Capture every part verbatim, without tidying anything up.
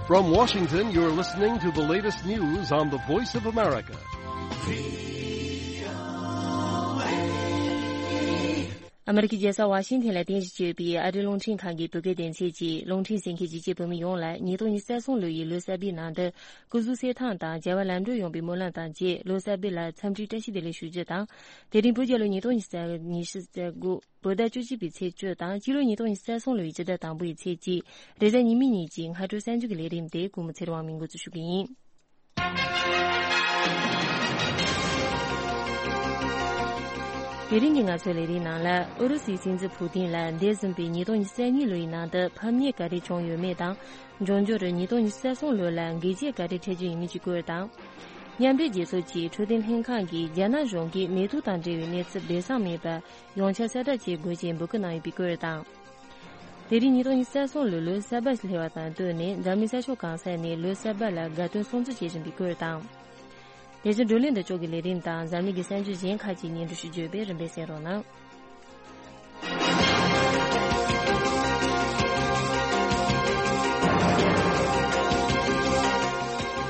From Washington, you're listening to the latest news on the Voice of America. ཨ་མེ་རི་ཀའི་རྒྱལ་ས་ཝ་ཤིང་ཐན་ལ་རྟེན་གཞི་བྱས་ཡོད་པའི་ཨ་རིའི་རླུང་འཕྲིན་ཁང་གི་བོད་སྐད་སྡེ་ཚན་གྱིས། རླུང་འཕྲིན་གསན་མཁན་གཞིས་བྱེས་བོད་མི་ཡོངས་ལ་ཉིས་སྟོང་ཉི་ཤུ་རྩ་གསུམ་ལོ་ཡི་ལོ་གསར་པའི་ནང་དུ་སྐུ་གཟུགས་གསལ་ཐང་དང་བྱ་བ་ལམ་འགྲོ་ཡོང་བའི་སྨོན་ལམ་དང་བཅས། ལོ་གསར་པའི་ལ་འཚམས་འདྲིའི་བཀྲ་ཤིས་བདེ་ལེགས་ཞུ་རྒྱུ་དང་། དེ་རིང་བོད་རྒྱལ་ལོ་ཉིས་སྟོང་ཉི་ཤུ་རྩ་དགུ་བོད་ཟླ་བཅུ་གཅིག་པའི་ཚེས་བཅུ་དང་། སྤྱི་ལོ་ཉིས་སྟོང་ཉི་ཤུ་རྩ་གསུམ་ལོའི་སྤྱི་ཟླ་དང་པོའི་ཚེས་གཅིག་རེས་གཟའ་ཉི་མའི་ཉིན་གྱི་སྔ་དྲོ་གསར་འགྱུར་གྱི་ལས་རིམ་དེ་ཀུན་མོ་ཚེ་རིང་དབང་མོས་འགོ་འཛུགས་ཞུ་གི་ཡིན། དེ་རིང་གི་ང་ཚོའི་ལས་རིམ་ནང་ལ། ཨུ་རུ་སུའི་སྲིད་འཛིན་ཕུ་ཏིན་ལ་འདས་ཟིན་པའི་ཉིས་སྟོང་ཉི་ཤུ་རྩ་གཉིས་ལོའི་ནང་དུ་ཕམ་ཉེས་ག་རེ་བྱུང་ཡོད་མེད་དང་། འབྱུང་འགྱུར་ཉིས་སྟོང་ཉི་ཤུ་རྩ་གསུམ་ལོ་ལ་འགུལ་སྐྱོད་ག་རེ་འཕྲད་རྒྱུ་ཡིན་མིན་གྱི་སྐོར་དང་། མཉམ་འབྲེལ་རྒྱལ་ཚོགས་ཀྱི་འཕྲོད་བསྟེན་ལྷན་ཁང་གིས་རྒྱ་ནག་གཞུང་གིས་ནེ་ཏུ་དང་འབྲེལ་བའི་གནས་ཚུལ་སྦས་གསང་མེད་པར་ཡོངས་ཁྱབ་གསལ་བསྒྲགས་བྱེད་དགོས་ཅེས་འབོད་སྐུལ་གནང་ཡོད་པའི་སྐོར་དང་། དེ་རིང་ཉིས་སྟོང་ཉི་ཤུ་རྩ་གསུམ་ལོའི་ལོ་གསར་པ་སླེབས་པ་དང་བསྟུན་ནས། འཛམ་གླིང་ས་ཕྱོགས་གང་ས་ནས་ལོ་གསར་པ་ལ་དགའ་སྟོན་སྲུང་བརྩི་བྱེད་བཞིན་པའི་སྐོར་དང་། དེ་བཞིན་བགྲོ་གླེང་འདི་ཕྱོགས་ཀྱི་ལས་རིམ་དང་། འཛམ་གླིང་གི་གསར་འགྱུར་གཞན་ཁག་ཅིག་སྙན་སྒྲོན་ཞུ་རྒྱུ་ཡོད་པས། རིམ་པས་གསན་རོགས་གནང་།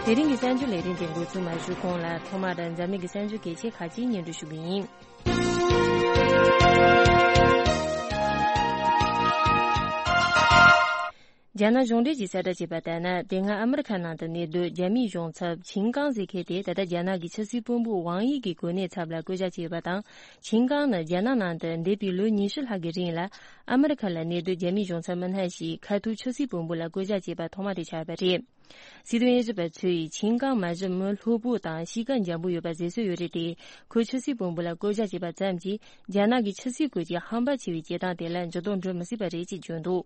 དེ་རིང་གི་གསར་འགྱུར་ལས་རིམ་དེ་འགོ་འཛུགས་མ་ཞུས་གོང་ལ། ཐོག་མར་འཛམ་གླིང་གི་གསར་འགྱུར་གལ་ཆེ་ཁག་ཅིག་སྙན་སྒྲོན་ཞུ་གི་ཡིན། རྒྱ་ནག་གཞུང་འབྲེལ་གྱིས་གསལ་བསྒྲགས་བྱས་པ་ལྟར་ན། དེ་སྔ་ཨ་མི་རི་ཁ་ནང་དུ་གནས་སྡོད་རྒྱ་མིའི་གཞུང་ཚབ་ཆིང་ཀང་ཟེར་མཁན་དེ། ད་ལྟ་རྒྱ་ནག་གི་ཕྱི་སྲིད་བློན་པོ་ཝང་དབྱི་གི་གོ་གནས་ཚབ་ལ་བསྐོ་བཞག་བྱས་ཡོད་པ་དང་། ཆིང་ཀང་ནི་རྒྱ་ནག་ནང་དུ་འདས་པའི་ལོ་ཉི་ཤུ་ལྷག་གི་རིང་ལ་ཨ་མི་རི་ཁ་ལ་གནས་སྡོད་རྒྱ་མིའི་གཞུང་ཚབ་མི་སྣ་ཞིག་ཁ་ཐུག་ཕྱི་སྲིད་བློན་པོ་ལ་བསྐོ་བཞག་བྱས་པ་ཐོག་མ་དེ་ཆགས་ཡོད་པ་རེད། སྲིད་དོན་དབྱེ་ཞིབ་པ་ཚོས་ཆིང་ཀང་མ་གཞི་མི་ལྷོད་པོ་དང་གཤིས་ཀ་འཇམ་པོ་ཡོད་པ་བཟོ་སྲོལ་ཡོད་རེད་དེ། ཁོས་ཕྱི་སྲིད་བློན་པོ་ལ་བསྐོ་བཞག་བྱས་པ་ཙམ་གྱིས་རྒྱ་ནག་གི་ཕྱི་སྲིད་ཁུལ་གྱི་ཧམ་པ་ཆེ་བའི་བྱེད་སྟངས་དེ་ལ་འགྱུར་ལྡོག་འགྲོ་མི་སྲིད་པ་རེད་ཅེས་བརྗོད་འདུག་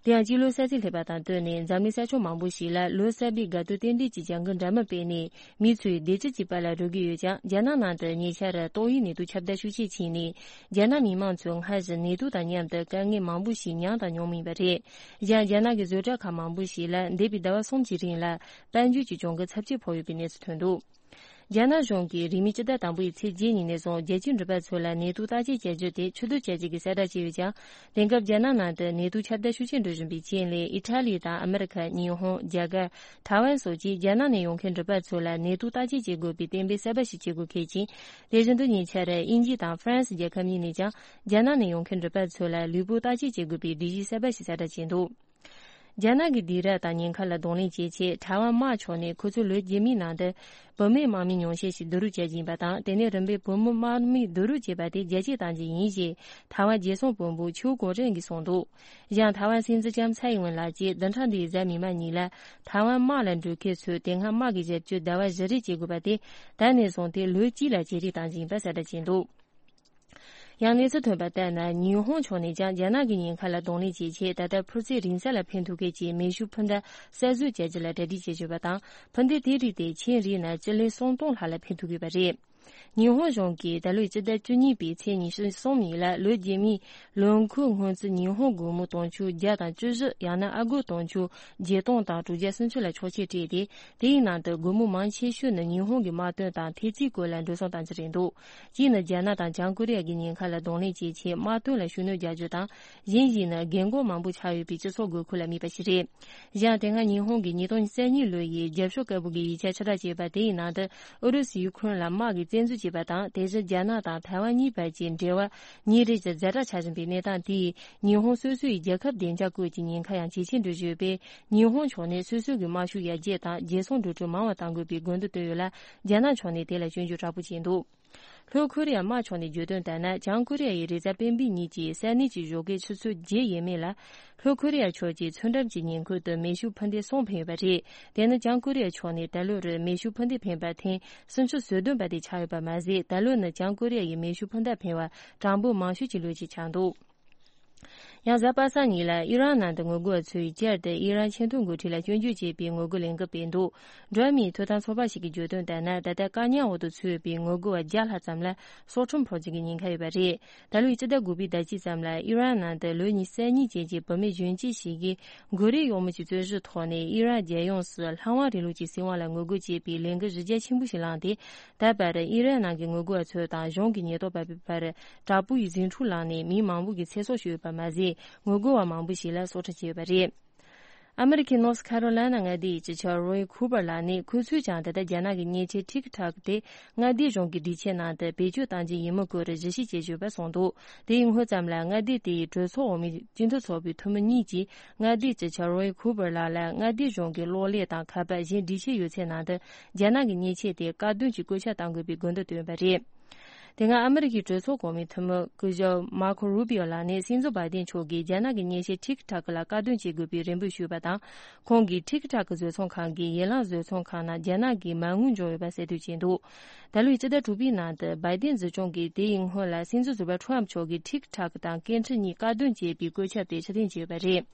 དེ་ཡང་སྤྱི་ལོ་གསར་ཚེས་སླེབས་པ་དང་བསྟུན་ནས། འཛམ་གླིང་ས་ཕྱོགས་མང་པོ་ཞིག་ལ་ལོ་གསར་པའི་དགའ་སྟོན་རྟེན་འབྲེལ་གྱི་བྱ་འགུལ་འདྲ་མིན་སྤེལ་ནས། མི་ཚོས་བདེ་སྐྱིད་ཀྱི་དཔལ་ལ་རོལ་གྱི་ཡོད་ཀྱང་། རྒྱ་ནག་ནང་དུ་ཉེ་ཆར་ཏོག་དབྱིབས་ནད་དུག་ཁྱབ་གདལ་ཤུགས་ཆེ་ཕྱིན་ནས། རྒྱ་ནག་མི་མང་ཚོས་སྔར་བཞིན་ནད་དུག་དང་མཉམ་དུ་དཀའ་ངལ་མང་པོ་ཞིག་མྱངས་དང་མྱོང་མུས་པ་རེད། གཞན། རྒྱ་ནག་གི་བཟོ་གྲྭ་ཁག་མང་པོ་ཞིག་ལ་འདས་པའི་ཟླ་བ་གསུམ་གྱི་རིང་ལ་དཔལ་འབྱོར་གྱི་གྱོང་གུན་ཚབས་ཆེ་ཕོག་ཡོད་པའི་གནས་ཚུལ་ཐོན་འདུག་རྒྱ་ནག་གཞུང་གིས་རིང་མིན་སྤྱི་ཟླ་དང་པོའི་ཚེས་བརྒྱད་ཉིན་ནས་བཟུང་། རྒྱལ་སྤྱིའི་འགྲུལ་པ་ཚོ་ལ་ནད་དུག་བརྟག་དཔྱད་བྱ་རྒྱུ་དེ་ཕྱིར་བསྡུ་བྱ་རྒྱུ་གི་གསལ་བསྒྲགས་བྱས་ཡོད་ཀྱང་། དེང་སྐབས་རྒྱ་ནག་ནང་དུ་ནད་དུག་ཁྱབ་གདལ་ཤུགས་ཆེ་འགྲོ་བཞིན་པའི་རྐྱེན་ལས། ཨི་ཊ་ལི་དང་ཨ་མི་རི་ཁ། ཉི་ཧོང་། རྒྱ་གར། ཐའེ་ཝན་སོགས་ཀྱིས་རྒྱ་ནག་ནས་ཡོང་མཁན་འགྲུལ་པ་ཚོ་ལ་ནད་དུག་བརྟག་དཔྱད་བྱེད་དགོས་པའི་གཏན་འབེབས་གསར་པ་ཞིག་བྱེད་དགོས་འཁེལ་ཅིང་། དེ་བཞིན་དུ་ཉེ་ཆར་དབྱིན་ཇི་དང་ཧྥ་རན་སི་རྒྱལ་ཁབ་གཉིས་ནས་ཀྱང་རྒྱ་ནག་ནས་ཡོང་མཁན་འགྲུལ་པ་ཚོ་ལ་ལུས་པོ་བརྟག་དཔྱད་བྱེད་དགོས་པའི་སྒྲིག་གཞི་གསར་པ་ཞིག་གསལ་བསྒྲགས་བྱས་འདུག་རྒྱ་ནག་གིས་དུས་རབས་དང་ཉེན་ཁ་ལ་གདོང་ལེན་བྱེད་ཆེད། ཐའེ་ཝན་དམག་ཕྱོགས་ནས་ཁོ་ཚོའི་ལོ་རྗེས་མའི་ནང་དུ་བུད་མེད་དམག་མི་ཉུང་ཤས་ཤིག་བསྡུ་རུབ་བྱེད་ཀྱི་ཡིན་པ་དང་། དེ་ནས་རིམ་པས་བུད་མེད་དམག་མི་བསྡུ་རུབ་བྱེད་པ་དེ་རྒྱ་སྐྱེད་གཏང་རྒྱུ་ཡིན་ཞེས་ཐའེ་ཝན་རྒྱལ་སྲུང་བློན་པོ་ཆིའུ་ཀོང་ཀྲེང་གིས་གསུངས་འདུག་གཞན། ཐའེ་ཝན་སྲིད་འཛིན་ལྕམ་ཚའེ་ཡིན་ཝེན་ལགས་ཀྱིས་བདུན་ཕྲག་འདིའི་གཟའ་མིག་དམར་ཉིན་ལ། ཐའེ་ཝན་དམག་ལ་འགྲོ་མཁན་ཚོས་དེ་སྔ་དམག་གི་ཞབས་ཞུ་ཟླ་བ་བཞི་རེ་བྱེད་དགོས་པ་དེ། ད་ནས་བཟུང་དེ་ལོ་གཅིག་ལ་ཇེ་རེ་གཏང་རྒྱུ་ཡིན་པ་གསལ་བསྒྲགས་བྱས་འདུག་ཡང་གནས་ཚུལ་ཐོན་པ་ལྟར་ན། ཉི་ཧོང་ཕྱོགས་ནས་ཀྱང་རྒྱ་ནག་གི་ཉེན་ཁ་ལ་གདོང་ལེན་བྱེད་ཆེད། ད་ལྟ་འཕུར་མཚེས་རིང་ས་ལ་འཕེན་ཐུབ་མཁན་གྱི་མེ་ཤུགས་འཕུར་མདའ་གསར་བཟོ་བྱ་རྒྱུ་ལ་གྲ་སྒྲིག་བྱེད་བཞིན་པ་དང་། འཕུར་མདའ་དེའི་རིགས་དེ་ཆིན་རིགས་ནང་སྤྱི་ལེ་སུམ་སྟོང་ལྷག་ལ་འཕེན་ཐུབ་ཡོད་པ་རེད། ཉི་ཧོང་གཞུང་གིས་ད་ལོའི་སྤྱི་ཟླ་བཅུ་གཉིས་པའི་ཚེས་ཉི་ཤུ་གསུམ་ཉིན་ལ། ལོ་རྗེས་མའི་ལོ་འཁོར་སྔོན་རྩིས་ཉི་ཧོང་སྒོར་མོ་དུང་ཕྱུར་བརྒྱ་དང་བཅུ་བཞི། ཡང་ན་ཨ་སྒོར་དུང་ཕྱུར་བརྒྱད་སྟོང་དང་དྲུག་བརྒྱ་སུམ་ཅུ་ལ་ཆོག་མཆན་སྤྲད་དེ། དེའི་ནང་དུ་སྒོར་མོ་མང་ཆེ་ཤོས་ནི་ཉི་ཧོང་གི་དམག་དོན་དང་ཐེབས་རྩའི་སྐོར་ལ་འགྲོ་སོང་གཏང་རྒྱུ་རེད་འདུག་གཅིག་ནི་རྒྱ་ནག་དང་བྱང་ཀོ་རི་ཡ་གི་ཉེན་ཁ་ལ་གདོང་ལེན་བྱེད་ཆེད་དམག་དོན་ལ་ཤུགས་སྣོན་རྒྱག་རྒྱུ་དང་། གཞན་ཞིག་ནི་རྒན་གོག་མང་པོ་ཆགས་ཡོད་པའི་སྤྱི་ཚོགས་དགོས་མཁོ་ལ་དམིགས་པ་ཞིག་རེད། གཞན། དེ་སྔ་ཉི་ཧོང་གིས་ཉིས་སྟོང་ཉི་ཤུ་རྩ་གཉིས་ལོ་ཡི་རྒྱབ་ཕྱོགས་དཀར་པོ་གི་ཡིག་ཆ་ཕྱིར་བསྒྲགས་བྱས་པ་དེའི་ནང་དུ། ཨུ་རུ་སུས་ཡུ་ཁུ་རེན་ལ་དམག་གི་བཙན་འཛུལ་བྱས་པ་དང་། དེ་བཞིན་རྒྱ་ནག་དང་ཐའེ་ཝན་གཉིས་བར་གྱི་འབྲེལ་བ་ཉིན་རེ་བཞིན་ཛ་དྲག་ཆགས་བཞིན་པའི་གནས་སྟངས་དེས། ཉི་ཧོང་སོ་སོའི་རྒྱལ་ཁབ་བདེ་འཇགས་སྐོར་གྱི་ཉེན་ཁ་ཡང་ཇེ་ཆེར་འགྲོ་བཞིན་ཡོད་པས། ཉི་ཧོང་ཕྱོགས་ནས་སོ་སོ་གི་དམག་ཤུགས་ཡར་རྒྱས་དང་། རྒྱལ་སྲུང་འགྲོ་གྲོན་མང་བ་གཏང་དགོས་པའི་དགོས་འདུན་བཏོན་ཡོད་ལ། རྒྱ་ནག་ཕྱོགས་ནས་དེ་ལ་སྐྱོན་བརྗོད་དྲག་པོ་བྱས་འདུག་ལྷོ་ཁོ་རེ་ཡ་དམག་ཕྱོགས་ནས་བརྗོད་དོན་ལྟར་ན། བྱང་ཁོ་རེ་ཡ་ཡིས་རེས་གཟའ་སྤེན་པའི་ཉིན་གྱི་ས་གནས་ཀྱི་ཞོགས་ཀའི་ཆུ་ཚོད་བརྒྱད་ཡས་མས་ལ། ལྷོ་ཁོ་རེ་ཡ་ཕྱོགས་ཀྱིས་མཚོ་འགྲམ་གྱི་ཉེ་འཁོར་དུ་མེ་ཤུགས་འཕུར་མདེལ་གསུམ་འཕེན་ཡོད་པ་རེད། དེ་ནི་བྱང་ཁོ་རེ་ཡ་ཕྱོགས་ནས་ད་ལོར་མེ་ཤུགས་འཕུར་མདེལ་འཕེན་པ་ཐེངས་སུམ་ཅུ་སོ་བདུན་པ་དེ་ཆགས་ཡོད་པ་མ་ཟད། ད་ལོ་ནི་བྱང་ཁོ་རེ་ཡ་ཡིས་མེ་ཤུགས་འཕུར་མདའ་འཕེན་པ་གྲངས་འབོར་མང་ཤོས་ཀྱི་ལོ་ཞིག་ཆགས་འདུག་ཡང་གཟའ་པ་སངས་ཉིན་ལ་ཨི་རན་ནང་དུ་ངོ་རྒོལ་བ་ཚོས་བསྐྱར་དུ་ཨི་རན་ཆེས་མཐོའི་འགོ་ཁྲིད་ལ་སྐྱོན་བརྗོད་བྱས་པའི་ངོ་རྒོལ་ལས་འགུལ་སྤེལ་འདུག་འགྲོ་བ་མིའི་ཐོབ་ཐང་ཚོགས་པ་ཞིག་གིས་བརྗོད་དོན་ལྟར་ན། ད་ལྟ་བཀག་ཉར་འོག་ཏུ་ཚུད་པའི་ངོ་རྒོལ་བ་བརྒྱ་ལྷག་ཙམ་ལ་སྲོག་ཁྲིམས་ཕོག་རྒྱུ་གི་ཉེན་ཁ་ཡོད་པ་རེད། ད་ལོའི་སྤྱི་ཟླ་དགུ་པའི་ཟླ་གཅིག་ཙམ་ལ་ཨི་རན་ནང་དུ་ལོ་ཉི་ཤུ་རྩ་གཉིས་ཅན་གྱི་བུད་མེད་གཞོན་སྐྱེས་ཤིག་གིས་མགོ་རིལ་གཡོག་མོ་གྱི་རྩོད་གཞི་ཐོག་ནས་ཨི་རན་རྒྱལ་ཡོངས་སུ་ལྷ་དབང་རིང་ལུགས་ཀྱི་སྲིད་དབང་ལ་ངོ་རྒོལ་བྱེད་པའི་ལས་འགུལ་གཞི་རྒྱ་ཆེན་པོ་ཞིག་བསླངས་ཏེ། ད་བར་ཨི་རན་ནང་གི་ངོ་རྒོལ་བ་ཚོ་དང་གཞུང་གི་ཉེན་རྟོག་པ་བར་དྲག་པོའི་ཟིང་འཁྲུག་ལངས་ནས་མི་མང་པོ་གི་ཚེ་སྲོག་ཤོར་ཡོད་པ་མ་ཟད། ངོ་རྒོལ་བ་མང་པོ་ཞིག་ལ་སྲོག་ཁྲིམས་བཅད་ཡོད་པ་རེད། ཨ་མི་རི་ཀའི་ནོར་ཐི་ཁ་རོ་ལི་ན་མངའ་སྡེའི་སྤྱི་ཁྱབ་རོའི་ཁུ་པར་ལགས་ནི། ཁོ་ཚོས་ཀྱང་ད་ལྟ་རྒྱ་ནག་གི་མཉེན་ཆས་ཊིག་ཊོག་དེ་མངའ་སྡེ་གཞུང་གི་སྒྲིག་ཆས་ནང་དུ་བེད་སྤྱོད་གཏང་རྒྱུ་ཡིན་མིན་སྐོར་གཞི་བྱས་བྱས་ཡོད་པ་གསུངས་འདུག་དེ་ཡི་སྔོན་ཙམ་ལ་མངའ་སྡེ་དེའི་གྲོས་ཚོགས་འོག་མའི་སྤྱི་འཐུས་ཚོགས་པའི་འཐུས་མི་གཉིས་ཀྱིས་མངའ་སྡེའི་སྤྱི་ཁྱབ་རོའི་ཁུ་པར་ལགས་ལ་མངའ་སྡེ་གཞུང་གི་གློག་ཀླད་དང་ཁ་པར་གཞན་སྒྲིག་ཆས་ཡོད་ཚད་ནང་དུ་རྒྱ་ནག་གི་མཉེན་ཆས་དེ་བཀག་སྡོམ་གྱི་བཀོད་ཁྱབ་གཏང་དགོས་པའི་དགོས་འདུན་བཏོན་པ་རེད། དེ་སྔ་ཨ་མི་རི་ཀའི་གྲོས་ཚོགས་གོང་མའི་འཐུས་མི་སྐུ་ཞབས་མར་ཁོ་རུ་པིའོ་ལགས་ནས་སྲིད་འཛིན་བྷའི་ཏིན་མཆོག་གིས་རྒྱ་ནག་གི་མཉེན་ཆས་ཊིག་ཊོག་ལ་བཀག་སྡོམ་བྱེད་དགོས་པའི་རེ་འབོད་ཞུས་པ་དང་། ཁོང་གིས་ཊིག་ཊོག་གི་བཟོ་ཚོང་ཁང་གིས་ཡན་ལག་བཟོ་ཚོང་ཁང་ནང་རྒྱ་ནག་གི་མ་དངུལ་འཇོག་ཡོད་པ་གསལ་སྟོན་བྱས་འདུག་ད་ལོའི་སྤྱི་ཟླ་དྲུག་པའི་ནང་དུ་བྷའི་ཏིན་སྲིད་གཞུང་གིས་དེ་ཡི་སྔོན་ལ་སྲིད་འཛིན་ཟུར་པ་ཁྲོམ་མཆོག་གིས་ཊིག་ཊོག་དང་སྐད་འཕྲིན་གཉིས་བཀག་སྡོམ་བྱས་པའི་བཀོད་ཁྱབ་དེ་ཕྱིར་འཐེན་བྱས་ཡོད་པ་རེད།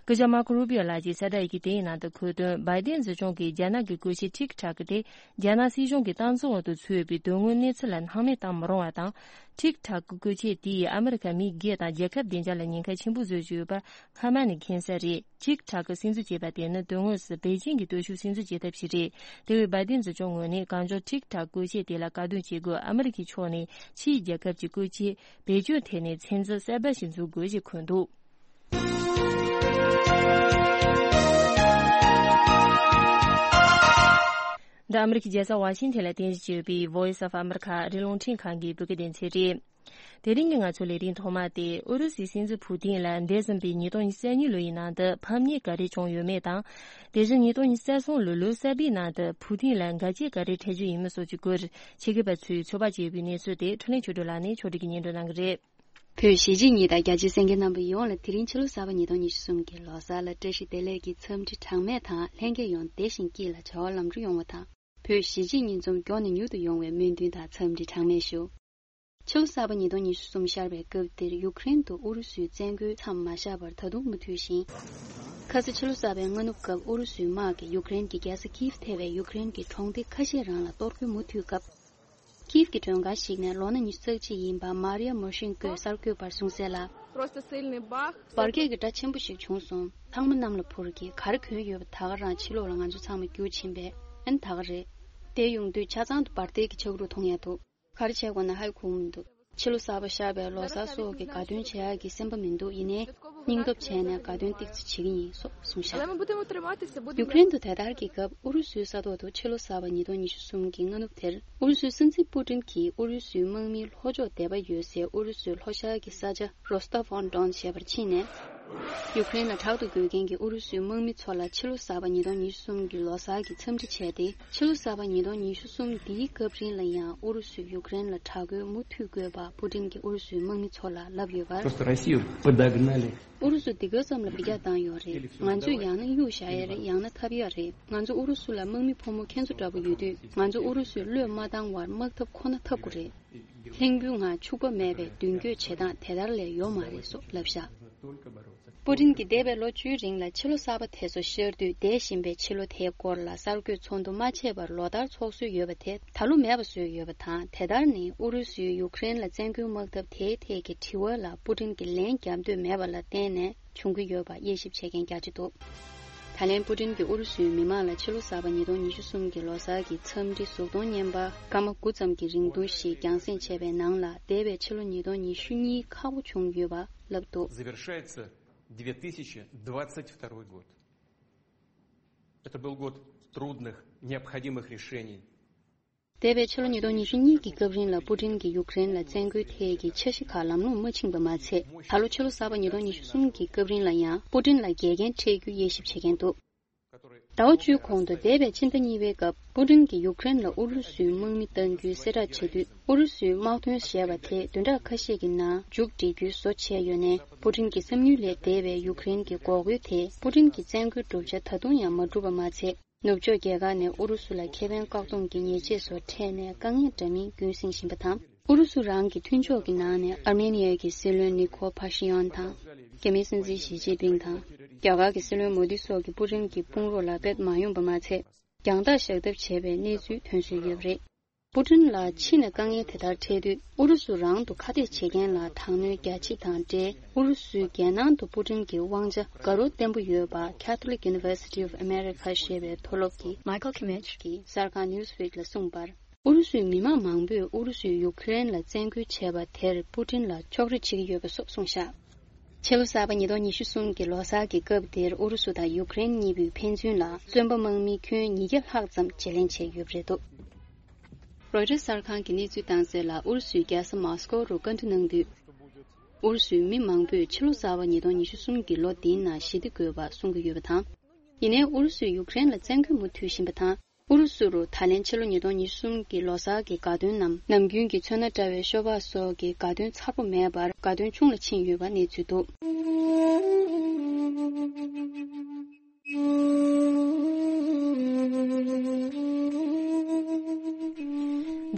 སྐུ་ཞབས་མར་ཁོ་རུ་པིའོ་ལགས་ཀྱིས་གསལ་བསྒྲགས་ཡི་གེ་དེའི་ནང་དུ་འཁོད་དོན། བྷའི་ཏིན་སྲིད་གཞུང་གིས་རྒྱ་ནག་གི་བཀོལ་ཆས་ཊིག་ཊོག་དེ་རྒྱ་ནག་སྲིད་གཞུང་གི་སྟངས་འཛིན་འོག་ཏུ་ཚུད་པའི་དོན་དངོས་གནས་ཚུལ་ལ་སྣང་མེད་བཏང་མི་རུང་བ་དང་། ཊིག་ཊོག་གི་བཀོལ་ཆས་དེས་ཨ་མི་རི་ཀ་མི་སྒེར་དང་རྒྱལ་ཁབ་བདེ་འཇགས་ལ་ཉེན་ཁ་ཆེན་པོ་བཟོས་ཀྱི་ཡོད་པ་སྔ་མ་ནས་མཁྱེན་གསལ་རེད། ཊིག་ཊོག་གིས་སྲིད་འཛིན་བྱས་པ་དེ་ནི་དོན་དངོས་སུ་པེ་ཅིང་གི་སྟོབས་ཤུགས་སྲིད་འཛིན་བྱེད་ཐབས་ཤིག་རེད། དེ་བས་བྷའི་ཏིན་སྲིད་གཞུང་ངོས་ནས་གང་མགྱོགས་ཊིག་ཊོག་བཀོལ་ཆས་དེ་ལ་བཀག་སྡོམ་བྱེད་དགོས། ཨ་མི་རི་ཀའི་ཕྱོགས་ནས་ཕྱིའི་རྒྱལ་ཁབ་ཀྱི་བཀོལ་ཆས་བེད་སྤྱོད་ཐད་ནས་ཚད་འཛིན་གསར་པ་ཞིག་འཛུགས་དགོས་ཞེས་འཁོད་འདུག་འདི་ཨ་མི་རི་ཀའི་རྒྱལ་ས་ཝ་ཤིང་ཐན་ལ་རྟེན་གཞི་བྱས་ཡོད་པའི་Voice of America ཨ་རིའི་རླུང་འཕྲིན་ཁང་གི་བོད་སྐད་སྡེ་ཚན་རེད། དེ་རིང་གི་ང་ཚོའི་ལས་རིམ་ཐོག་མ་དེ་ཨུ་རུ་སུའི་སྲིད་འཛིན་ཕུ་ཏིན་ལ་འདས་ཟིན་པའི་ཉིས་སྟོང་ཉི་ཤུ་རྩ་གཉིས་ལོ་ཡི་ནང་དུ་ཕམ་ཉེས་ག་རེ་བྱུང་ཡོད་མེད་དང་། དེ་བཞིན་ཉིས་སྟོང་ཉི་ཤུ་རྩ་གསུམ་ལོའི་ལོ་གསར་པའི་ནང་དུ་ཕུ་ཏིན་ལ་འགལ་རྐྱེན་ག་རེ་འཕྲད་རྒྱུ་ཡིན་མིན་སོགས་ཀྱི་སྐོར་ཆེད་མཁས་པ་ཚོས་ཚོད་དཔག་བྱས་ཡོད་པའི་གནས་ཚུལ་དེ་འཕྲིན་ལས་ཆོས་སྒྲོན་ལགས་ནས་ཕྱོགས་སྒྲིག་གིས་སྙན་སྒྲོན་གནང་གི་རེད། བོད་གཞིས་བྱེས་གཉིས་དང་རྒྱ་ཆེའི་གསན་མཁན་རྣམ་པ་ཡོངས་ལ་དེ་རིང་ཕྱི་ལོ་གསར་པ་ཉིས་སྟོང་ཉི་ཤུ་གསུམ་གྱི་ལོ་གསར་ལ་བཀྲ་ཤིས་བདེ་ལེགས་ཀྱི་འཚམས་འདྲི་གྲངས་མེད་དང་ལྷན་རྒྱས་ཡོངས་བདེ་ཞིང་སྐྱིད་ལ་བྱ་བ་ལམ་འགྲོ་ཡོང་བ་དང་། བོད་གཞིས་བྱེས་གཉིས་འཛོམས་མགྱོགས་ནས་མྱུར་དུ་ཡོང་བའི་སྨོན་འདུན་དང་འཚམས་འདྲི་གྲངས་མེད་ཞུ། ཕྱི་ལོ་གསར་པ་ཉིས་སྟོང་ཉི་ཤུ་གསུམ་ཤར་བའི་སྐབས་འདིར་ཡུཀ་རེན་དུ་ཨུ་རུ་སུའི་བཙན་རྒོལ་མཚམས་མ་བཞག་པར་ད་དུང་མུ་མཐུད་བཞིན། ཁ་ས་ཕྱི་ལོ་གསར་པའི་སྔ་ནུབ་སྐབས་ཨུ་རུ་སུའི་དམག་གིས་ཡུཀ་རེན་གྱི་རྒྱལ་ས་ཀིབ་ཐེ་བའི་ཡུཀ་རེན་གྱི་གྲོང་སྡེ་ཁ་ཤས་རང་ལ་གཏོར་རྒོལ་མུ་མཐུད་སྐབས། ཀིབ་ཀྱི་མགྲོན་ཁང་ཞིག་ནས་ལོ་ན་ཉི་ཤུ་རྩ་གཅིག་ཡིན་པ་མ་རི་ཡ་མོ་ཤིན་ཀོས་གསར་འགོད་པར་གསུངས་གསལ་ལ། Просто сильный бах. འབར་གས་ཀྱི་སྒྲ་ཆེན་པོ་ཞིག་བྱུང་སོང་། ཚང་མ་གནམ་ལ་འཕུར་གྱིས་ག་རེ་གྱོན་ཡོད་པ་ད་ག་རང་ཕྱི་ལོགས་ལ་ང་ཚོ་ཚང་མ་རྒྱུག་ཕྱིན་པས་ཨན་ད་ག་རེད། དེ་ཡོང་དུས་ཆ་ཚང་དུ་འབར་མདེལ་གྱི་ཆག་རུ་མཐོང་ཡ་འདུག་ག་རེ་བྱས་དགོས་ན་ཧ་གོ་མི་འདུག་ཕྱི་ལོ་གསར་པ་ཤར་བའི་ལོ་གསར་སོགས་ཀྱི་དགའ་སྟོན་བྱེད་ཡག་གི་སེམས་པ་མི་འདུག་ཡིན་ནའི་སྙིང་སྟོབས་བྱས་ནས་དགའ་སྟོན་ཏོག་ཙམ་བྱེད་ཀྱི་ཡིན་སོགས་གསུངས་ཤག་ཡུཀ་རེན་དུ་དེ་ལྟར་གྱི་སྐབས་ཨུ་རུ་སུའི་ས་ཐོག་ཏུ་ཕྱི་ལོ་གསར་པ་ཉིས་སྟོང་ཉི་ཤུ་གསུམ་གྱི་སྔ་ནུབ་དེར་ཨུ་རུ་སུའི་སྲིད་འཛིན་པུ་ཏིན་གྱིས་ཨུ་རུ་སུའི་དམག་མིའི་ལྷོ་ཕྱོགས་སྡེ་པ་ཡོད་སའི་ཨུ་རུ་སུའི་ལྷོ་ཤར་གྱི་ས་ཆ་རོ་སྟོབ་ཨོན་ཌོན་ཞེས་པར་ཕྱིན་ནས། ཡུཀ་རེན་ལ་དྲག་ཏུ་རྒོལ་མཁན་གྱི་ཨུ་རུ་སུའི་དམག་མི་ཚོ་ལ་ཕྱི་ལོ་གསར་པ་ཉིས་སྟོང་ཉི་ཤུ་གསུམ་གྱི་ལོ་གསར་གྱི་འཚམས་འདྲི་བྱས་ཏེ། ཕྱི་ལོ་གསར་པ་ཉིས་སྟོང་ཉི་ཤུ་གསུམ་འདིའི་སྐབས་རིང་ལ་ཡང་ཨུ་རུ་སུས་ཡུཀ་རེན་ལ་དྲག་རྒོལ་མུ་མཐུད་དགོས་པ་པུ་ཏིན་གྱིས་ཨུ་རུ་སུའི་དམག་མི་ཚོ་ལ་ལབ་ཡོད་པར། Просто Россию подогнали. ཨུ་རུ་སུ་འདི་ག་ཙམ་ལ་འཕེལ་རྒྱས་བཏང་ཡོད་རེད། ང་ཚོས་ཡང་ན་གཡུག་བཞག་ཡ་རེད། ཡང་ན་འཐབ་ཡ་རེད། ང་ཚོ་ཨུ་རུ་སུ་ལ་དམག་མི་ཕོ་མོ་ཁྱེད་ཚོ་འདྲ་པོ་ཡོད་དུས། ང་ཚོ་ཨུ་རུ་སུས་བློས་མ་བཏང་བར་དམག་འཐབ་ཁོ་ན་འཐབ་དགོས་རེད། ལྷིང་འབུའི་ངང་ཕྱུག་པོ་མེད་པའི་མདུན་སྐྱོད་བྱེད་སྟངས་དེ་ལྟར་ལས་ཡོད་མ་རེད་སོགས་ལབ་བཞག་པུ་ཏིན་གྱིས་འདས་པའི་ལོ་བཅུའི་རིང་ལ་ཕྱི་ལོ་གསར་པ་དེ་ཚོ་ཤར་དུས་འདས་ཟིན་པའི་ཕྱི་ལོ་དེའི་སྐོར་ལ་གསར་འགོད་ཚོགས་འདུ་མ་བྱས་པར་ལོ་ལྟར་ཚོགས་སྲོལ་ཡོད་པ་དེ་ད་ལོ་མེད་པ་བཟོས་ཡོད་པ་དང་། དེ་ལྟར་ནི་ཨུ་རུ་སུས་ཡུཀ་རེན་ལ་བཙན་རྒོལ་དམག་འཐབ་དེའི་ཐད་ཀྱི་དྲི་བ་ལ་པུ་ཏིན་གྱིས་ལན་རྒྱག་འདོད་མེད་པ་ལ་བརྟེན་ནས་བྱུང་གི་ཡོད་པ་དབྱེ་ཞིབ་བྱེད་མཁན་རྒྱ་ཆེ་འདུག་ད་ལན་པུ་ཏིན་གྱིས་ཨུ་རུ་སུའི་མི་མང་ལ་ཕྱི་ལོ་གསར་པ་ཉིས་སྟོང་ཉི་ཤུ་གསུམ་གྱི་ལོ་གསར་གྱི་འཚམས་འདྲི་གཟུགས་མཐོང་བརྙན་པར་སྐར་མ་དགུ་ཙམ་གྱི་རིང་ཐུང་ཞིག་རྒྱང་སྲིང་བྱས་པའི་ནང་ལ། འདས་པའི་ཕྱི་ལོ་ཉིས་སྟོང་ཉི་ཤུ་གཉིས་ཁག་པོ་བྱུང་ཡོད་པ་ལབ་འདུག Завершается две тысячи двадцать второй год. Это был год трудных, необходимых решений. འདས་པའི་ཕྱི་ལོ་ཉིས་སྟོང་ཉི་ཤུ་གཉིས་ཀྱི་སྐབས་རིང་ལ་པུ་ཏིན་གྱིས་ཡུཀ་རེན་ལ་བཙན་རྒོལ་ཐད་ཀྱི་འཆར་གཞི་ཁག་ལམ་ལྷོང་མ་ཕྱིན་པ་མ་ཚད། ད་ལོ་ཕྱི་ལོ་གསར་པ་ཉིས་སྟོང་ཉི་ཤུ་གསུམ་གྱི་སྐབས་རིང་ལ་ཡང་པུ་ཏིན་ལ་འགལ་རྐྱེན་འཕྲད་རྒྱུ་དབྱེ་ཞིབ་བྱེད་མཁན་འདུག་ཟླ་བ་བཅུའི་གོང་དུ་འདས་པའི་ཕྱི་ཟླ་གཉིས་པའི་སྐབས་པུ་ཏིན་གྱིས་ཡུཀ་རེན་ལ་ཨུ་རུ་སུའི་དམག་མི་གཏང་རྒྱུའི་གསལ་བསྒྲགས་བྱེད་དུས། ཨུ་རུ་སུའི་དམག་དོན་ཞེས་པ་དེ་བདུན་ཕྲག་ཁ་ཤས་ཀྱི་ནང་མཇུག་སྒྲིལ་རྒྱུའི་བཟོ་བྱས་ཡོད་ནའི། པུ་ཏིན་གྱི་བསམ་ཡུལ་ལས་འདས་པའི་ཡུཀ་རེན་གྱི་འགོག་རྒོལ་དེས་པུ་ཏིན་གྱི་བཙན་རྒོལ་བསྒྲུབ་བྱ་ད་དུང་ཡང་མ་འགྲུབ་པ་མ་ཚད། ནུབ་ཕྱོགས་རྒྱལ་ཁག་ནས་ཨུ་རུ་སུ་ལ་ཁེ་ཕན་བཀག་སྡོམ་གྱི་ཉེས་ཆད་སོགས་འཕྲད་ནས་དཀའ་ངལ་འདྲ་མིན་རྒྱུན་བསྲིངས་བཞིན་པ་དང་། ཨུ་རུ་སུ་རང་གི་མཐུན་ཕྱོགས་ཀྱི་ནང་ནས་ཨར་མེ་ནི་ཡའི་གི་སྲིད་བློན་ནི་ཁོ་ཕ་ཤི་ཡོན་དང་། རྒྱ་མིའི་སྲིད་འཛིན་ཞི་ཅིན་ཕིང་དང་། རྒྱ་གར་གྱི་སྲིད་བློན་མོ་དི་སོགས་ཀྱིས་པུ་ཏིན་གྱི་དཔུང་རོགས་ལ་དཔེ་མ་ཡོང་པ་མ་ཚད། རྒྱང་ཐག་བཞག་ཐབས་བྱས་པའི་གནས་ཚུལ་ཐོན་བཟོས་ཡོད་པ་རེད། པུ་ཏིན་ལ་ཕྱི་ནས་དཀའ་ངལ་དེ་ལྟར་འཕྲད་དུས། ཨུ་རུ་སུ་རང་དུ་ཁ་གཏད་བྱེད་མཁན་ལ་དྲག་གནོན་རྒྱ་ཆེ་དང་འབྲེལ། ཨུ་རུ་སུའི་རྒྱལ་ནང་དུ་པུ་ཏིན་གྱི་དབང་ཆ་དགའ་རབ་བརྟན་པོ་ཡོད་པ། Catholic University of America ཞེས་པའི་མཐོ་སློབ་ཀྱི་Michael Kimmich གིས་གསར་ཁང་Newsweek ལ་གསུངས་པར། ཨུ་རུ་སུའི་མི་མང་མང་པོས་ཨུ་རུ་སུས་ཡུཀ་རེན་ལ་བཙན་རྒོལ་བྱས་པ་དེར་པུ་ཏིན་ལ་ཕྱོགས་རིས་བྱེད་ཀྱི་ཡོད་པ་སོགས་གསུངས་བཞག་ཕྱི་ལོ་གསར་པ་ཉིས་སྟོང་ཉི་ཤུ་གསུམ་གྱི་ལོ་གསར་གྱི་སྐབས་དེར་ཨུ་རུ་སུ་དང་ཡུཀ་རེན་གཉིས་པོས་ཕན་ཚུན་ལ་བཙོན་པ་དམག་མི་ཁྱོན་ཉིས་བརྒྱ་ལྷག་ཙམ་བརྗེ་ལེན་བྱས་ཡོད་པ་རེད་འདུག་རོའི་ཊར་གསར་ཁང་གིས་གནས་ཚུལ་བཏང་གསལ་ལ། ཨུ་རུ་སུའི་རྒྱལ་ས་མོ་སི་ཀོ་རུ་བཀའ་འདྲི་གནང་དུས། ཨུ་རུ་སུའི་མི་མང་པོས་ཕྱི་ལོ་གསར་པ་ཉིས་སྟོང་ཉི་ཤུ་གསུམ་གྱི་ལོ་འདིའི་ནང་ཞི་བདེ་དགོས་པ་གསུང་གི་ཡོད་པ་དང་། ཡིན་ནའི་ཨུ་རུ་སུས་ཡུཀ་རེན་ལ་བཙན་རྒོལ་མུ་མཐུད་བཞིན་པ་དང་། ཨུ་རུ་སུ་རུ་ད་ལན་ཕྱི་ལོ་ཉིས་སྟོང་ཉི་ཤུ་གསུམ་གྱི་ལོ་གསར་གྱི་དགའ་སྟོན་ནམ། ནམ་རྒྱུན་གྱི་ཚོན་སྣ་བཀྲ་བའི་ཤོ་སྦག་སོགས་ཀྱི་དགའ་སྟོན་མཚར་པོ་མེད་པར། དགའ་སྟོན་ཆུང་ལ་ཕྱིན་ཡོད་པ་གནས་ཚུལ་འདུག་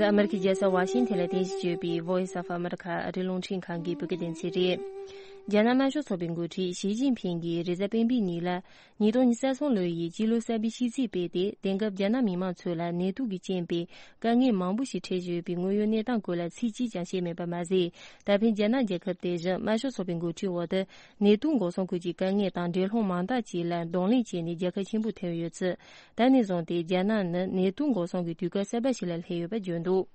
འདི་ཨ་མེ་རི་ཁའི་རྒྱལ་ས་ཝ་ཤིང་ཐན་ལ་རྟེན་གཞི་བྱས་པའི་Voice of America ཨ་རིའི་རླུང་འཕྲིན་ཁང་གི་བོད་སྐད་སྡེ་ཚན་རེད། རྒྱ་ནག་དམར་ཤོག་ཚོགས་པའི་འགོ་ཁྲིད་ཞི་ཅིན་ཕིང་གིས་རེས་གཟའ་སྤེན་པའི་ཉིན་ལ། ཉིས་སྟོང་ཉི་ཤུ་རྩ་གསུམ་ལོ་ཡི་སྤྱི་ལོ་གསར་པའི་ཤིས་ཚིག་སྤེལ་ཏེ། དེང་སྐབས་རྒྱ་ནག་མི་མང་ཚོ་ལ་ནད་དུག་གི་རྐྱེན་པས་དཀའ་ངལ་མང་པོ་ཞིག་འཕྲད་བཞིན་ཡོད་པའི་དངོས་ཡོད་གནས་སྟངས་སྐོར་ལ་ཚིག་གཅིག་ཀྱང་བཤད་མེད་པ་མ་ཟད། ད་ཕན་རྒྱ་ནག་རྒྱལ་ཁབ་དེ་བཞིན་དམར་ཤོག་ཚོགས་པའི་འགོ་ཁྲིད་འོག་ཏུ་ནད་དུག་འགོག་སྲུང་སྐོར་གྱི་དཀའ་ངལ་དང་འགྲན་སློང་མང་དག་ཅིག་ལ་གདོང་ལེན་བྱས་ནས་རྒྱལ་ཁ་ཆེན་པོ་ཐོན་ཡོད་ཚུལ། ད་ནས་བཟུང་སྟེ་རྒྱ་ནག་ནི་ནད་དུག་འགོག་སྲུང་གི་དུས་སྐབས་གསར་པ་ཞིག་ལ་སླེབས་ཡོད་པ་བརྗོད་འདུག་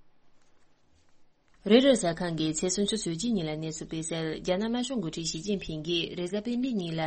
རོའི་ཊར་གསར་ཁང་གིས་ཚེས་སུམ་ཅུ་ཚེས་གཅིག་ཉིན་ལ་གནས་ཚུལ་སྤེལ་གསལ། རྒྱ་ནག་དམར་ཤོག་འགོ་ཁྲིད་ཞི་ཅིན་ཕིང་གིས་རེས་གཟའ་སྤེན་པའི་ཉིན་ལ་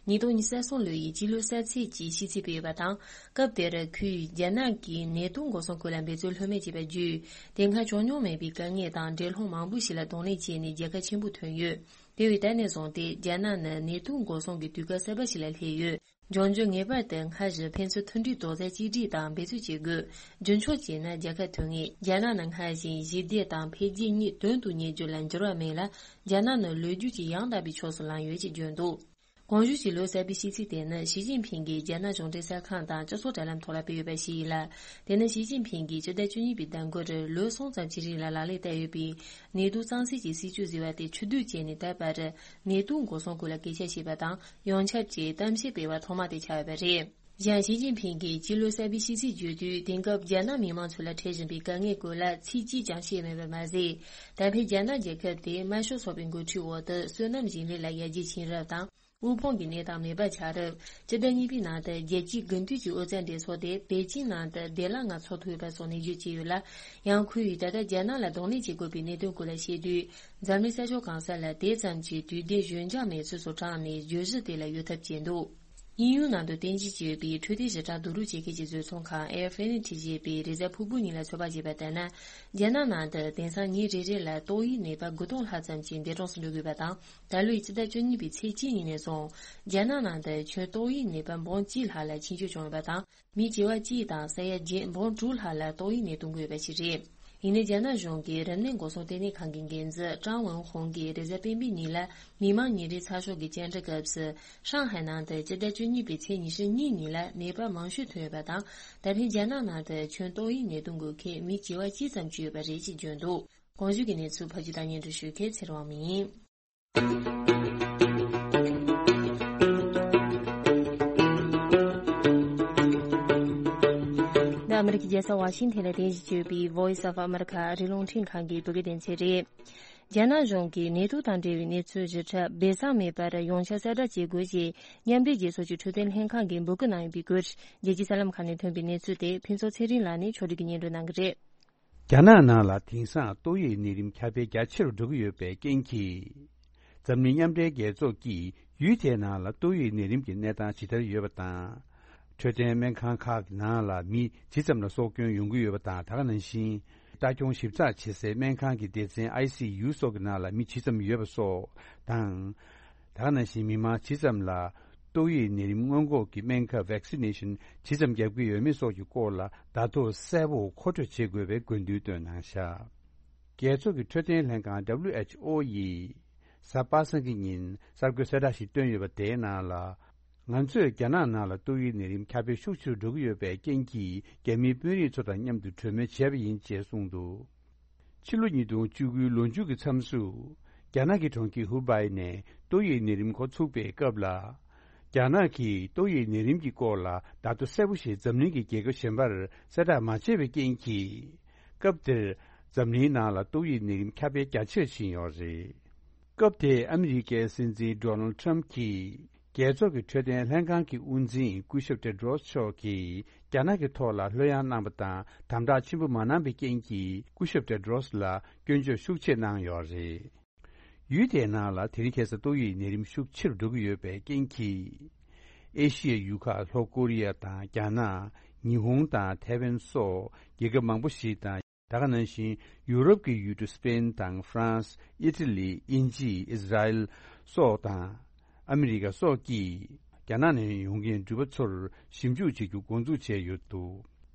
ཉིས་སྟོང་ཉི་ཤུ་རྩ་གསུམ་ལོ་ཡི་སྤྱི་ལོ་གསར་ཚེས་ཀྱི་ཤིས་ཚིག་སྤེལ་ཡོད་པ་དང་། སྐབས་དེར་ཁོས་རྒྱ་ནག་གིས་ནད་དུག་འགོག་སྲུང་སྐོར་ལ་འབད་རྩོལ་ལྷོད་མེད་བྱས་པ་བརྒྱུད། དེ་སྔ་བྱུང་མྱོང་མེད་པའི་དཀའ་ངལ་དང་འགྲན་སློང་མང་པོ་ཞིག་ལ་གདོང་ལེན་བྱས་ནས་རྒྱལ་ཁ་ཆེན་པོ་ཐོན་ཡོད། དེ་བས་ད་ནས་བཟུང་སྟེ་རྒྱ་ནག་ནི་ནད་དུག་འགོག་སྲུང་གི་དུས་སྐབས་གསར་པ་ཞིག་ལ་སླེབས་ཡོད། འབྱུང་འགྱུར་ངེས་པར་དུ་སྔར་བཞིན་ཕན་ཚུན་མཐུན་སྒྲིལ་རྡོག་རྩ་གཅིག་སྒྲིལ་དང་འབད་རྩོལ་བྱེད་དགོས། རྒྱུན་འཁྱོངས་བྱས་ན་རྒྱལ་ཁ་ཐོབ་ངེས། རྒྱ་ནག་ནང་སྔར་བཞིན་ཞི་བདེ་དང་འཕེལ་རྒྱས་གཉིས་དོན་དུ་གཉེར་རྒྱུ་ལ་འགྱུར་བ་མེད་ལ། རྒྱ་ནག་ནི་ལོ་རྒྱུས་ཀྱི་ཡང་དག་པའི་ཕྱོགས་སུ་ལངས་ཡོད་ཅེས་བརྗོད་འདུག་གོང་ཞུས་ཀྱི་ལོ་གསར་པའི་ཤིས་ཚིག་དེ་ནི་ཞི་ཅིན་ཕིང་གིས་རྒྱ་ནག་གཞུང་འབྲེལ་གསར་ཁང་དང་སྤྱི་ཚོགས་དྲ་ལམ་ཐོག་ལ་སྤེལ་ཡོད་པ་ཞིག་ཡིན་ལ། དེ་ནི་ཞི་ཅིན་ཕིང་གིས་སྤྱི་ཟླ་བཅུ་གཉིས་པའི་ཟླ་འགོར་ལོ་གསུམ་ཙམ་གྱི་རིང་ལ་ལག་ལེན་བསྟར་ཡོད་པའི་ནད་དུག་གཙང་སེལ་གྱི་སྲིད་ཇུས་ཟེར་བ་དེ་ཕྱིར་བསྡུ་བྱས་ནས། ད་བར་ནད་དུག་འགོག་སྲུང་སྐོར་ལ་སྐད་ཆ་བཤད་པ་དང་ཡོངས་ཁྱབ་ཀྱི་གཏམ་བཤད་སྤེལ་བ་ཐོག་མ་དེ་ཆགས་ཡོད་པ་རེད། གཞན། ཞི་ཅིན་ཕིང་གིས་སྤྱི་ལོ་གསར་པའི་ཤིས་ཚིག་བརྗོད་དུས། དེང་སྐབས་རྒྱ་ནག་མི་མང་ཚོ་ལ་འཕྲད་བཞིན་པའི་དཀའ་ངལ་སྐོར་ལ་ཚིག་གཅིག་ཀྱང་བཤད་མེད་པ་མ་ཟད། ད་ཕན་རྒྱ་ནག་རྒྱལ་ཁབ་དེ་དམར་ཤོག་ཚོགས་པའི་འགོ་ཁྲིད་འོག་ཏུ་བསོད་ནམས་ཞིང་ལས་ལ་ཡར་རྒྱས་ཕྱིན་རབས་དང་། དབུལ་ཕོངས་ཀྱི་གནས་སྟངས་མེད་པ་ཆགས་རབས། སྤྱི་ཟླ་གཉིས་པའི་ནང་དུ་རྒྱལ་སྤྱིའི་དགུན་དུས་ཀྱི་ཨོ་རྩལ་འགྲན་ཚོགས་དེ་པེ་ཅིང་ནང་དུ་བདེ་བླག་ངང་ཚོགས་ཐུབ་ཡོད་པ་སོགས་ནས་བརྗོད་ཀྱི་ཡོད་ལ། ཡང་ཁོས་ད་ལྟ་རྒྱ་ནག་ལ་གདོང་ལེན་བྱེད་དགོས་པའི་གནད་དོན་སྐོར་ལ་བཤད་དུས། འཛམ་གླིང་ས་ཕྱོགས་གང་ས་ལ་དེ་ཙམ་གྱི་དུས་བདེ་འཇོན་འཇགས་མེད་ཚུལ་སོགས་དྲངས་ནས་བརྗོད་གཞི་དེ་ལ་གཡོལ་ཐབས་བྱས་འདུག་དབྱིན་ཡུལ་ནང་དུ་རྟེན་གཞི་བྱས་ཡོད་པའི་འཕྲོད་བསྟེན་ཞིབ་ཕྲ་བསྡུ་རུབ་བྱེད་མཁན་གྱི་བཟོ་ཚོང་ཁང་Air Finity ཞེས་པས་རེས་གཟའ་ཕུར་བུ་ཉིན་ལ་ཚོད་དཔག་བྱས་པ་ལྟར་ན། རྒྱ་ནག་ནང་དུ་དེང་སང་ཉིན་རེ་རེ་ལ་ཏོག་དབྱིབས་ནད་པ་དགུ་སྟོང་ལྷག་ཙམ་ཞིག་འདས་གྲོངས་སུ་འགྲོ་དགོས་པ་དང་། ད་ལོའི་ཕྱི་ཟླ་བཅུ་གཉིས་པའི་ཚེས་གཅིག་ཉིན་ནས་བཟུང་རྒྱ་ནག་ནང་དུ་ཁྱོན་ཏོག་དབྱིབས་ནད་པ་འབུམ་གཅིག་ལྷག་ལ་འཆིང་སྐྱོད་བྱུང་ཡོད་པ་དང་། མི་བྱེ་བ་གཅིག་དང་ས་ཡ་བརྒྱད་འབུམ་དྲུག་ལྷག་ལ་ཏོག་དབྱིབས་ནད་ཐོན་གྱི་ཡོད་པ་ཞིག་རེད། ཡིན་ནའི་རྒྱ་ནག་གཞུང་གི་རིམས་ནད་འགོག་སྲུང་ལྟེ་གནས་ཁང་གི་འགན་འཛིན་ཀྲང་ཝུན་ཧུང་གིས་རེས་གཟའ་སྤེན་པའི་ཉིན་ལ་མི་མང་ཉིན་རེའི་ཚགས་ཤོག་གི་བཅར་འདྲི་སྐབས་སུ། ཧྲང་ཧའེ་ནང་དུ་སྤྱི་ཟླ་བཅུ་གཉིས་པའི་ཚེས་ཉི་ཤུ་གཉིས་ཉིན་ལ་ནད་པ་མང་ཤོས་ཐོན་ཡོད་པ་དང་། ད་ཕན་རྒྱ་ནག་ནང་དུ་ཁྱོན་ཏོག་དབྱིབས་ནད་ཐོན་དགོས་མཁན་མི་བྱེ་བ་གཅིག་ཙམ་ཅིག་ཡོད་པ་རེད་ཅེས་བརྗོད་འདུག་གོང་ཞུས་ཀྱི་གནས་ཚུལ་ཕབ་སྒྱུར་དང་སྙན་སྒྲོན་ཞུ་མཁན་ཚེ་རིང་དབང་མོ་ཡིན། འདི་ཨ་མི་རི་ཀའི་རྒྱལ་ས་ཝ་ཤིང་ཐན་ལ་རྟེན་གཞི་བྱས་པའི་Voice of America ཨ་རིའི་རླུང་འཕྲིན་ཁང་གི་བོད་སྐད་སྡེ་ཚན་རེད། རྒྱ་ནག་གཞུང་གིས་ནད་དུག་དང་འབྲེལ་བའི་གནས་ཚུལ་ཞིབ་ཕྲ་སྦས་གསང་མེད་པར་ཡོངས་ཁྱབ་གསལ་བསྒྲགས་བྱེད་དགོས་ཞེས་མཉམ་འབྲེལ་རྒྱལ་ཚོགས་ཀྱི་འཕྲོད་བསྟེན་ལྷན་ཁང་གིས་འབོད་སྐུལ་གནང་ཡོད་པའི་སྐོར། རྒྱལ་སྤྱིའི་གསར་ལམ་ཁག་ནས་ཐོན་པའི་གནས་ཚུལ་དེ་ཕུན་ཚོགས་ཚེ་རིང་ལགས་ནས་ཕྱོགས་སྒྲིག་གིས་སྙན་སྒྲོན་གནང་གི་རེད། རྒྱ་ནག་ནང་ལ་དེང་སང་ཏོག་དབྱིབས་ནད་རིམས་ཁྱབ་སྤེལ་རྒྱ་ཆེ་རུ་འགྲོ་གི་ཡོད་པའི་རྐྱེན་གྱིས། འཛམ་གླིང་མཉམ་འབྲེལ་རྒྱལ་ཚོགས་ཀྱིས་ཡུལ་དེའི་ནང་ལ་ཏོག་དབྱིབས་ནད་རིམས་ཀྱི་གནས་སྟངས་ཇི་ལྟར་ཡོད་པ་དང་། འཕྲོད་བསྟེན་སྨན་ཁང་ཁག་གི་ནང་ལ་མི་ཇི་ཙམ་ལ་སྲོག་སྐྱོན་ཡོང་གི་ཡོད་པ་དང་། ད་ག་ནང་བཞིན། ལྟ་སྐྱོང་ཞིབ་ཚགས་བྱེད་སའི་སྨན་ཁང་གི་སྡེ་ཚན་ཨའི་སི་ཡུ་སོགས་ཀྱི་ནང་ལ་མི་ཇི་ཙམ་ཡོད་པ་སོགས་དང་། ད་ག་ནང་བཞིན་མི་མང་ཇི་ཙམ་ལ་ཏོག་དབྱིབས་ནད་རིམས་སྔོན་འགོག་གི་སྨན་ཁབ་Vaccination ཇི་ཙམ་བརྒྱབ་ཀྱི་ཡོད་མེད་སོགས་ཀྱི་སྐོར་ལ་བརྡ་ཐོ་གསལ་པོ་མཁོ་སྤྲོད་བྱེད་དགོས་པའི་དགོས་འདུན་བཏོན་གནང་བཞག་རྒྱལ་ཚོགས་ཀྱི་འཕྲོད་བསྟེན་ལྷན་ཁང་W H O ཡིས་གཟའ་པ་སངས་ཀྱི་ཉིན་གསར་འགོད་གསལ་བསྒྲགས་ཤིག་བཏོན་ཡོད་པ་དེའི་ནང་ལ། ང་ཚོས་རྒྱ་ནག་ནང་ལ་ཏོག་དབྱིབས་ནད་རིམས་ཁྱབ་སྤེལ་ཤུགས་ཆེ་རུ་འགྲོ་གི་ཡོད་པའི་རྐྱེན་གྱིས། རྒྱ་མིའི་དཔོན་རིགས་ཚོ་དང་མཉམ་དུ་གྲོས་མོལ་བྱས་པ་ཡིན་ཅེས་གསུངས་འདུག་ཕྱི་ལོ་ཉིས་སྟོང་བཅུ་དགུའི་ལོ་མཇུག་གི་མཚམས་སུ། རྒྱ་ནག་གི་གྲོང་ཁྱེར་ཧུ་པའི་ནས་ཏོག་དབྱིབས་ནད་རིམས་འགོ་ཚུགས་པའི་སྐབས་ལ། རྒྱ་ནག་གིས་ཏོག་དབྱིབས་ནད་རིམས་ཀྱི་སྐོར་ལ་བརྡ་ཐོ་གསལ་པོ་ཞིག་འཛམ་གླིང་གི་རྒྱལ་ཁབ་གཞན་པར་གསལ་བསྒྲགས་མ་བྱས་པའི་རྐྱེན་གྱིས། སྐབས་དེར་འཛམ་གླིང་ནང་ལ་ཏོག་དབྱིབས་ནད་རིམས་ཁྱབ་སྤེལ་རྒྱ་ཆེར་ཕྱིན་ཡོད་རེད། སྐབས་དེའི་ཨ་མི་རི་ཀའི་སྲིད་འཛིན་Donald Trump གྱིས། རྒྱལ་ཚོགས་ཀྱི་འཕྲོད་བསྟེན་ལྷན་ཁང་གི་དབུ་འཛིན་སྐུ་ཞབས་Tedros མཆོག་གིས་རྒྱ་ནག་གི་ཐོག་ལ་ལྷོད་ཡངས་གནང་པ་དང་དམ་དྲག་ཆེན་པོ་མ་གནང་པའི་རྐྱེན་གྱིས། སྐུ་ཞབས་Tedros ལ་སྐྱོན་བརྗོད་ཤུགས་ཆེ་གནང་ཡོད་རེད། ཡུལ་དེའི་ནང་ལ་དེ་རིང་ཁ་སང་ཏོག་དབྱིབས་ནད་རིམས་ཤུགས་ཆེ་རུ་འགྲོ་གི་ཡོད་པའི་རྐྱེན་གྱིས། ཨེ་ཤི་ཡའི་ཡུལ་ཁག་ལྷོ་ཀོ་རི་ཡ་དང་རྒྱ་ནག་ཉི་ཧོང་དང་ཐའེ་ཝན་སོགས་རྒྱལ་ཁབ་མང་པོ་ཞིག་དང་། ད་ག་ནང་བཞིན་ཡུ་རོབ་ཀྱི་ཡུལ་གྲུ་སི་པེན་དང་ཧྥ་རན་སི། ཨི་ཊ་ལི། དབྱིན་ཇི། ཨིས་ར་ཨེལ་སོགས་དང་། ཨ་མི་རི་ཀ་སོགས་ཀྱིས་རྒྱ་ནག་ནས་ཡོང་མཁན་འགྲུལ་པ་ཚོར་ཞིབ་འཇུག་བྱེད་རྒྱུ་འགོ་འཛུགས་བྱས་ཡོད་འདུག་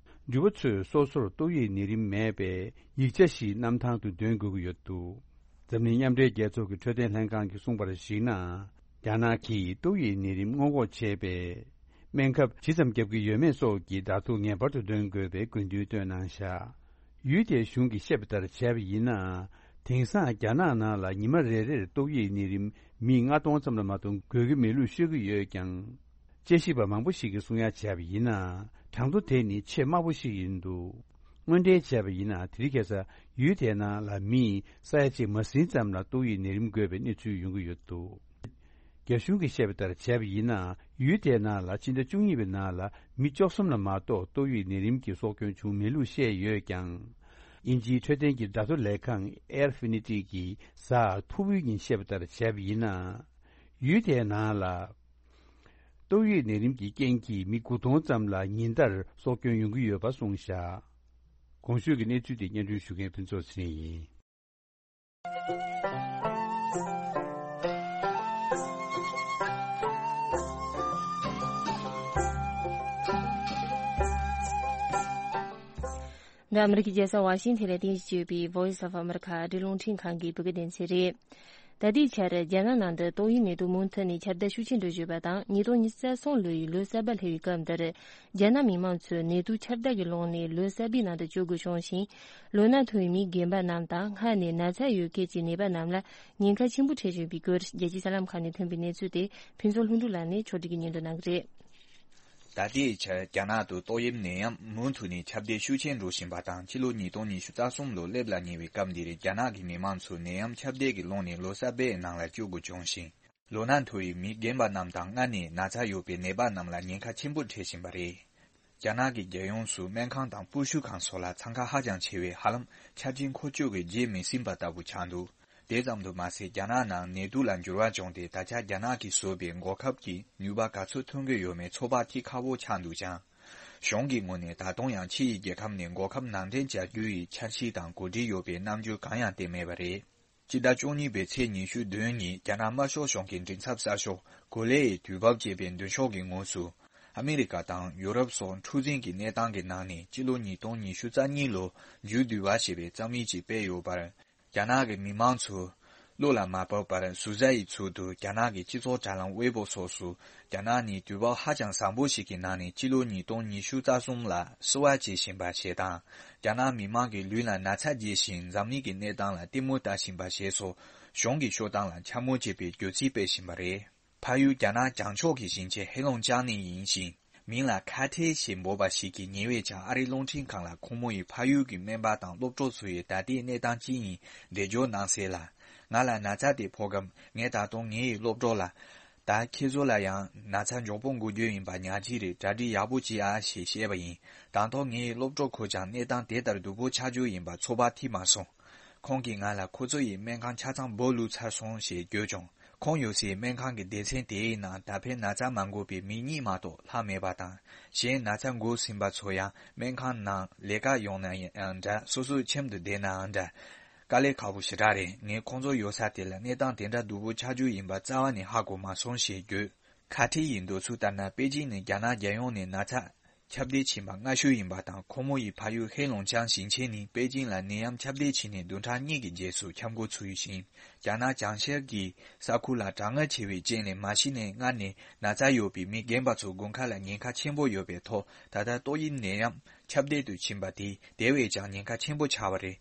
འགྲུལ་པ་ཚོས་སོ་སོར་ཏོག་དབྱིབས་ནད་རིམས་མེད་པའི་ཡིག་ཆ་ཞིག་གནམ་ཐང་དུ་འདོན་དགོས་ཀྱི་ཡོད་འདུག་འཛམ་གླིང་མཉམ་འབྲེལ་རྒྱལ་ཚོགས་ཀྱི་འཕྲོད་བསྟེན་ལྷན་ཁང་གིས་གསུངས་པར་གཞིགས་ན། རྒྱ་ནག་གིས་ཏོག་དབྱིབས་ནད་རིམས་སྔོན་འགོག་བྱེད་པའི་སྨན་ཁབ་ཇི་ཙམ་བརྒྱབ་ཀྱི་ཡོད་མེད་སོགས་ཀྱི་བརྡ་ཐོ་ངེས་པར་དུ་འདོན་དགོས་པའི་དགོས་འདུན་བཏོན་གནང་བཞག་ཡུལ་དེའི་གཞུང་གིས་བཤད་པ་ལྟར་བྱས་པ་ཡིན་ན། དེང་སང་རྒྱ་ནག་ནང་ལ་ཉི་མ་རེ་རེར་ཏོག་དབྱིབས་ནད་རིམས་མི་ལྔ་སྟོང་ཙམ་ལ་མ་གཏོགས་འགོས་ཀྱི་མེད་ལུགས་ཤོད་ཀྱི་ཡོད་ཀྱང་། དཔྱད་ཞིབ་པ་མང་པོ་ཞིག་གིས་གསུང་ཡ་བྱས་པ་ཡིན་ན། གྲངས་ཐོ་དེ་ནི་ཆེས་དམའ་པོ་ཞིག་ཡིན་འདུག་དངོས་འབྲེལ་བྱས་པ་ཡིན་ན། དེ་རིང་ཁ་སང་ཡུལ་དེའི་ནང་ལ་མི་ས་ཡ་གཅིག་མ་ཟིན་ཙམ་ལ་ཏོག་དབྱིབས་ནད་རིམས་འགོས་པའི་གནས་ཚུལ་ཡོང་གི་ཡོད་འདུག་རྒྱ་གཞུང་གིས་བཤད་པ་ལྟར་བྱས་པ་ཡིན་ན། ཡུལ་དེའི་ནང་ལ་ཕྱི་ཟླ་བཅུ་གཉིས་པའི་ནང་ལ་མི་བཅུ་གསུམ་ལ་མ་གཏོགས་ཏོག་དབྱིབས་ནད་རིམས་ཀྱི་སྲོག་སྐྱོན་བྱུང་མེད་ལུགས་བཤད་ཡོད་ཀྱང་། དབྱིན་ཇིའི་འཕྲོད་བསྟེན་གྱི་བརྡ་ཐོ་ལས་ཁང་Air Finity གིས་གཟའ་ཕུར་བུའི་ཉིན་བཤད་པ་ལྟར་བྱས་པ་ཡིན་ན། ཡུལ་དེའི་ནང་ལ་ཏོག་དབྱིབས་ནད་རིམས་ཀྱི་རྐྱེན་གྱིས་མི་དགུ་སྟོང་ཙམ་ལ་ཉིན་ལྟར་སྲོག་སྐྱོན་ཡོང་གི་ཡོད་པ་གསུངས་བཞག་གོང་ཞུས་ཀྱི་གནས་ཚུལ་དེ་སྙན་སྒྲོན་ཞུ་མཁན་ཕུན་ཚོགས་ཚེ་རིང་ཡིན། འདི་ཨ་མི་རི་ཀའི་རྒྱལ་ས་ཝ་ཤིང་ཐན་ལ་རྟེན་གཞི་བྱས་ཡོད་པའི་Voice of America ཨ་རིའི་རླུང་འཕྲིན་ཁང་གི་བོད་སྐད་སྡེ་ཚན་རེད། ད་ལྟའི་ཆར་རྒྱ་ནག་ནང་དུ་ཏོག་དབྱིབས་ནད་དུག་མུ་མཐུད་ནས་ཁྱབ་གདལ་ཤུགས་ཆེན་འགྲོ་བཞིན་པ་དང་། ཉིས་སྟོང་ཉི་ཤུ་རྩ་གསུམ་ལོའི་ལོ་གསར་པ་སླེབས་པའི་སྐབས་འདིར། རྒྱ་ནག་མི་མང་ཚོས་ནད་དུག་ཁྱབ་གདལ་གྱི་ཀློང་ནས་ལོ་གསར་པའི་ནང་དུ་བསྐྱོད་དགོས་བྱུང་ཞིང་། ལོ་ན་མཐོ་བའི་མི་རྒན་པ་རྣམས་དང་སྔར་ནས་ན་ཚ་ཡོད་མཁན་གྱི་ནད་པ་རྣམས་ལ་ཉེན་ཁ་ཆེན་པོ་འཕྲད་བཞིན་པའི་སྐོར། རྒྱལ་སྤྱིའི་གསར་ལམ་ཁག་ནས་ཐོན་པའི་གནས་ཚུལ་དེ་ཕུན་ཚོགས་ལྷུན་གྲུབ་ལགས་ནས་ཕྱོགས་སྒྲིག་གིས་སྙན་སྒྲོན་གནང་གི་རེད། ད་ལྟའི་ཆར་རྒྱ་ནག་ཏུ་ཏོག་དབྱིབས་ནད་ཡམས་མུ་མཐུད་ནས་ཁྱབ་གདལ་ཤུགས་ཆེན་འགྲོ་བཞིན་པ་དང་། ཕྱི་ལོ་ཉིས་སྟོང་ཉི་ཤུ་རྩ་གསུམ་ལོ་སླེབས་ལ་ཉེ་བའི་སྐབས་འདིར་རྒྱ་ནག་གི་མི་མང་ཚོ་ནད་ཡམས་ཁྱབ་གདལ་གྱི་ཀློང་ནས་ལོ་གསར་པའི་ནང་ལ་བསྐྱོད་དགོས་བྱུང་ཞིང་། ལོ་ན་མཐོ་བའི་མི་རྒན་པ་རྣམས་དང་སྔར་ནས་ན་ཚ་ཡོད་པའི་ནད་པ་རྣམས་ལ་ཉེན་ཁ་ཆེན་པོ་འཕྲད་བཞིན་པ་རེད། རྒྱ་ནག་གི་རྒྱལ་ཡོངས་སུ་སྨན་ཁང་དང་སྤོ་བཤུད་ཁང་སོགས་ལ་འཚང་ཁ་ཧ་ཅང་ཆེ་བས། ཧ་ལམ་ཆར་ཆེན་འཁོར་སྐྱོད་ཀྱིས་བརྗེད་མི་ཟིན་པ་ལྟ་བུ་ཆགས་འདུག་དེ་ཙམ་དུ་མ་ཟད། རྒྱ་ནག་ནང་ནད་དུག་ལ་འགྱུར་བ་བྱུང་སྟེ། ད་ཆ་རྒྱ་ནག་གིས་བཟོས་པའི་འགོག་ཁབ་ཀྱི་ནུས་པ་ག་ཚོད་ཐོན་གྱི་ཡོད་མེད་ཚོད་དཔག་ཐེབས་ཁག་པོ་ཆགས་འདུག་ཀྱང་། གཞུང་གི་ངོས་ནས་ད་དུང་ཡང་ཕྱི་ཡི་རྒྱལ་ཁབ་ནས་འགོག་ཁབ་ནང་འདྲེན་བྱ་རྒྱུ་ཡི་འཆར་གཞི་དང་གོ་སྒྲིག་ཡོད་པའི་རྣམ་འགྱུར་གང་ཡང་བསྟན་མེད་པ་རེད། སྤྱི་ཟླ་བཅུ་གཉིས་པའི་ཚེས་ཉི་ཤུ་བདུན་ཉིན། རྒྱ་ནག་དམར་ཤོག་གཞུང་གི་མགྲིན་ཚབ་གསར་ཤོག་གོ་ལེ་ཡི་དུས་བབ་ཅེས་པའི་མདུན་ཤོག་གི་ངོས་སུ། ཨ་མི་རི་ཀ་དང་ཡུ་རོབ་སོགས་འཁྲུག་འཛིང་གི་གནས་སྟངས་ཀྱི་ནང་ནས་སྤྱི་ལོ་ཉིས་སྟོང་ཉི་ཤུ་རྩ་གཉིས་ལོ་མཇུག་བསྡུ་བ་ཞེས་པའི་རྩོམ་ཡིག་ཅིག་སྤེལ་ཡོད་པར། རྒྱ་ནག་གི་མི་མང་ཚོས་བློ་ལ་མ་བབ་པར་ཟུར་ཟ་ཡི་ཚུལ་དུ། རྒྱ་ནག་གི་སྤྱི་ཚོགས་དྲ་ལམ་ཝེ་པོ་སོགས་སུ། རྒྱ་ནག་ནི་དུས་བབ་ཧ་ཅང་བཟང་པོ་ཞིག་གི་ནང་ནས་སྤྱི་ལོ་ཉིས་སྟོང་ཉི་ཤུ་རྩ་གསུམ་ལ་བསུ་བ་བྱེད་བཞིན་པ་ཞེས་དང་། རྒྱ་ནག་མི་མང་གི་ལུས་ལ་ན་ཚ་རྒྱས་ཤིང་། འཛམ་གླིང་གི་གནས་སྟངས་ལ་ལྟད་མོ་ལྟ་བཞིན་པ་ཞེས་སོགས། གཞུང་གི་ཤོག་གྲངས་ལ་འཕྱ་སྨོད་བྱེད་པའི་བརྗོད་ཚིག་སྤེལ་བཞིན་པ་རེད། ཕ་ཡུལ་རྒྱ་ནག་བྱང་ཕྱོགས་ཀྱི་ཞིང་ཆེན་ཧེ་ལུང་ཅང་ནས་ཡིན་ཞིང་། མིང་ལ་ཁ་ཐེ་ཞེས་འབོད་པ་ཞིག་གིས་ཉེ་བའི་ཆར་ཨ་རིའི་རླུང་འཕྲིན་ཁང་ལ་ཁོང་མོ་ཡི་ཕ་ཡུལ་གྱི་སྨན་པ་དང་སློབ་གྲོགས་ཚོ་ཡི་ད་ལྟའི་གནས་སྟངས་ཅི་ཡིན་འགྲེལ་བརྗོད་གནང་གསལ་ལ། ང་ལ་ན་ཚ་དེ་ཕོག་སྐབས། ངས་ད་དུང་ངའི་སློབ་གྲོགས་ལ། ད་ཁྱེད་ཚོ་ལ་ཡང་ན་ཚ་མགྱོགས་པོ་འགོ་རྒྱུ་ཡིན་པ་ཉག་གཅིག་རེད། གྲ་སྒྲིག་ཡག་པོ་བྱེད་ཨ་ཞེས་བཤད་པ་ཡིན། དང་ཐོག་ངའི་སློབ་གྲོགས་ཁོས་ཀྱང་གནས་སྟངས་དེ་ལྟར་སྡུག་པོ་ཆགས་རྒྱུ་ཡིན་པ་ཚོད་དཔག་ཐིག་མ་སོང་། ཁོང་གིས་ང་ལ་ཁོ་ཚོ་ཡི་སྨན་ཁང་ཆ་ཚང་སྦོ་ལུག་ཚར་སོང་ཞེས་བརྗོད་བྱུང་། ཁོང་ཡོད་སའི་སྨན་ཁང་གི་སྡེ་ཚན་དེའི་ནང་ད་ཕན་ན་ཚ་མ་འགོས་པའི་མི་གཉིས་མ་གཏོགས་ལྷག་མེད་པ་དང་། གཞན་ན་ཚ་འགོས་ཟིན་པ་ཚོ་ཡང་སྨན་ཁང་ནང་ལས་ཀ་ཡོང་ན་ཡང་འདྲ། སོ་སོའི་ཁྱིམ་དུ་བསྡད་ནའང་འདྲ། དཀའ་ལས་ཁག་པོ་ཞེ་དྲག་རེད། ངས་ཁོང་ཚོ་ཡོད་ས་དེ་ལ་གནས་སྟངས་དེ་འདྲ་སྡུག་པོ་ཆགས་རྒྱུ་ཡིན་པ་རྩ་བ་ནས་ཧ་གོ་མ་སོང་ཞེས་བརྗོད། ཁ་ཐེ་ཡི་འདོད་ཚུལ་ལྟར་ན། པེ་ཅིང་ནི་རྒྱ་ནག་རྒྱལ་ཡོངས་ནས་ན་ཚ་ཁྱབ་གདལ་ཕྱིན་པ་སྔ་ཤོས་ཡིན་པ་དང་། ཁོང་མོ་ཡི་ཕ་ཡུལ་ཧེ་ལུང་ཅང་ཞིང་ཆེན་ནི་པེ་ཅིང་ལ་ནད་ཡམས་ཁྱབ་གདལ་ཕྱིན་ནས་བདུན་ཕྲག་གཉིས་ཀྱི་རྗེས་སུ་ཁྱབ་འགོ་ཚུགས་ཡོད་ཅིང་། རྒྱ་ནག་བྱང་ཤར་གྱི་ས་ཁུལ་ལ་གྲང་ངར་ཆེ་བའི་རྐྱེན་ལས། མ་གཞི་ནས་སྔར་ནས་ན་ཚ་ཡོད་པའི་མི་རྒན་པ་ཚོ་དགུན་ཁ་ལ་ཉེན་ཁ་ཆེན་པོ་ཡོད་པའི་ཐོག་ད་ལྟ་ཏོག་དབྱིབས་ནད་ཡམས་ཁྱབ་གདལ་དུ་ཕྱིན་པ་དེས་དེ་བས་ཀྱང་ཉེན་ཁ་ཆེན་པོ་ཆགས་པ་རེད།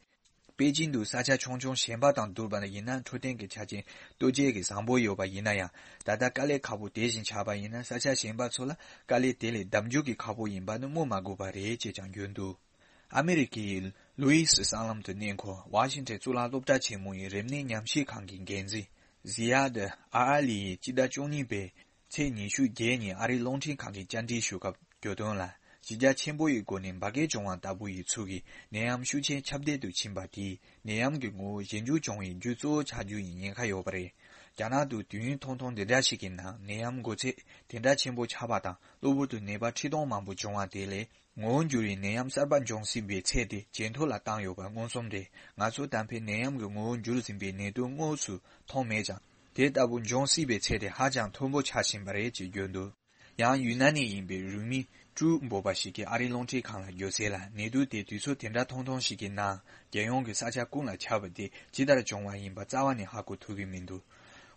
པེ་ཅིང་དུ་ས་ཆ་ཆུང་ཆུང་གཞན་པ་དང་བསྡུར་བ་ཡིན་ན་འཕྲོད་བསྟེན་གྱི་ཆ་རྐྱེན་ལྟོ་ཆས་ཀྱི་བཟང་པོ་ཡོད་པ་ཡིན་ན་ཡང་། ད་ལྟ་དཀའ་ལས་ཁག་པོ་དེ་བཞིན་ཆགས་པ་ཡིན་ན། ས་ཆ་གཞན་པ་ཚོ་ལ་དཀའ་ལས་དེ་ལས་ལྡབ་འགྱུར་གྱིས་ཁག་པོ་ཡིན་པ་ནི་སྨོས་མ་དགོས་པ་རེད་ཅེས་ཀྱང་བརྗོད་འདུག། ཨ་མི་རི་ཀའི་ལུའི་སི་གསར་ལམ་དུ་གནས་འཁོད་ཝ་ཤིང་ཊོན་གཙུག་ལག་སློབ་གྲྭ་ཆེན་མོ་ཡི་རིམས་ནད་ཉམས་ཞིབ་ཁང་གི་འགན་འཛིན་ཟི་ཡ་དི་ཨ་ཨ་ལི་ཡིས་སྤྱི་ཟླ་བཅུ་གཉིས་པའི་ཚེས་ཉི་ཤུ་བརྒྱད་ཉིན་ཨ་རིའི་རླུང་འཕྲིན་ཁང་གི་བཅར་འདྲི་ཞུ་སྐབས་བརྗོད་དོན་ལ། གཞི་རྒྱ་ཆེན་པོ་ཡི་སྒོ་ནས་འབར་གས་བྱུང་བ་ལྟ་བུ་ཡི་ཚུལ་གྱིས་ནད་ཡམས་ཤུགས་ཆེན་ཁྱབ་གདལ་དུ་ཕྱིན་པ་དེས་ནད་ཡམས་ཀྱི་ངོ་བོ་གཞན་འགྱུར་བྱུང་བའི་རྒྱུ་གཙོ་བོ་ཆགས་རྒྱུ་ཡི་ཉེན་ཁ་ཡོད་པ་རེད། རྒྱ་ནག་ཏུ་དུས་ཡུན་ཐུང་ཐུང་འདི་འདྲ་ཞིག་གི་ནང་ནད་ཡམས་འགོ་ཚད་དེ་འདྲ་ཆེན་པོ་ཆགས་པ་དང་། གློ་བུར་དུ་ནད་པ་ཁྲི་སྟོང་མང་པོ་བྱུང་བ་དེ་ལས། ངོ་བོ་འགྱུར་བའི་ནད་ཡམས་གསར་པ་འབྱུང་སྲིད་པའི་ཚད་དེ་ཇེ་མཐོ་ལ་བཏང་ཡོད་པ་མངོན་སུམ་རེད། ང་ཚོ་ད་ཕན་ནད་ཡམས་ཀྱི་ངོ་བོ་འགྱུར་ཟིན་པའི་ནད་དུག་དངོས་སུ་མཐོང་མེད་ཀྱང་། དེ་ལྟ་བུ་འབྱུང་སྲིད་པའི་ཚད་དེ་ཧ་ཅང་མཐོན་པོ་ཆགས་བཞིན་པ་རེད་ཅེས་བརྗོད་འདུག། ཡང་ཡུན་ནན་ནས་ཡིན་པའི་རུས་མི་ཀྲུའུ་འབོད་པ་ཞིག་གིས་ཨ་རིའི་རླུང་འཕྲིན་ཁང་ལ་བརྗོད་གསལ་ལ། ནད་དུག་དེ་དུས་ཚོད་དེ་འདྲ་ཐུང་ཐུང་ཞིག་གི་ནང་རྒྱལ་ཡོངས་ཀྱི་ས་ཆ་ཀུན་ལ་ཁྱབ་པ་དེ་ཇི་ལྟར་བྱུང་བ་ཡིན་པ་རྩ་བ་ནས་ཧ་གོ་ཐུབ་ཀྱི་མི་འདུག།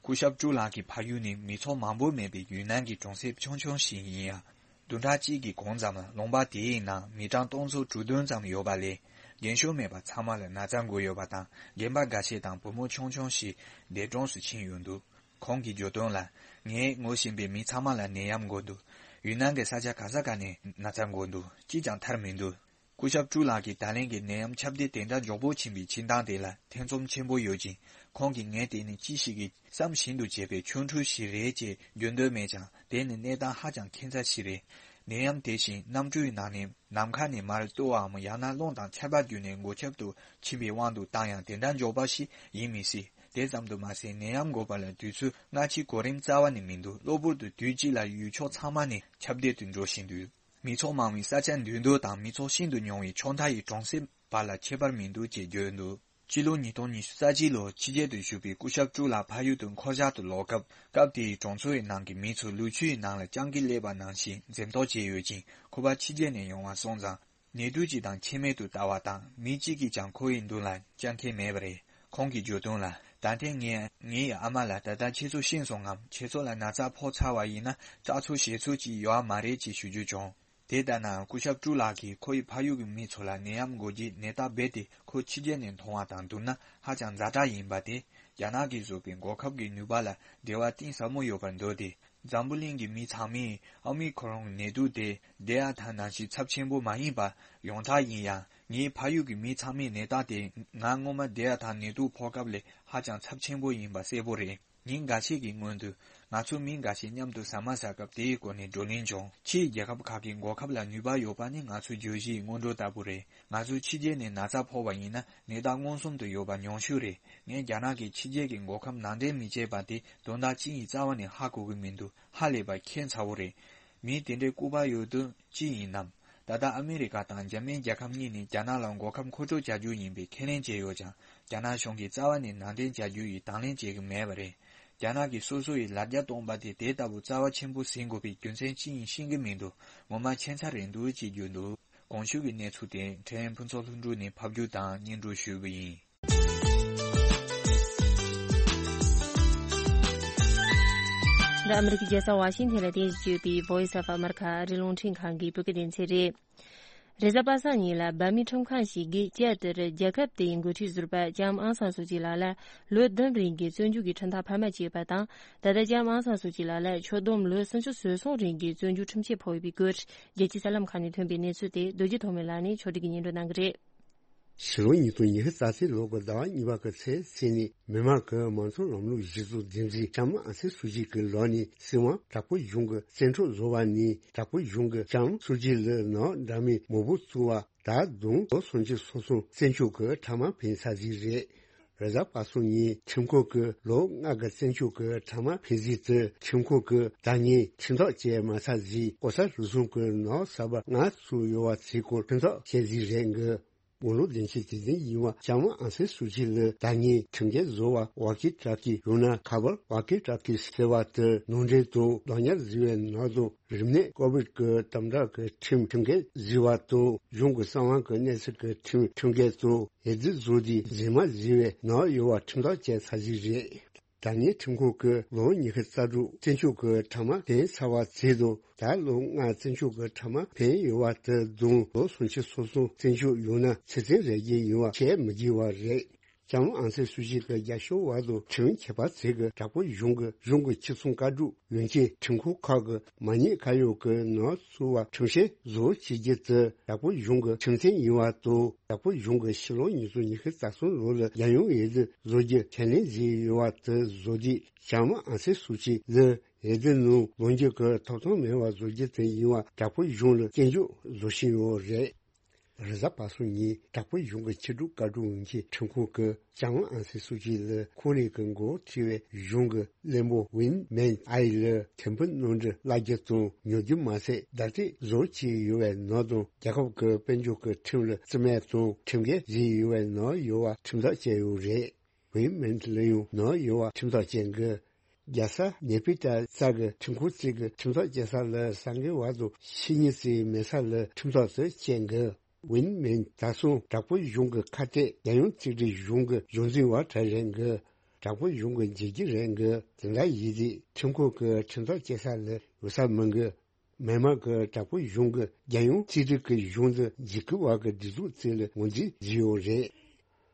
སྐུ་ཞབས་ཀྲུའུ་ལགས་ཀྱི་ཕ་ཡུལ་ནི་མི་ཚོགས་མང་པོ་མེད་པའི་ཡུན་ནན་གྱི་གྲོང་གསེབ་ཆུང་ཆུང་ཞིག་ཡིན་ཡང་། བདུན་ཕྲག་གཅིག་གི་གོང་ཙམ་ལ་ལུང་པ་དེའི་ནང་མི་གྲངས་སྟོང་ཚོ་དྲུག་བདུན་ཙམ་ཡོད་པ་ལས། རྒན་ཤོས་མེད་པར་ཚང་མ་ལ་ན་ཚ་འགོས་ཡོད་པ་དང་། རྒན་པ་འགའ་ཤས་དང་བུ་མོ་ཆུང་ཆུང་ཞིག་འདས་གྲོངས་སུ་ཕྱིན་ཡོད་འདུག། ཁོང་གིས་བརྗོད་དོན་ལ། ངས་ངོ་ཤེས་པའི་མི་ཚང་མ་ལ་ནད་ཡམས་འགོས་འདུག། ཡུན་ནན་གྱི་ས་ཆ་ག་ས་ག་ནས་ན་ཚ་འགོས་འདུག། གཅིག་ཀྱང་ཐར་མི་འདུག། སྐུ་ཞབས་ཀྲུའུ་ལགས་ཀྱིས་ད་ལན་གྱི་ནད་ཡམས་ཁྱབ་གདལ་དེ་འདྲ་མགྱོགས་པོ་ཕྱིན་པའི་ཕྱིན་སྟངས་དེ་ལ་ཐེ་ཚོམ་ཆེན་པོ་ཡོད་ཅིང་། ཁོང་གིས་ངས་དེ་ནི་ཅི་ཞིག་གི་བསམ་བཞིན་དུ་བྱས་པའི་ཆོ་འཕྲུལ་ཞིག་རེད་ཅེས་བརྗོད་འདོད་མེད་ཀྱང་། དེ་ནི་གནས་སྟངས་ཧ་ཅང་ཁྱད་མཚར་ཞིག་རེད། ནད་ཡམས་དེ་བཞིན་གནམ་གྲུའི་ནང་ནས་ནམ་མཁའ་ནས་མར་གཏོར་བའམ། ཡང་ན་རླུང་དང་ཆར་པ་བརྒྱུད་ནས་འགོས་ཁྱབ་ཏུ་ཕྱིན་པའི་དབང་དུ་བཏང་ཡང་། དེ་འདྲ་མགྱོགས་པ་ཞིག་ཡིན་མི་སྲིད། དེ་ཙམ་དུ་མ་ཟད། ནད་ཡམས་འགོས་པ་ལ་དུས་ཚོད་སྔ་ཕྱི་གོ་རིམ་རྩ་བ་ནས་མི་འདུག། གློ་བུར་དུ་དུས་གཅིག་ལ་ཡུལ་ཕྱོགས་ཚང་མ་ནས་ཁྱབ་གདལ་དུ་འགྲོ་བཞིན་འདུག། མི་ཚོགས་མང་བའི་ས་ཆ་འདུས་མདོ་དང་མི་ཚོགས་ཤིན་ཏུ་ཉུང་བའི་ཕྱོགས་མཐའ་ཡི་གྲོང་གསེབ་བར་ལ་ཁྱད་པར་མི་འདུག་ཅེས་བརྗོད་འདུག། སྤྱི་ལོ་ཉིས་སྟོང་ཉི་ཤུ་རྩ་གཅིག་ལོར་ཕྱི་རྒྱལ་དུ་བཞུགས་པའི་སྐུ་ཞབས་ཀྲུའུ་ལགས་ཕ་ཡུལ་དུ་འཁོར་ཞག་ཏུ་ལོག་སྐབས། སྐབས་དེའི་གྲོང་ཚོའི་ནང་གི་མི་ཚོ་ལུག་ཁྱུའི་ནང་ལ་སྤྱང་ཀི་སླེབས་པ་ནང་བཞིན་འཛེམ་དོགས་བྱས་ཡོད་ཅིང་། ཁོ་པ་ཕྱི་རྒྱལ་ནས་ཡོང་བ་སོང་ཙང་། ནད་དུག་ཅིག་དང་ཁྱད་མེད་དུ་ལྟ་བ་དང་། མི་གཅིག་གིས་ཀྱང་ཁོ་ཡི་མདུན་ལ་སྤྱང་ཁྱེར་མེད་པ་རེད། ཁོང་གིས་བརྗོད་དོན་ལ། ད་ཐེངས་ངས་ངའི་ཨ་མ་ལ། ད་ལྟ་ཁྱེད་ཚོ་ཤི་སོང་ངམ། ཁྱེད་ཚོ་ལ་ན་ཚ་ཕོག་ཚར་བ་ཡིན་ན་སྐྲག་ཚོར་ཞེད་ཚོར་ཅིག་ཡོད་མ་རེད་ཅེས་ཞུ་རྒྱུ་བྱུང་། དེ་ལྟ་ན། སྐུ་ཞབས་ཀྲུའུ་ལགས་ཀྱིས་ཁོ་ཡི་ཕ་ཡུལ་གྱི་མི་ཚོ་ལ་ནད་ཡམས་འགོས་རྗེས་ནད་རྟགས་རྦད་དེ་ཁོ་ཕྱི་རྒྱལ་ནས་མཐོང་བ་དང་བསྡུར་ན་ཧ་ཅང་ཛ་དྲག་ཡིན་པ་དེ། རྒྱ་ནག་གིས་བཟོས་པའི་འགོག་ཁབ་ཀྱི་ནུས་པ་ལ་འགྲེལ་བ་གཏིང་ཟབ་མོ་ཡོད་པར་འདོད་དེ། འཛམ་བུ་གླིང་གི་མི་ཚང་མས་ཨོ་མི་ཁོ་རོན་ནད་དུག་དེ་ཌེལ་ཊ་ནང་བཞིན་ཚབས་ཆེན་པོ་མ་ཡིན་པ་ཡོངས་གྲགས་ཡིན་ཡང་། ངའི་ཕ་ཡུལ་གྱི་མི་ཚང་མས་ནད་རྟགས་དེ་ང་སྔོན་མ་ཌེལ་ཊ་ནད་དུག་ཕོག་སྐབས་ལས་ཧ་ཅང་ཚབས་ཆེན་པོ་ཡིན་པ་གསལ་པོ་རེད། ཉིན་འགའ་ཤས་ཀྱི་སྔོན་དུ། ང་ཚོ་མི་འགའ་ཤས་མཉམ་དུ་ཟ་མ་ཟ་སྐབས་དེའི་སྐོར་ནས་བགྲོ་གླེང་བྱུང་། ཕྱིའི་རྒྱལ་ཁབ་ཁག་གི་འགོག་ཁབ་ལ་ནུས་པ་ཡོད་པ་ནི་ང་ཚོའི་བརྗོད་གཞིའི་སྔོན་འགྲོ་ལྟ་བུ་རེད། ང་ཚོ་ཕྱི་རྒྱལ་ནས་ན་ཚ་ཕོག་པ་ཡིན་ན་ནད་རྟགས་མངོན་སུམ་དུ་ཡོད་པ་ཉུང་ཤོས་རེད། ངས་རྒྱ་ནག་གིས་ཕྱི་རྒྱལ་གྱི་འགོག་ཁབ་ནང་འདྲེན་མི་བྱེད་པ་དེ་དོན་དག་ཅི་ཡིན་རྩ་བ་ནས་ཧ་གོ་གི་མི་འདུག། ཧ་ལས་པ་ཁྱད་མཚར་པོ་རེད། མི་དེ་འདྲའི་ལྐུགས་པ་ཡོད་དུས་ཅི་ཡིན་ནམ། ད་ལྟ་ཨ་མི་རི་ཀ་དང་འཇར་མན་རྒྱལ་ཁབ་གཉིས་ནས་རྒྱ་ནག་ལ་འགོག་ཁབ་མཁོ་སྤྲོད་བྱ་རྒྱུ་ཡིན་པའི་ཁས་ལེན་བྱས་ཡོད་ཀྱང་། རྒྱ་ནག་གཞུང་གིས་རྩ་བ་ནས་ནང་འདྲེན་བྱ་རྒྱུ་ཡི་དང་ལེན་བྱེད་ཀྱི་མེད་པ་རེད། རྒྱ་ནག་གིས་སོ་སོ་ཡི་ལ་རྒྱ་སྟོང་པ་དེ་དེ་ལྟ་བུ་རྩ་བ་ཆེན་པོ་ཟིན་དགོས་པའི་རྒྱུ་མཚན་ཅི་ཡིན་ཤེས་ཀྱི་མི་འདུག། ངོ་མ་ཁྱད་མཚར་རེད་འདུག་ཅེས་བརྗོད་འདུག། གོང་ཞུས་ཀྱི་གནས་ཚུལ་དེ་ཕྲན་ཕུན་ཚོགས་ལྷུན་གྲུབ་ནས་ཕབ་སྒྱུར་དང་སྙན་སྒྲོན་ཞུས་པ་ཡིན། འདི་ཨ་མི་རི་ཀའི་རྒྱལ་ས་ཝ་ཤིང་ཐན་ལ་རྟེན་གཞི་བྱས་ཡོད་པའི་Voice of America ཨ་རིའི་རླུང་འཕྲིན་ཁང་གི་བོད་སྐད་སྡེ་ཚན་རེད། རེས་གཟའ་པ་སངས་ཉིན་ལ་འབར་མའི་ཁྲིམས་ཁང་ཞིག་གིས་ལྕགས་དེར་རྒྱལ་ཁབ་དེའི་འགོ་ཁྲིད་ཟུར་པ་ལྕམ་ཨང་སང་སུ་ཅི་ལགས་ལ་ལོ་བདུན་རིང་གི་བཙོན་འཇུག་གི་ཁྲིམས་ཐག་འཕར་མ་བཅད་པ་དང་། ད་ལྟ་ལྕམ་ཨང་སང་སུ་ཅི་ལགས་ལ་ཆོག་སྡོམ་ལོ་སུམ་ཅུ་སོ་གསུམ་རིང་གི་བཙོན་འཇུག་ཁྲིམས་ཆད་ཕོག་ཡོད་པའི་སྐོར་རྒྱལ་སྤྱིའི་གསར་ལམ་ཁག་ནས་ཐོན་པའི་གནས་ཚུལ་དེ་རྡོ་རྗེ་ཐོགས་མེད་ལགས་ནས་ཕྱོགས་སྒྲིག་གིས་སྙན་སྒྲོན་གནང་གི་རེད། ཕྱི་ལོ་ཉིས་སྟོང་ཉི་ཤུ་རྩ་གཅིག་ལོ་གི་ཟླ་བ་གཉིས་པ་གི་ཚེས་གཅིག་ཉིན་མི་དམངས་ཀྱི་མང་གཙོ་ལམ་ལུགས་གཞི་བཙུགས་འཛིན་རིམ་ལྕམ་ཨང་སན་སུའུ་ཅི་གི་ལག་ནས་སྲིད་དབང་དྲག་པོའི་གཞུང་གི་བཙན་འཕྲོག་བཟོ་བ་ནས། དྲག་པོའི་གཞུང་གིས་ལྕམ་སུའུ་ཅི་ལགས་ནང་འདྲ་མིན་མང་པོ་བཙུགས་པ། ད་དུང་ལོ་སུམ་ཅུ་སོ་གསུམ་བཙོན་འཇུག་གི་ཁྲལ་མ་ཕན་ས་ཟིག་རེད། རེས་གཟའ་པ་སངས་ཉིན་ཁྲིམས་ཁང་གིས་ལོ་ལྔ་གི་བཙོན་འཇུག་གི་ཁྲལ་མ་ཕན་ཟིག་དེ་ཁྲིམས་ཁང་གིས་ད་ངས་ཁྲིམས་ཐག་བཅད་མ་ཚར་ཟིག། ལྐོག་ཟ་རུལ་སུངས་ཀྱི་ནང་ཟ་བ་ལྔ་བཙུགས་ཡོད་པ་ཚོའི་སྐོར་ཁྲིམས་ཐག་བཅད་ཟིག་རེད་འགི། དགུང་ལོ་བདུན་ཅུ་དེ་ཙམ་ཡིན་པ་ལྕམ་ཨང་སན་སུའུ་ཅི་ལགས་ད་ངས་ཁྲིམས་འགལ་བཟོ་བ་ཝོག་ཀི་ཊོག་ཀི། ཡང་ན་ཁ་པར་ཝོག་ཀི་ཊོག་ཀི་ཟེར་བ་དེ་ནང་འདྲེན་དང་རྡོག་ཉར་བཟོས་པའི་ནང་དུ་རིམས་ནད་ཀོ་བིཌ་ཀྱི་དམ་དྲག་གི་ཁྲིམས་ཁྲིམས་འགལ་བཟོས་པ་དང་། གཞུང་གི་གསང་བ་གི་གནས་ཚུལ་གྱི་ཁྲིམས་ཁྲིམས་འགལ་དང་། ཡི་གེ་བཟོ་དུས་རྫུན་མ་བཟོས་པའི་ནང་ཡོད་པ་ཁྲིམས་ཐག་བཅད་ཚར་ཟིག་རེད། ད་ནི་ཁྲིམས་ཁང་གིས་ལོ་ཉི་ཤུ་རྩ་དྲུག་བཙོན་འཇུག་གི་ཕྲ་མ་འཕེན་ཚར་བ་བྱས་དང་། ད་ལོ་ལྔ་བཙོན་འཇུག་གི་ཕྲ་མ་འཕེན་ཡོད་པ་དེ་བསྡོམས་ལོ་སུམ་ཅུ་སོ་གསུམ་བཙོན་འཇུག་ཡོང་ན་ཚེ་བཙོན་རེད་ཀྱི་ཡིན་པ་བཤད་མི་དགོས་པ་རེད། ལྕམ་ཨང་སན་སུའུ་ཅི་གི་རྒྱབ་སྐྱོར་བ་དང་ཁྲིམས་མཁས་པ་ཚོས་ཀྱིས་དྲག་པོའི་གཞུང་གིས་གཞུང་གི་ཕྱི་སྲུང་བཀའ་སྒྲུབ་ཡོན་ཆེན་ཁྲིམས་ཁང་ཁག་གི་མ་ཉེས་ཁ་གཡོག་གི་ནང་བཙུགས་པར་ཁྲིམས་བཤེར་བཟོ་བྱེད་རྒྱུ་དེ་དྲག་པོའི་གཞུང་གི་ཁྲིམས་མཐུན་ཡིན་པ་དང་། དྲག་པོའི་གཞུང་གིས་ཕྱི་ལོ་ཉིས་སྟོང་ཉི་ཤུ་རྩ་གསུམ་ལོ་ལ་རྒྱལ་ཡོངས་འོས་བསྡུ་བཟོ་རྒྱུ་ཁས་ལེན་བྱས་ཡོད་པ་དེ་བཟོ་དུས་ལྕམ་ཨང་སན་སུའུ་ཅི་ལ་འོས་བསྡུ་ནང་ལངས་རྒྱུ་གི་ཐོབ་ཐང་མེད་པ་བཟོ་རྒྱུ་དེ་ཡིན་པ་དྲག་པོའི་གཞུང་ལ་སྐྱོན་བརྗོད་བཟོ་བཞིན་ཡོད་རེད། རེས་གཟའ་པ་སངས་ཉིན་དྲག་པོའི་གཞུང་གི་ཕྱི་སྒྲུབ་བཀའ་སྒྲུབ་ཡོན་ཆེན་ཁྲིམས་ཁང་གིས་ལྕམ་ཨང་སན་སུའུ་ཅི་ལ་ཁོང་རང་གི་འགོ་ཁྲིད་པའི་གཞུང་གི་བློན་པོ་ཝིན་མེན་ཨའི་ལ་ཐེར་འབུམ་གནམ་གྲུ་གླ་རྒྱུ་དང་ཉོ་རྒྱུ་མ་ཟད་བརྡ་སྤྲོད་བཟོ་བྱས་ཡོད་པའི་ནང་དང་། རྒྱལ་ཁབ་ཀྱི་དཔལ་འབྱོར་གྱི་ཁྲིམས་ལ་བརྩི་མེད་དང་ཁྲིམས་འགལ་བྱས་ཡོད་པའི་ནང་ཡོད་པ་ཁྲིམས་ཐག་བཅད་ཡོད་རེད། ཝིན་མེན་ལ་ཡང་ནང་ཡོད་པ་ཁྲིམས་ཐག་བཅད་འགི། རྒྱལ་ས་ནེ་པི་ཏཱ་ས་གི་ཁྲིམས་ཁང་གཅིག་གི་ཁྲིམས་ཐག་བཅད་ས་ལ་ས་འགན་བ་དང་ཕྱི་ཉིན་གཅིག་མེད་ས་ལ་ཁྲིམས་ཐག་དེ་བཅད་འགི། ཝིན་མེན་ད་སོང་དྲག་པོའི་གཞུང་གི་ཁ་གཏད། རྒྱལ་ཡོངས་གཅིག་སྒྲིལ་གཞུང་གི་གཞུང་འཛིན་པ་གྲས་རེད་འགི། དྲག་པོའི་གཞུང་གི་འཇིགས་སྐྱེལ་རེད་འགི། དེ་འདྲ་ཡིན་དུས་ཁྲིམས་ཁང་གི་ཁྲིམས་ཐག་བཅད་ས་ལ་འོས་ས་མི་འགི། མི་མང་གིས་དྲག་པོའི་གཞུང་གིས་རྒྱལ་ཡོངས་གཅིག་སྒྲིལ་གྱི་གཞུང་དུ་འཇིགས་སྐུལ་བ་གི་སྒྲིག་འཛུགས་བཙུགས་ལ་ངོས་འཛིན་བྱས་ཡོད་རེད།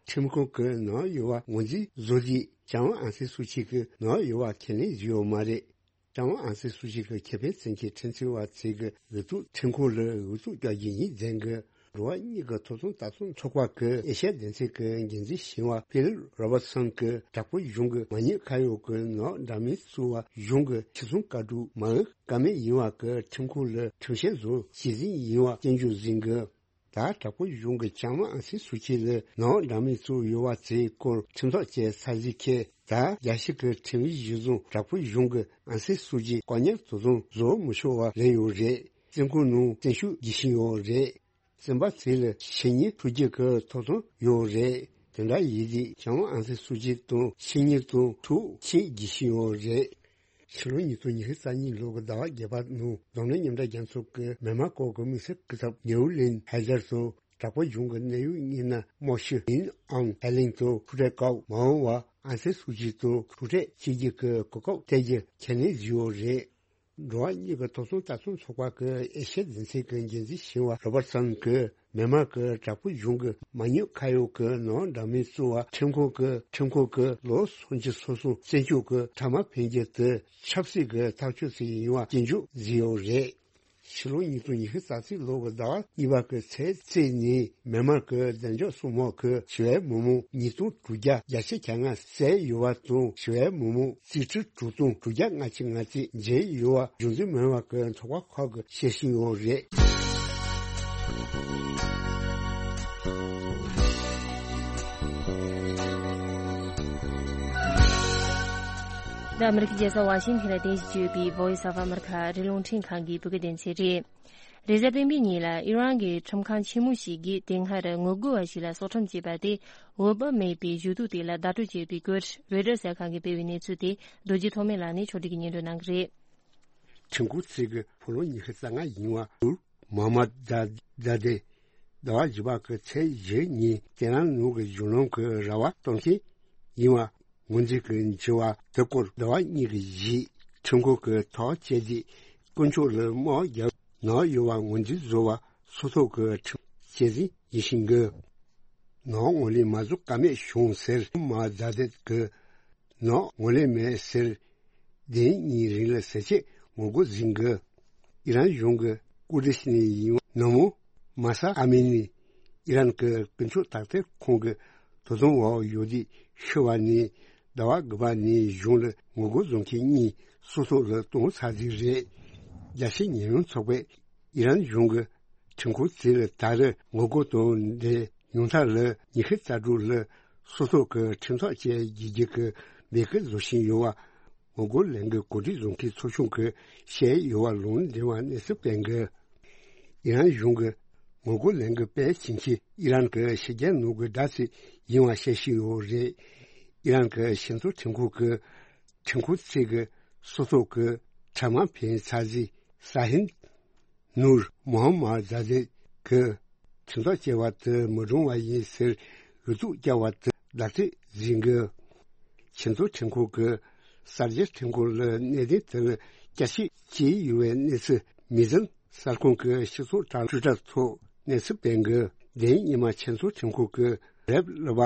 ཁྲིམས་ཁང་གི་ནང་ཡོད་པ་ངོས་འཛིན་བཟོ་དུས་ལྕམ་ཨང་སན་སུའུ་ཅི་གི་ནང་ཡོད་པ་ཁས་ལེན་བྱས་ཡོད་མ་རེད། ལྕམ་ཨང་སན་སུའུ་ཅི་གི་ཁེ་ཕན་བཙན་གྱི་ཁྲིམས་འཛིན་པ་ཚོས་ཀྱི་འོས་བསྡུ་ཁྲིམས་ཁང་ལ་འོས་བསྡུ་རྒྱག་རྒྱུ་ཡིན་ཟེར་གི། འགྲོ་བ་མིའི་ཐོབ་ཐང་ལྟ་སྲུང་ཚོགས་པ་གི་ཨེ་ཤ་ཡ་སྡེ་ཚན་གྱི་འགན་འཛིན་གཞོན་པ་ཕི་ལིབ་རོ་བར་སན་གྱིས་དྲག་པོའི་གཞུང་གི་མ་ཉེས་ཁ་གཡོག་གི་ནང་འདྲ་མིན་བཙུགས་པ་གཞུང་གི་ཕྱི་སྲུང་བཀའ་སྒྲུབ་མ་འོས་ཀ་མེད་ཡིན་པ་གི་ཁྲིམས་ཁང་ལ་ཁྲིམས་བཤེར་བཟོ་བྱེད་རྩིས་ཡིན་པ་སྐྱོན་བརྗོད་ཟིན་གི། ད་དྲག་པོའི་གཞུང་གི་ལྕམ་ཨང་སན་སུའུ་ཅི་ལ་ནང་འདྲ་མིན་བཙུགས་ཡོད་པ་དེའི་སྐོར་ཁྲིམས་ཐག་བཅད་ཚར་རྗེས་ཁེ་ད་རྒྱལ་སྤྱི་གི་ཁྲིམས་ཡིག་གཞིར་བཟུང་དྲག་པོའི་གཞུང་གི་ཨང་སན་སུའུ་ཅི་བཀག་ཉར་དོ་དམ་བཟོ་མི་ཆོག་པ་རེད་ཡོད་རེད། བཙོན་ཁང་ནང་བཙོན་བཅུག་རྒྱུ་ཞིག་ཡོད་རེད། བཙོན་པ་ཚོ་ལ་ཕྱི་ཉིན་འཁྲུག་རྒྱུ་གི་ཐོབ་ཐང་ཡོད་རེད། དེ་འདྲ་ཡིན་དུས་ལྕམ་ཨང་སན་སུའུ་ཅི་དང་ཕྱི་ཉིན་དང་འཁྲུག་ཆད་རྒྱུ་ཞིག་ཡོད་རེད། ཕྱི་ལོ་ཉིས་སྟོང་ཉི་ཤུ་རྩ་གཉིས་ལོ་གི་ཟླ་བ་བརྒྱད་པ་ནང་འཛམ་གླིང་མཉམ་འབྲེལ་རྒྱལ་ཚོགས་ཀྱི་མི་མང་སྐོར་གྱི་དམིགས་བསལ་སྐུ་ཚབ་ནེའུ་ལིན་ཧེ་ཛར་སོགས་དྲག་པོའི་གཞུང་གི་གནད་ཡོད་མི་སྣ་སྨོ་ཤི་ཨིན་ཨང་ཨེ་ལིན་དང་ཁུ་ཏྲེ་ཀའོ་མའོ་བ་ཨང་སན་སུའུ་ཅི་དང་ཐུག་འཕྲད་བྱེད་རྒྱུ་གི་གོ་སྐབས་སྟེར་རྒྱུ་ཁས་ལེན་བྱས་ཡོད་རེད། འགྲོ་བ་མིའི་ཐོབ་ཐང་ལྟ་སྲུང་ཚོགས་པ་གི་ཨེ་ཤ་ཡ་སྡེ་ཚན་གྱི་འགན་འཛིན་གཞོན་པ་རོ་བར་སན་གྱིས་མི་མང་གིས་དྲག་པོའི་གཞུང་གི་མ་ཉེས་ཁ་གཡོག་གི་ནང་འདྲ་མིན་བཙུགས་པ་ཁྲིམས་ཁང་གི་ཁྲིམས་ཁང་གི་ལོ་སུམ་ཅུ་སོ་གསུམ་བཙོན་འཇུག་གི་ཕྲ་མ་འཕེན་རྒྱུ་དེ་ཆབ་སྲིད་ཀྱི་ཐག་གཅོད་ཅིག་ཡིན་པ་སྐྱོན་བརྗོད་བྱས་ཡོད་རེད། ཕྱི་ལོ་ཉིས་སྟོང་ཉི་ཤུ་རྩ་གཅིག་ལོ་གི་ཟླ་བ་གཉིས་པ་གི་ཚེས་གཅིག་ཉིན་མི་མང་གི་བདེ་འཇགས་སྲུང་དམག་གིས་ཞི་བའི་མི་མང་ཉིས་སྟོང་དྲུག་བརྒྱ་བརྒྱད་ཅུ་གྱ་ལྔ་བསད་ཡོད་པ་དང་། ཞི་བའི་མི་མང་རྩིས་ཁྲི་དྲུག་སྟོང་དྲུག་བརྒྱ་ལྔ་བཅུ་ང་གཅིག་མཇལ་ཡོད་པ་གཞུང་འཛིན་མི་སྣ་གི་ཚོགས་པ་ཁག་གིས་བཤད་བཞིན་ཡོད་རེད། འདི་ཨ་མི་རི་ཀའི་རྒྱལ་ས་ཝ་ཤིང་ཐན་ལ་རྟེན་གཞི་བྱས་ཡོད་པའི་Voice of America ཨ་རིའི་རླུང་འཕྲིན་ཁང་གི་བོད་སྐད་སྡེ་ཚན་རེད། རེས་གཟའ་སྤེན་པའི་ཉིན་ལ་ཨི་རན་གྱི་ཁྲིམས་ཁང་ཆེན་མོ་ཞིག་གིས་དེ་སྔར་ངོ་རྒོལ་བ་ཞིག་ལ་སྲོག་ཁྲིམས་བཅད་པ་དེ་འོས་བབ་མེད་པའི་ཞུ་གཏུག་དེ་ལ་བརྡ་སྤྲོད་བྱས་པའི་སྐོར་Reuters གསར་ཁང་གིས་སྤེལ་བའི་གནས་ཚུལ་དེ་རྡོ་རྗེ་ཐོགས་མེད་ལགས་ནས་ཕྱོགས་སྒྲིག་གིས་སྙན་སྒྲོན་གནང་གི་རེད། ཁྲིམས་ཁང་གཅིག་གི་ཕོ་ལོ་ཉི་ཤུ་རྩ་ལྔ་ཡིན་པ་ནུར་མོ་ཧམ་མད་ཛ་ཛ་དེ་ཟླ་བ་བཞི་པ་གི་ཚེས་བཞི་ཉིན་ཏེ་ཧྲན་ནང་གི་གཞུང་ལམ་གྱི་ར་བ་གཏོང་མཁན་ཡིན་པ་ངོས་འཛིན་གྱིས་བྱས་པ་དེ་སྐོར་ཟླ་བ་གཉིས་ཀྱི་རྗེས་ཁྲིམས་ཁང་གིས་ཐག་བཅད་རྗེས་དཀོན་མཆོག་ལ་དམག་བརྒྱབ་ནང་ཡོད་པ་ངོས་འཛིན་བཟོ་བ་སོ་སོ་གི་ཁྲིམས་བཅད་རྩིས་ཡིན་ཞིང་གི། ནང་ངོས་ལེན་མ་བཟོ་ཀ་མེད་བྱུང་ཟེར་མོ་ཧམ་མད་ཛ་དེ་གིས་ནང་ངོས་ལེན་མེད་ཟེར། བདུན་གཉིས་རིང་ལ་ཟས་བཅད་ངོ་རྒོལ་ཟིན་གི། ཨི་རན་གཞུང་གི་ཀུར་དིཤ་ནས་ཡིན་པ་ནུ་མོ་མ་ས་ཨ་མི་ནི་ཨི་རན་གྱི་ཀུན་སྤྱོད་དག་ཐེར་ཁང་གི་དོ་དམ་འོག་ཡོད་དུས་ཤི་བ་ནི་ཟླ་བ་དགུ་པ་ནས་གཞུང་ལ་ངོ་རྒོལ་བཟོ་མཁན་གཉིས་སོ་སོ་ལ་གཏོང་ཚར་ཟིག་རེད། རྒྱལ་སྤྱིའི་ཉེས་མྱོང་ཚོགས་པས་ཨི་རན་གཞུང་གི་ཁྲིམས་ཁང་ཚོ་ལ་ད་རེས་ངོ་རྒོལ་དང་འབྲེལ་ཉུང་མཐའ་ལ་ཉི་ཤུ་རྩ་དྲུག་ལ་སོ་སོ་གི་ཁྲིམས་ཐག་བཅད་རྒྱུ་གི་འབོད་སྐུལ་བཟོ་བཞིན་ཡོད་པ། ངོ་རྒོལ་ལས་འགུལ་གོ་སྒྲིག་བཟོ་མཁན་ཚོགས་ཆུང་གིས་བཤད་ཡོད་པ་ལུང་འདྲེན་པ་གནས་ཚུལ་སྤེལ་འགི། ཨི་རན་གཞུང་གིས་ངོ་རྒོལ་ལས་འགུལ་སྤེལ་བྱེད་མཁན་ཨི་རན་གྱི་ཕྱི་རྒྱལ་ནང་གི་དགྲ་ཅིག་ཡིན་པ་བཤད་བཞིན་ཡོད་རེད། ཨི་རན་གྱི་ཞི་འཚོ་ཁྲིམས་ཁང་གི་ཁྲིམས་ཁང་ཚོས་ཀྱི་སོ་སོ་གི་ཕྲ་མ་འཕེན་ཚར་རྗེས་ས་ཧིན་ནུར་མོ་ཧམ་མད་ཛ་དེ་གིས་ཁྲིམས་ཐག་བཅད་པ་དེ་མི་དྲང་བ་ཡིན་ཟེར་འུ་ཐུག་བཀྱག་པ་དེ་ལག་བྲིས་ཟིན་གི། ཆེས་མཐོའི་ཁྲིམས་ཁང་གིས་གསར་བརྗེའི་ཁྲིམས་ཁང་ལ་གནད་དོན་དེ་ལ་བསྐྱར་ཞིབ་བྱས་ཡོད་པའི་གནས་ཚུལ་མི་ཟིན་གསར་ཁང་གི་སྤྱི་ཚོགས་དྲ་ཊུའི་ཊར་ཐོག་གནས་ཚུལ་སྤེལ་འགོ། དེ་ཉིན་ཉི་མ་ཆེས་མཐོའི་ཁྲིམས་ཁང་གི་རེབ་སློབ་པ་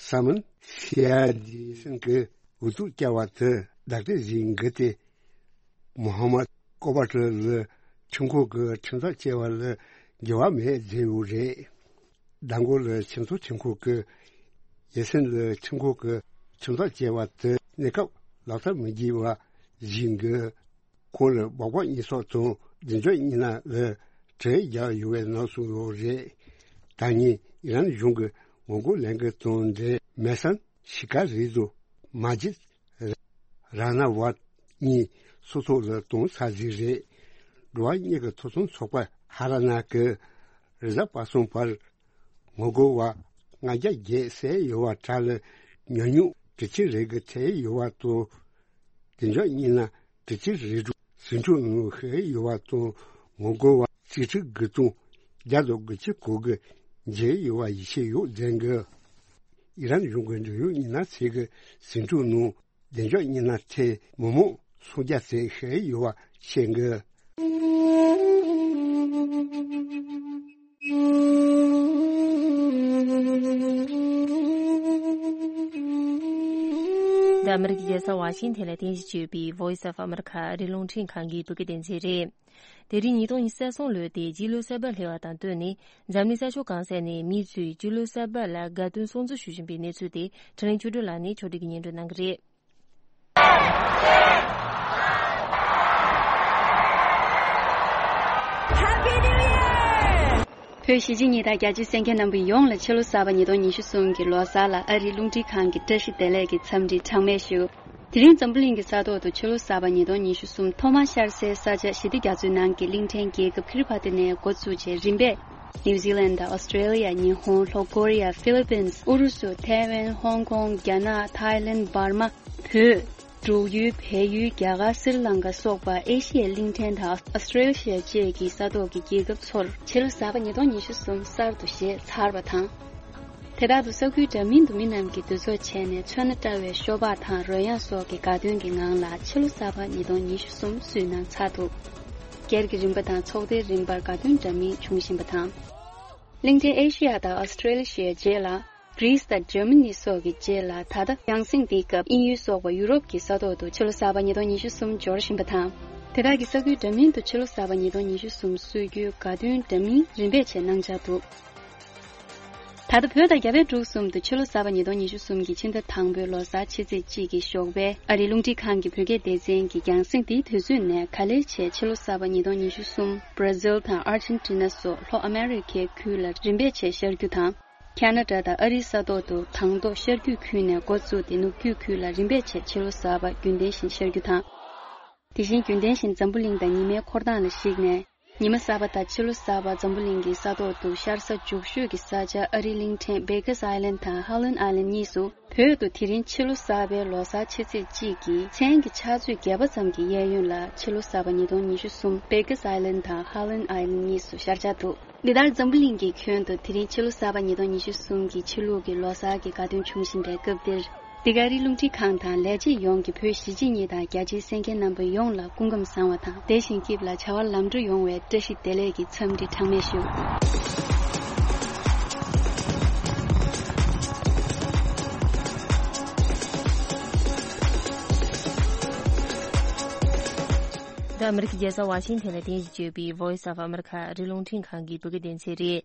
སཱ་མན་ཤི་ཡ་དི་སན་གྱིས་འོས་བསྡུ་བསྐྱལ་བ་དེ་བདག་སྒྲིག་བྱེད་འགོ་སྟེ། མོ་ཧམ་མད་ཀོ་བྷ་ཊི་ལ་ཁྲིམས་ཁང་གི་ཁྲིམས་ཐག་བཅད་པ་ལ་འགྱུར་བ་མེད་བརྗོད་ཡོད་རེད། མདང་དགོང་ལ་ཆེས་མཐོའི་ཁྲིམས་ཁང་གིས་ཡེ་སན་ལ་ཁྲིམས་ཁང་གི་ཁྲིམས་ཐག་བཅད་པ་དེ་གནས་སྐབས་ལག་བསྟར་མི་བྱེད་པ་བཞིན་གྱི། ཁོང་ལ་སྦག་སྦག་གཉིས་སོགས་དང་བདེ་འཇགས་གཉིས་སྣ་ལ་དྲིལ་བརྒྱབ་ཡོད་པའི་ནང་གསུངས་ཡོད་རེད། ད་ཉིན་ཨི་རན་གཞུང་གི་ངོ་རྒོལ་ལས་འགུལ་དང་འབྲེལ་མེ་སན་ཤི་ཀ་རི་དང་མ་ཇིད་ར་ན་ཝད་གཉིས་སྲོག་ཐོག་ལ་གཏོང་ཚར་ཟིག་རེད། འགྲོ་བ་མིའི་ཐོབ་ཐང་ཚོགས་པ་ཧ་ར་ན་གི་རེས་གཟའ་པ་སངས་བར་ངོ་རྒོལ་བ་ལྔ་བརྒྱ་བརྒལ་བསད་ཡོད་པ་གྲས་ལ་ཉམས་མྱོང་དྲུག་ཅུ་རེ་དགུ་ཐེབས་ཡོད་པ་དང་། བདེ་འཇགས་གཉིས་སྣ་དྲུག་ཅུ་རེ་དྲུག་ཟིང་འཁྲུག་ནང་ཤི་ཡོད་པ་དང་། ངོ་རྒོལ་བ་རྩིས་ཁྲི་དགུ་སྟོང་བརྒྱ་དང་དགུ་བཅུ་གོ་དགུ་མཇལ་ཡོད་པ་ཡིད་ཆེས་ཡོད་ཟེར་གི། ཨི་རན་གཞུང་གི་འབྲེལ་ཡོད་མི་སྣ་ཚོས་ཀྱིས་ཟིང་འཁྲུག་ནང་བདེ་འཇགས་མི་སྣ་ཐེ་མི་མང་སུམ་བརྒྱ་ཙམ་ཤི་ཡོད་པ་བཤད་འདུག། འདི་ཨ་མི་རི་ཀའི་རྒྱལ་ས་ཝ་ཤིང་ཐན་ལ་རྟེན་གཞི་བྱས་པའི་Voice of America ཨ་རིའི་རླུང་འཕྲིན་ཁང་གི་བོད་སྐད་སྡེ་ཚན་རེད། དེ་རིང་ཉིས་སྟོང་ཉི་ཤུ་རྩ་གསུམ་ལོའི་དེ་རྗེས་ལོ་གསར་པ་སླེབས་པ་དང་བསྟུན་ནས། འཛམ་གླིང་ས་ཕྱོགས་གང་ས་ནས་མི་ཚོས་རྗེས་ལོ་གསར་པ་ལ་དགའ་སྟོན་སྲུང་བརྩི་ཞུ་བཞིན་པའི་གནས་ཚུལ་དེ་འཕྲིན་ལས་ཆོས་སྒྲོན་ལགས་ནས་ཕྱོགས་སྒྲིག་གིས་སྙན་སྒྲོན་གནང་གི་རེད། བོད་གཞིས་བྱེས་གཉིས་དང་རྒྱ་ཆེའི་གསན་མཁན་རྣམ་པ་ཡོངས་ལ་ཕྱི་ལོ་གསར་པ་ཉིས་སྟོང་ཉི་ཤུ་གསུམ་གྱི་ལོ་གསར་ལ་ཨ་རིའི་རླུང་འཕྲིན་ཁང་གི་བཀྲ་ཤིས་བདེ་ལེགས་ཀྱི་འཚམས་འདྲི་གྲངས་མེད་ཞུ། དེ་རིང་འཛམ་བུ་གླིང་གི་ས་ཐོག་ཏུ་ཕྱི་ལོ་གསར་པ་ཉིས་སྟོང་ཉི་ཤུ་གསུམ་ཐོག་མར་ཤར་སའི་ས་ཆ་ཞི་བདེ་རྒྱ་མཚོའི་ནང་གི་གླིང་ཕྲན་རྒྱལ་ཁབ་ཁི་རི་པ་ཏི་ནས་འགོ་བཙུགས་རྗེས་རིམ་པས། ནིའུ་ཛི་ལན་དང་ཨོ་སི་ཀྲེ་ལི་ཡ། ཉི་ཧོང་། ལྷོ་ཀོ་རི་ཡ། ཧྥི་ལི་པིན། ཨུ་རུ་སུ། ཐའེ་ཝན། ཧོང་ཀོང་། རྒྱ་ནག་ཐའི་ལེན། འབར་མ། བོད། འབྲུག་ཡུལ། བལ་ཡུལ། རྒྱ་གར། སི་རི་ལང་ཀ་སོགས་པ་ཨེ་ཤི་ཡའི་གླིང་ཕྲན་དང་ཨོ་སི་ཀྲེ་ལི་ཡ་བཅས་ཀྱི་ས་ཐོག་གི་རྒྱལ་ཁབ་ཚོར་ཕྱི་ལོ་གསར་པ་ཉིས་སྟོང་ཉི་ཤུ་གསུམ་གསར་དུ་བཞད་ཚར་བ་དང་། དེ་དག་ཏུ་ས་ཁུལ་འདྲ་མིན་དུ་མི་རྣམས་ཀྱིས་འདུ་ཚོགས་བྱས་ནས་མཚོན་ན་བཀྲ་བའི་ཤོ་སྦག་དང་རོལ་དབྱངས་སོགས་ཀྱི་དགའ་སྟོན་གྱི་ངང་ལ་ཕྱི་ལོ་གསར་པ་ཉིས་སྟོང་ཉི་ཤུ་གསུམ་བསུས་གནང་ཚར་འདུག། སྒེར་གྱི་རིམ་པ་དང་ཚོགས་སྡེའི་རིམ་པར་དགའ་སྟོན་འདྲ་མིན་བྱུང་བཞིན་པ་དང་། གླིང་ཕྲན་ཨེ་ཤི་ཡ་དང་ཨོ་སི་ཀྲེ་ལི་ཡའི་རྗེས་ལ། གྷི་རིས་དང་འཇར་མ་ནི་སོགས་ཀྱི་རྗེས་ལ། ད་ལྟ་ཡང་སེང་དེའི་སྐབས་དབྱིན་ཡུལ་སོགས་པ་ཡུ་རོབ་ཀྱི་ས་ཐོག་ཏུ་ཕྱི་ལོ་གསར་པ་ཉིས་སྟོང་ཉི་ཤུ་གསུམ་འབྱོར་བཞིན་པ་དང་། དེ་དག་གི་ས་ཁུལ་འདྲ་མིན་དུ་ཕྱི་ལོ་གསར་པ་ཉིས་སྟོང་ཉི་ཤུ་གསུམ་གསོལ་རྒྱུའི་དགའ་སྟོན་འདྲ་མིན་རིམ་པས་བྱས་གནང་འཆར་འདུག། ད་ལྟ་བོད་དང་རྒྱ་བལ་འབྲུག་གསུམ་དུ་ཕྱི་ལོ་གསར་པ་ཉིས་སྟོང་ཉི་ཤུ་གསུམ་གྱི་ཕྱི་ཟླ་དང་པོའི་ལོ་གསར་ཕྱི་ཚེས་གཅིག་གི་ཞོགས་པའི་ཨ་རིའི་རླུང་འཕྲིན་ཁང་གི་བོད་སྐད་སྡེ་ཚན་གྱིས་རྒྱང་སྲིང་དེའི་དུས་ཚོད་ནས་ག་ལེར་བྱས་ཕྱི་ལོ་གསར་པ་ཉིས་སྟོང་ཉི་ཤུ་གསུམ་བྷར་ཛིལ་དང་ཨར་ཇེན་ཊི་ན་སོགས་ལྷོ་ཨ་མེ་རི་ཁའི་ཁུལ་ལ་རིམ་པས་བྱས་ཤར་རྒྱུ་དང་། ཁ་ན་ཌ་དང་ཨ་རིའི་ས་ཐོག་ཏུ་དང་ཐོག་ཤར་རྒྱུད་ཁུལ་ནས་འགོ་བཙུགས་ཏེ་ནུབ་རྒྱུད་ཁུལ་ལ་རིམ་པས་བྱས་ཕྱི་ལོ་གསར་པ་རྒྱུན་ལྡན་བཞིན་ཤར་རྒྱུ་དང་། དེ་བཞིན་རྒྱུན་ལྡན་བཞིན་འཛམ་བུ་གླིང་དང་ཉི་མའི་འཁོར་སྟངས་ལ་གཞིགས་ནས། ཉི་མ་གསར་པ་དང་ཕྱི་ལོ་གསར་པ་འཛམ་བུ་གླིང་གི་ས་ཐོག་ཏུ་ཤར་ས་མགྱོགས་ཤོས་ཀྱི་ས་ཆ་ཨ་རིའི་གླིང་ཕྲན་བྷེ་ཀར་སི་ཨའི་ལན་དང་ཧ་ལན་ཨའི་ལན་གཉིས་སུ། བོད་དུ་དེ་རིང་ཕྱི་ལོ་གསར་པའི་ལོ་གསར་ཕྱི་ཚེས་གཅིག་གི་མཚན་གྱི་ཕྱག་ཚོད་བརྒྱད་པ་ཙམ་གྱི་གཡས་གཡོན་ལ་ཕྱི་ལོ་གསར་པ་ཉིས་སྟོང་ཉི་ཤུ་གསུམ་བྷེ་ཀར་སི་ཨའི་ལན་དང་ཧ་ལན་ཨའི་ལན་གཉིས་སུ་ཤར་འཆར་འདུག། འདི་ལྟར་འཛམ་བུ་གླིང་གི་ཁྱོན་དུ་དེ་རིང་ཕྱི་ལོ་གསར་པ་ཉིས་སྟོང་ཉི་ཤུ་གསུམ་གྱི་ཕྱི་ལུགས་ཀྱི་ལོ་གསར་གྱི་དགའ་སྟོན་འབྱུང་བཞིན་པའི་སྐབས་འདིར། འདི་ག་ཨ་རིའི་རླུང་འཕྲིན་ཁང་དང་ལས་བྱེད་ཡོངས་ཀྱི་བོད་གཞིས་བྱེས་གཉིས་དང་རྒྱ་ཆེའི་གསན་མཁན་རྣམ་པ་ཡོངས་ལ་སྐུ་ཁམས་བཟང་བ་དང་བདེ་ཞིང་སྐྱིད་ལ་བྱ་བ་ལམ་འགྲོ་ཡོང་བའི་བཀྲ་ཤིས་བདེ་ལེགས་ཀྱི་འཚམས་འདྲི་གྲངས་མེད་ཞུ། འདི་ཨ་མི་རི་ཀའི་རྒྱལ་ས་ཝ་ཤིང་ཐན་ལ་རྟེན་གཞི་བྱས་པའི་Voice of America ཨ་རིའི་རླུང་འཕྲིན་ཁང་གི་བོད་སྐད་སྡེ་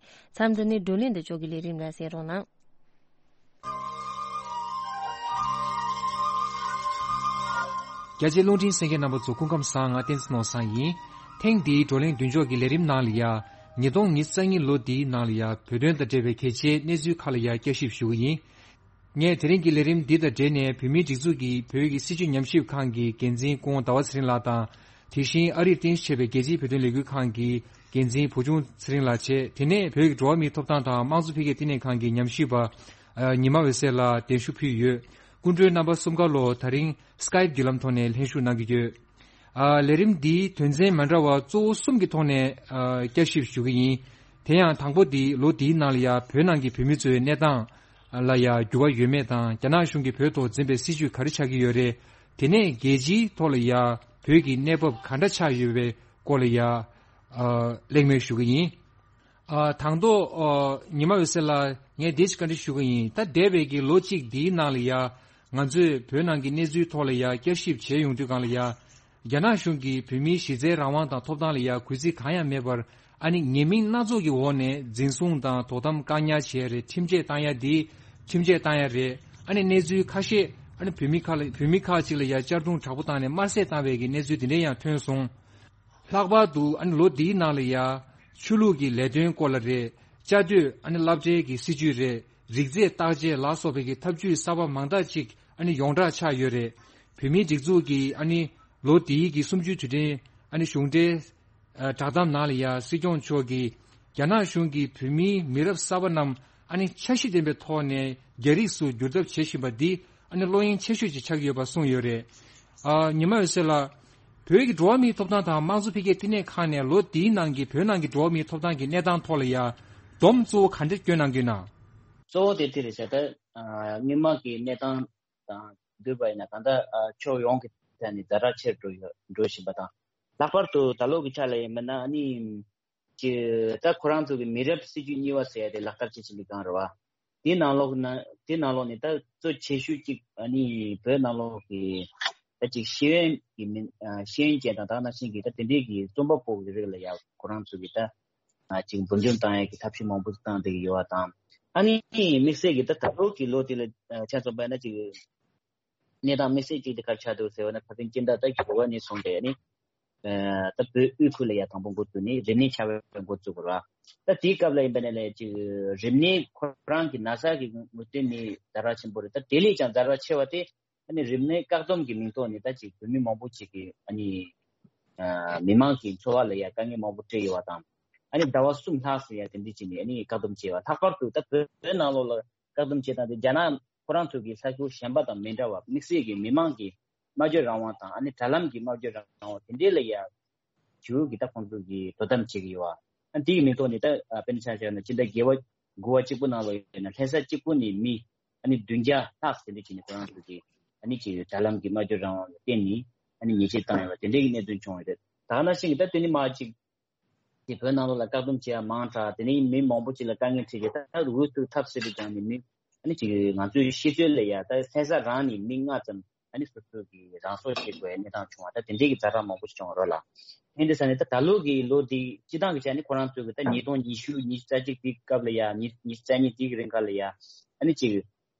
ཚན་རེད། མཚམས་འདི་ནས་བགྲོ་གླེང་མདུན་ལྕོག་གི་ལས་རིམ་ལ་གསན་རོགས་གནང་། རྒྱ་ཆེའི་རླུང་འཕྲིན་གསན་མཁན་རྣམ་པ་ཚོ་སྐུ་ཁམས་བཟང་། ང་བསྟན་འཛིན་ནོར་བཟང་ཡིན། ཐེངས་འདིའི་བགྲོ་གླེང་མདུན་ལྕོག་གི་ལས་རིམ་ནང་ལ་ཡ། ཉིས་སྟོང་ཉི་ཤུ་རྩ་གཉིས་ལོ་འདིའི་ནང་ལ་ཡ་བོད་དོན་དང་འབྲེལ་བའི་གལ་ཆེའི་གནས་ཚུལ་ཁག་ལ་ཡ་བསྐྱར་ཞིབ་ཞུ་གི་ཡིན། ངས་དེ་རིང་གི་ལས་རིམ་འདི་དང་འབྲེལ་ནས་བོད་མིའི་སྒྲིག་འཛུགས་ཀྱི་བོད་ཀྱི་སྲིད་བྱུས་ཉམས་ཞིབ་ཁང་གི་འགན་འཛིན་སྐུ་ངོ་ཟླ་བ་ཚེ་རིང་ལགས་དང་། དེ་བཞིན་ཨ་རིར་རྟེན་གཞི་བྱས་པའི་རྒྱལ་སྤྱིའི་བོད་དོན་ལས་འགུལ་ཁང་གི་འགན་འཛིན་བུ་ཆུང་ཚེ་རིང་ལགས་བཅས། དེ་ནས་བོད་ཀྱི་འགྲོ་བ་མིའི་ཐོབ་ཐང་དང་དམངས་གཙོ་འཕེལ་རྒྱས་བསྟི་གནས་ཁང་གི་ཉམས་ཞིབ་པ། ཉི་མ་འོད་ཟེར་ལགས་གདན་ཞུ་ཕུལ་ཡོད། སྐུ་མགྲོན་རྣམ་པ་གསུམ་ཀ་ལོ་ད་རིང་Skype་བརྒྱུད་ལམ་ཐོག་ནས་ལྷན་ཞུགས་གནང་གི་ཡོད། ལས་རིམ་འདིའི་དོན་ཚན་མ་འདྲ་བ་གཙོ་བོ་གསུམ་གྱི་ཐོག་ནས་བསྐྱར་ཞིབ་ཞུ་གི་ཡིན། དེ་ཡང་དང་པོ་འདི་ལོ་འདིའི་ནང་ལ་ཡ་བོད་ནང་གི་བོད་མི་ཚོའི་གནས་སྟངས། ལ་ཡ་འགྱུར་བ་ཡོད་མེད་དང་རྒྱ་ནག་གཞུང་གིས་བོད་ཐོག་འཛིན་པའི་སྲིད་བྱུས་ག་རེ་ཆགས་ཀྱི་ཡོད་རེད། དེ་ནས་རྒྱལ་སྤྱིའི་ཐོག་ལ་ཡ་བོད་ཀྱི་གནས་བབ་ག་འདྲ་ཆགས་ཡོད་པའི་སྐོར་ལ་ཡ་གླེང་མོལ་ཞུ་གི་ཡིན། དང་ཐོག་ཉི་མ་འོད་ཟེར་ལགས། ངས་འདི་ཞིག་བཀའ་འདྲི་ཞུ་གི་ཡིན། ད་འདས་པའི་གི་ལོ་གཅིག་འདིའི་ནང་ལ་ཡ་ང་ཚོས་བོད་ནང་གི་གནས་ཚུལ་ཐོག་ལ་ཡ་བསྐྱར་ཞིབ་བྱས་ཡོང་དུས་སྒང་ལ་ཡ། རྒྱ་ནག་གཞུང་གིས་བོད་མིའི་གཞི་རྩའི་རང་དབང་དང་ཐོབ་ཐང་ལ་ཡ་གུས་བརྩི་གང་ཡང་མེད་པར། ཨ་ནི་ཉེས་མིང་སྣ་ཚོགས་ཀྱི་འོག་ནས་འཛིན་བཟུང་དང་དོ་དམ་བཀག་ཉར་བྱས་རེད། ཁྲིམས་ཆད་བཏང་ཡ་འདི་ཁྲིམས་ཆད་བཏང་ཡ་རེད། ཨ་ནི་གནས་ཚུལ་ཁ་ཤས་ཨ་ནི་བོད་མི་ཁག་ལ་བོད་མི་ཁག་ཅིག་ལ་ཡ་གཅར་རྡུང་དྲག་པོ་བཏང་ནས་དམར་གསོད་བཏང་བའི་གི་གནས་ཚུལ་འདི་འདྲ་ཡང་ཐོན་སོང་། ལྷག་པར་དུ་ཨ་ནི་ལོ་འདིའི་ནང་ལ་ཡ་ཆོས་ལུགས་ཀྱི་ལས་དོན་སྐོར་ལ་རེད། བཅའ་སྡོད་ཨ་ནི་སློབ་གྲྭའི་གི་སྲིད་བྱུས་རེད། རིགས་རྫས་བརྟག་དཔྱད་ལ་སོགས་པའི་གི་ཐབས་ཇུས་གསར་པ་མང་དག་ཅིག་ཨ་ནི་ཡོངས་གྲགས་ཆགས་ཡོད་རེད། བོད་མིའི་སྒྲིག་འཛུགས་ཀྱི་ཨ་ནི་ལོ་འདིའི་གི་གསུམ་བཅུའི་དུས་དྲན་ཨ་ནི་གཞུང་འབྲེལ་ཨ་བསྒྲགས་གཏམ་ནང་ལ་ཡ་སྲིད་སྐྱོང་མཆོག་གིས་རྒྱ་ནག་གཞུང་གིས་བོད་མིའི་མི་རབས་གསར་པ་རྣམས་ཨ་ནི་འཆར་གཞི་ལྡན་པའི་ཐོག་ནས་རྒྱ་རིགས་སུ་བསྒྱུར་ཐབས་བྱེད་བཞིན་པ་འདི་ཨ་ནི་བློ་གཡེང་ཆེ་ཤོས་ཅིག་ཆགས་ཀྱི་ཡོད་པ་གསུངས་ཡོད་རེད། ཨ། ཉི་མ་འོད་ཟེར་ལགས། བོད་ཀྱི་འགྲོ་བ་མིའི་ཐོབ་ཐང་དང་དམངས་གཙོ་འཕེལ་རྒྱས་བསྟི་གནས་ཁང་ནས་ལོ་འདིའི་ནང་གི་བོད་ནང་གི་འགྲོ་བ་མིའི་ཐོབ་ཐང་གི་གནས་སྟངས་ཐོག་ལ་ཡ་སྡོམ་གཙོ་བོ་ག་འདྲ་བསྐྱོན་གནང་གི་ཡོད་ན། གཙོ་བོ་དེ་དེ་རེད་ཤག་ད་སྔོན་མ་གི་གནས་སྟངས་དང་བསྡུར་བ་ཡིན་ན་ད་ལྟ་ཕྱོགས་ཡོངས་ཀྱི་ཐད་ནས་ཛ་དྲག་ཆེར་འགྲོ་ཡོད་འགྲོ་བཞིན་པ་དང་། ལྷག་པར་དུ་ད་ལོ་གི་ཆ་ལ་ཡིན་མིན་ན་ཨ་ནི། ཀྱི་ད་ཁོ་རང་ཚོ་གི་མི་རབས་སྲིད་བྱུས་གཉིས་པ་ཟེར་ཡ་དེ་ལག་བསྟར་བྱེད་བཞིན་པའི་སྒང་རེད་བ། དེའི་ནང་ལོགས་ན་དེའི་ནང་ལོགས་ནས་ད་གཙོ་ཆེ་ཤོས་གཅིག་ཨ་ནི་བོད་ནང་ལོགས་ཀྱི་ད་ཅིག་ཤེས་ཡོན་གྱི་མི་ཤེས་ཡོན་ཅན་དང་ད་ནང་བཞིན་གྱི་ད་དེ་འདྲའི་གི་རྩོམ་པ་པོ་གི་རིགས་ལ་ཡ་ཁོ་རང་ཚོ་གི་ད་ཅིག་འབུར་འཇོམས་བཏང་ཡ་གི་ཐབས་ཤེས་མང་པོ་བཏང་བསྡད་ཀྱི་ཡོད་བ་དང་། ཨ་ནི་དམིགས་བསལ་གྱི་ད་ད་ལོ་གི་ལོ་དེ་ལ་ཆ་མཚོན་པ་ཡིན་ན་ཅིག་གནས་སྟངས་དམིགས་བསལ་གཅིག་དེ་ག་རེ་ཆགས་འདུག་ཟེར་བ་ན་ད་ཐེངས་སྤྱི་ཟླ་ད་བཞི་པ་ནས་བཟུང་སྟེ་ནི་ད་བོད་དབུས་ཁུལ་ལ་ཡ་དང་པོ་འགོ་བཙུགས་ནས་རིམས་ནད་ཆགས་པའི་འགོ་བཙུགས་པ་རེད། ད་དེའི་སྐབས་ལ་ཡིན་པ་ན་ལས་ཅིག་རིམས་ནད་ཁོ་རང་གི་ན་ཚ་གི་ངོས་སྟོན་ནི་ཛ་དྲག་ཆེན་པོ་རེད། ད་དེ་ལས་ཀྱང་ཛ་དྲག་ཆེ་བ་དེ་ཨ་ནི་རིམས་ནད་བཀག་སྡོམ་གྱི་མིང་ཐོག་ནས་ད་ཅིག་བོད་མི་མང་པོ་ཅིག་གི་ཨ་ནི་མི་མང་གི་འཚོ་བ་ལ་ཡ་དཀའ་ངལ་མང་པོ་འཕྲད་ཡོད་པ་དང་། ཨ་ནི་ཟླ་བ་གསུམ་ལྷག་ཙམ་ཡ་དེ་འདྲ་བྱས་ནས་ཨ་ནི་བཀག་སྡོམ་བྱས་པ། ལྷག་པར་དུ་ད་བོད་ནང་ལོགས་ལ་བཀག་སྡོམ་བྱེད་སྟངས་དེ་རྒྱ་ནག་ཁོ་རང་ཚོ་གི་ས་ཁུལ་གཞན་པ་དང་མི་འདྲ་བ། དམིགས་བསལ་གྱི་མི་མང་གི་སྨྲ་བརྗོད་རང་དབང་དང་ཨ་ནི་དྲ་ལམ་གྱི་སྨྲ་བརྗོད་རང་དབང་དེ་འདྲའི་ལ་ཡ་ཞུ་གི་ད་ཁོང་ཚོ་གི་དོ་དམ་བྱེད་ཀྱི་ཡོད་པ། ཨ་འདི་གི་མིང་ཐོག་ནས་ད་དཔེར་ན་ཆ་བཞག་ན་ཕྱི་ཟླ་བརྒྱད་པ་དགུ་པ་གཅིག་པུ་ནང་ལ་ཡིན་ན་ལྷ་ས་གཅིག་པུ་ནས་མི་ཨ་ནི་བདུན་བརྒྱ་ལྷག་དེ་འདྲ་བྱས་ནས་ཁོ་རང་ཚོ་གི་ཨ་ནི་ཅིག་དྲ་ལམ་གྱི་སྨྲ་བརྗོད་རང་དབང་ལ་བརྟེན་ནས་ཨ་ནི་ཉེས་ཆད་བཏང་ཡོད་པ་དེ་འདྲའི་གི་གནད་དོན་བྱུང་ཡོད་རེད། ད་ག་ནང་བཞིན་གྱི་ད་དེ་ནི་མ་གཅིག་དེ་བོད་ནང་ལོགས་ལ་བཀག་སྡོམ་བྱེད་ཡ་མང་དྲགས། དེ་ནས་མི་མང་པོ་ཅིག་ལ་དཀའ་ངལ་འཕྲད་ཀྱི། ད་འུ་ཐུག་ཐབས་ཟེར་དུས་ཀྱང་ནི་མི་ཨ་ནི་ཅིག་ང་ཚོའི་ཤེས་ཚོད་ལ་ཡ་ད་ལྷ་ས་རང་ནས་མི་ལྔ་ཙམ་ཨ་ནི་སོ་སོ་གི་རང་སྲོག་བཅད་དགོས་ཡ་གནས་སྟངས་བྱུང་བ། ད་དེ་འདྲའི་གི་ཛ་དྲག་མང་པོ་ཞིག་བྱུང་བ་རེད་ལ། ཨ་ནི་དེ་ས་ནས་ད་ད་ལོ་གི་ལོ་འདི་སྤྱི་བཏང་གི་ཆ་ནས་ཁོ་རང་ཚོ་གི་ད་ཉིས་སྟོང་ཉི་ཤུ་ཉི་ཤུ་རྩ་གཅིག་དེའི་སྐབས་ལ་ཡ་ཉི་ཉི་ཤུ་རྩ་གཉིས་དེའི་རིང་ག་ལ་ཡ་ཨ་ནི་ཅིག་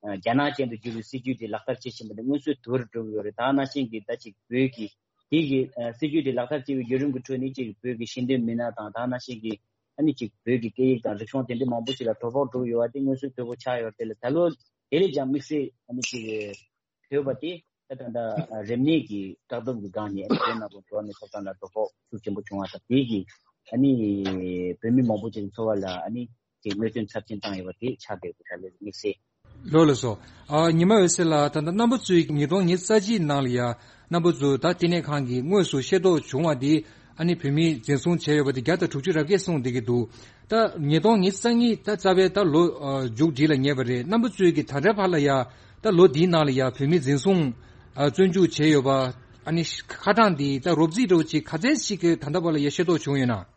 རྒྱ་ནག་ཅན་དུ་བསྒྱུར་བའི་སྲིད་ཇུས་དེ་ལག་བསྟར་བྱེད་བཞིན་པ་དེ་སྔོན་ཚུད་དུ་འགྲོ་གི་ཡོད་རེད། ད་ནང་བཞིན་གྱི་ད་ཅིག་བོད་ཀྱི་དེ་གི་ཨ་སྲིད་ཇུས་དེ་ལག་བསྟར་བྱེད་པའི་བརྒྱུད་རིམ་གྱི་ཁྲོད་ནས་ཅིག་བོད་ཀྱི་ཤེས་ལྡན་མི་སྣ་དང་ད་ནང་བཞིན་གྱི་ཨ་ནི་ཅིག་བོད་ཀྱི་སྐད་ཡིག་དང་རིག་གཞུང་དེ་འདྲ་མང་པོ་ཞིག་ལ་དོ་ཕོག་འགྲོ་གི་ཡོད་པ་དེ་སྔོན་ཚུད་དོད་པོ་ཆགས་ཡོད་རེད། དེ་ལ་ད་ལོ་དེ་ལས་ཀྱང་དམིགས་བསལ་ཨ་ནི་ཅིག་བོད་པ་དེ་ད་ད་ད་རིམས་ནད་ཀྱི་བཀག་སྡོམ་གྱི་སྒང་ནས་ཨ་ནི་བོད་ནང་དུ་འགྲོ་བ་མིའི་ཐོབ་ཐང་ལ་དོ་ཕོག་ཤུགས་ཆེན་པོ་བྱུང་བ་དང་། དེ་གིས་ཨ་ནི་བོད་མི་མང་པོ་ཅིག་འཚོ་བ་ལ་ཨ་ནི་ཅིག་གནོད་སྐྱོན་ཚབས་ཆེན་བཏང་ཡོད་པ་དེ་ཆགས་བསྡད་ཡོད་པ་ལས་དམིགས་བསལ། ལགས་ལགས་སོ། ཨ་ཉི་མ་འོད་ཟེར་ལགས། ད་ལྟ་རྣམ་པ་ཚོས་ཉིས་སྟོང་ཉི་ཤུ་རྩ་གཅིག་ནང་ལ་ཡ་རྣམ་པ་ཚོ་ད་བསྟི་གནས་ཁང་གིས་དངོས་སུ་ཤེས་རྟོགས་བྱུང་བ་འདི་ཨ་ནི་བོད་མི་འཛིན་བཟུང་བྱས་ཡོད་པ་འདི་བརྒྱ་དང་དྲུག་ཅུ་རེ་བརྒྱད་སོང་བསྡད་ཀྱི་འདུག་ད་ཉིས་སྟོང་ཉི་ཤུ་རྩ་གཉིས་ད་རྩ་བའི་ད་ལོ་ཨ་མཇུག་སྒྲིལ་ལ་ཉེ་བ་རེད། རྣམ་པ་ཚོས་ཀྱིས་ད་ལྟའི་བར་ལ་ཡ་ད་ལོ་འདིའི་ནང་ལ་ཡ་བོད་མི་འཛིན་བཟུང་ཨ་བཙོན་འཇུག་བྱས་ཡོད་པ་ཨ་ནི་ཁ་གྲངས་འདི་ད་རོབ་རྩིས་འདྲ་བོ་ཅིག་ག་ཚད་ཅིག་གི་ད་ལྟའི་བར་ལ་ཡ་ཤེས་རྟོགས་བྱུང་ཡོད་ན།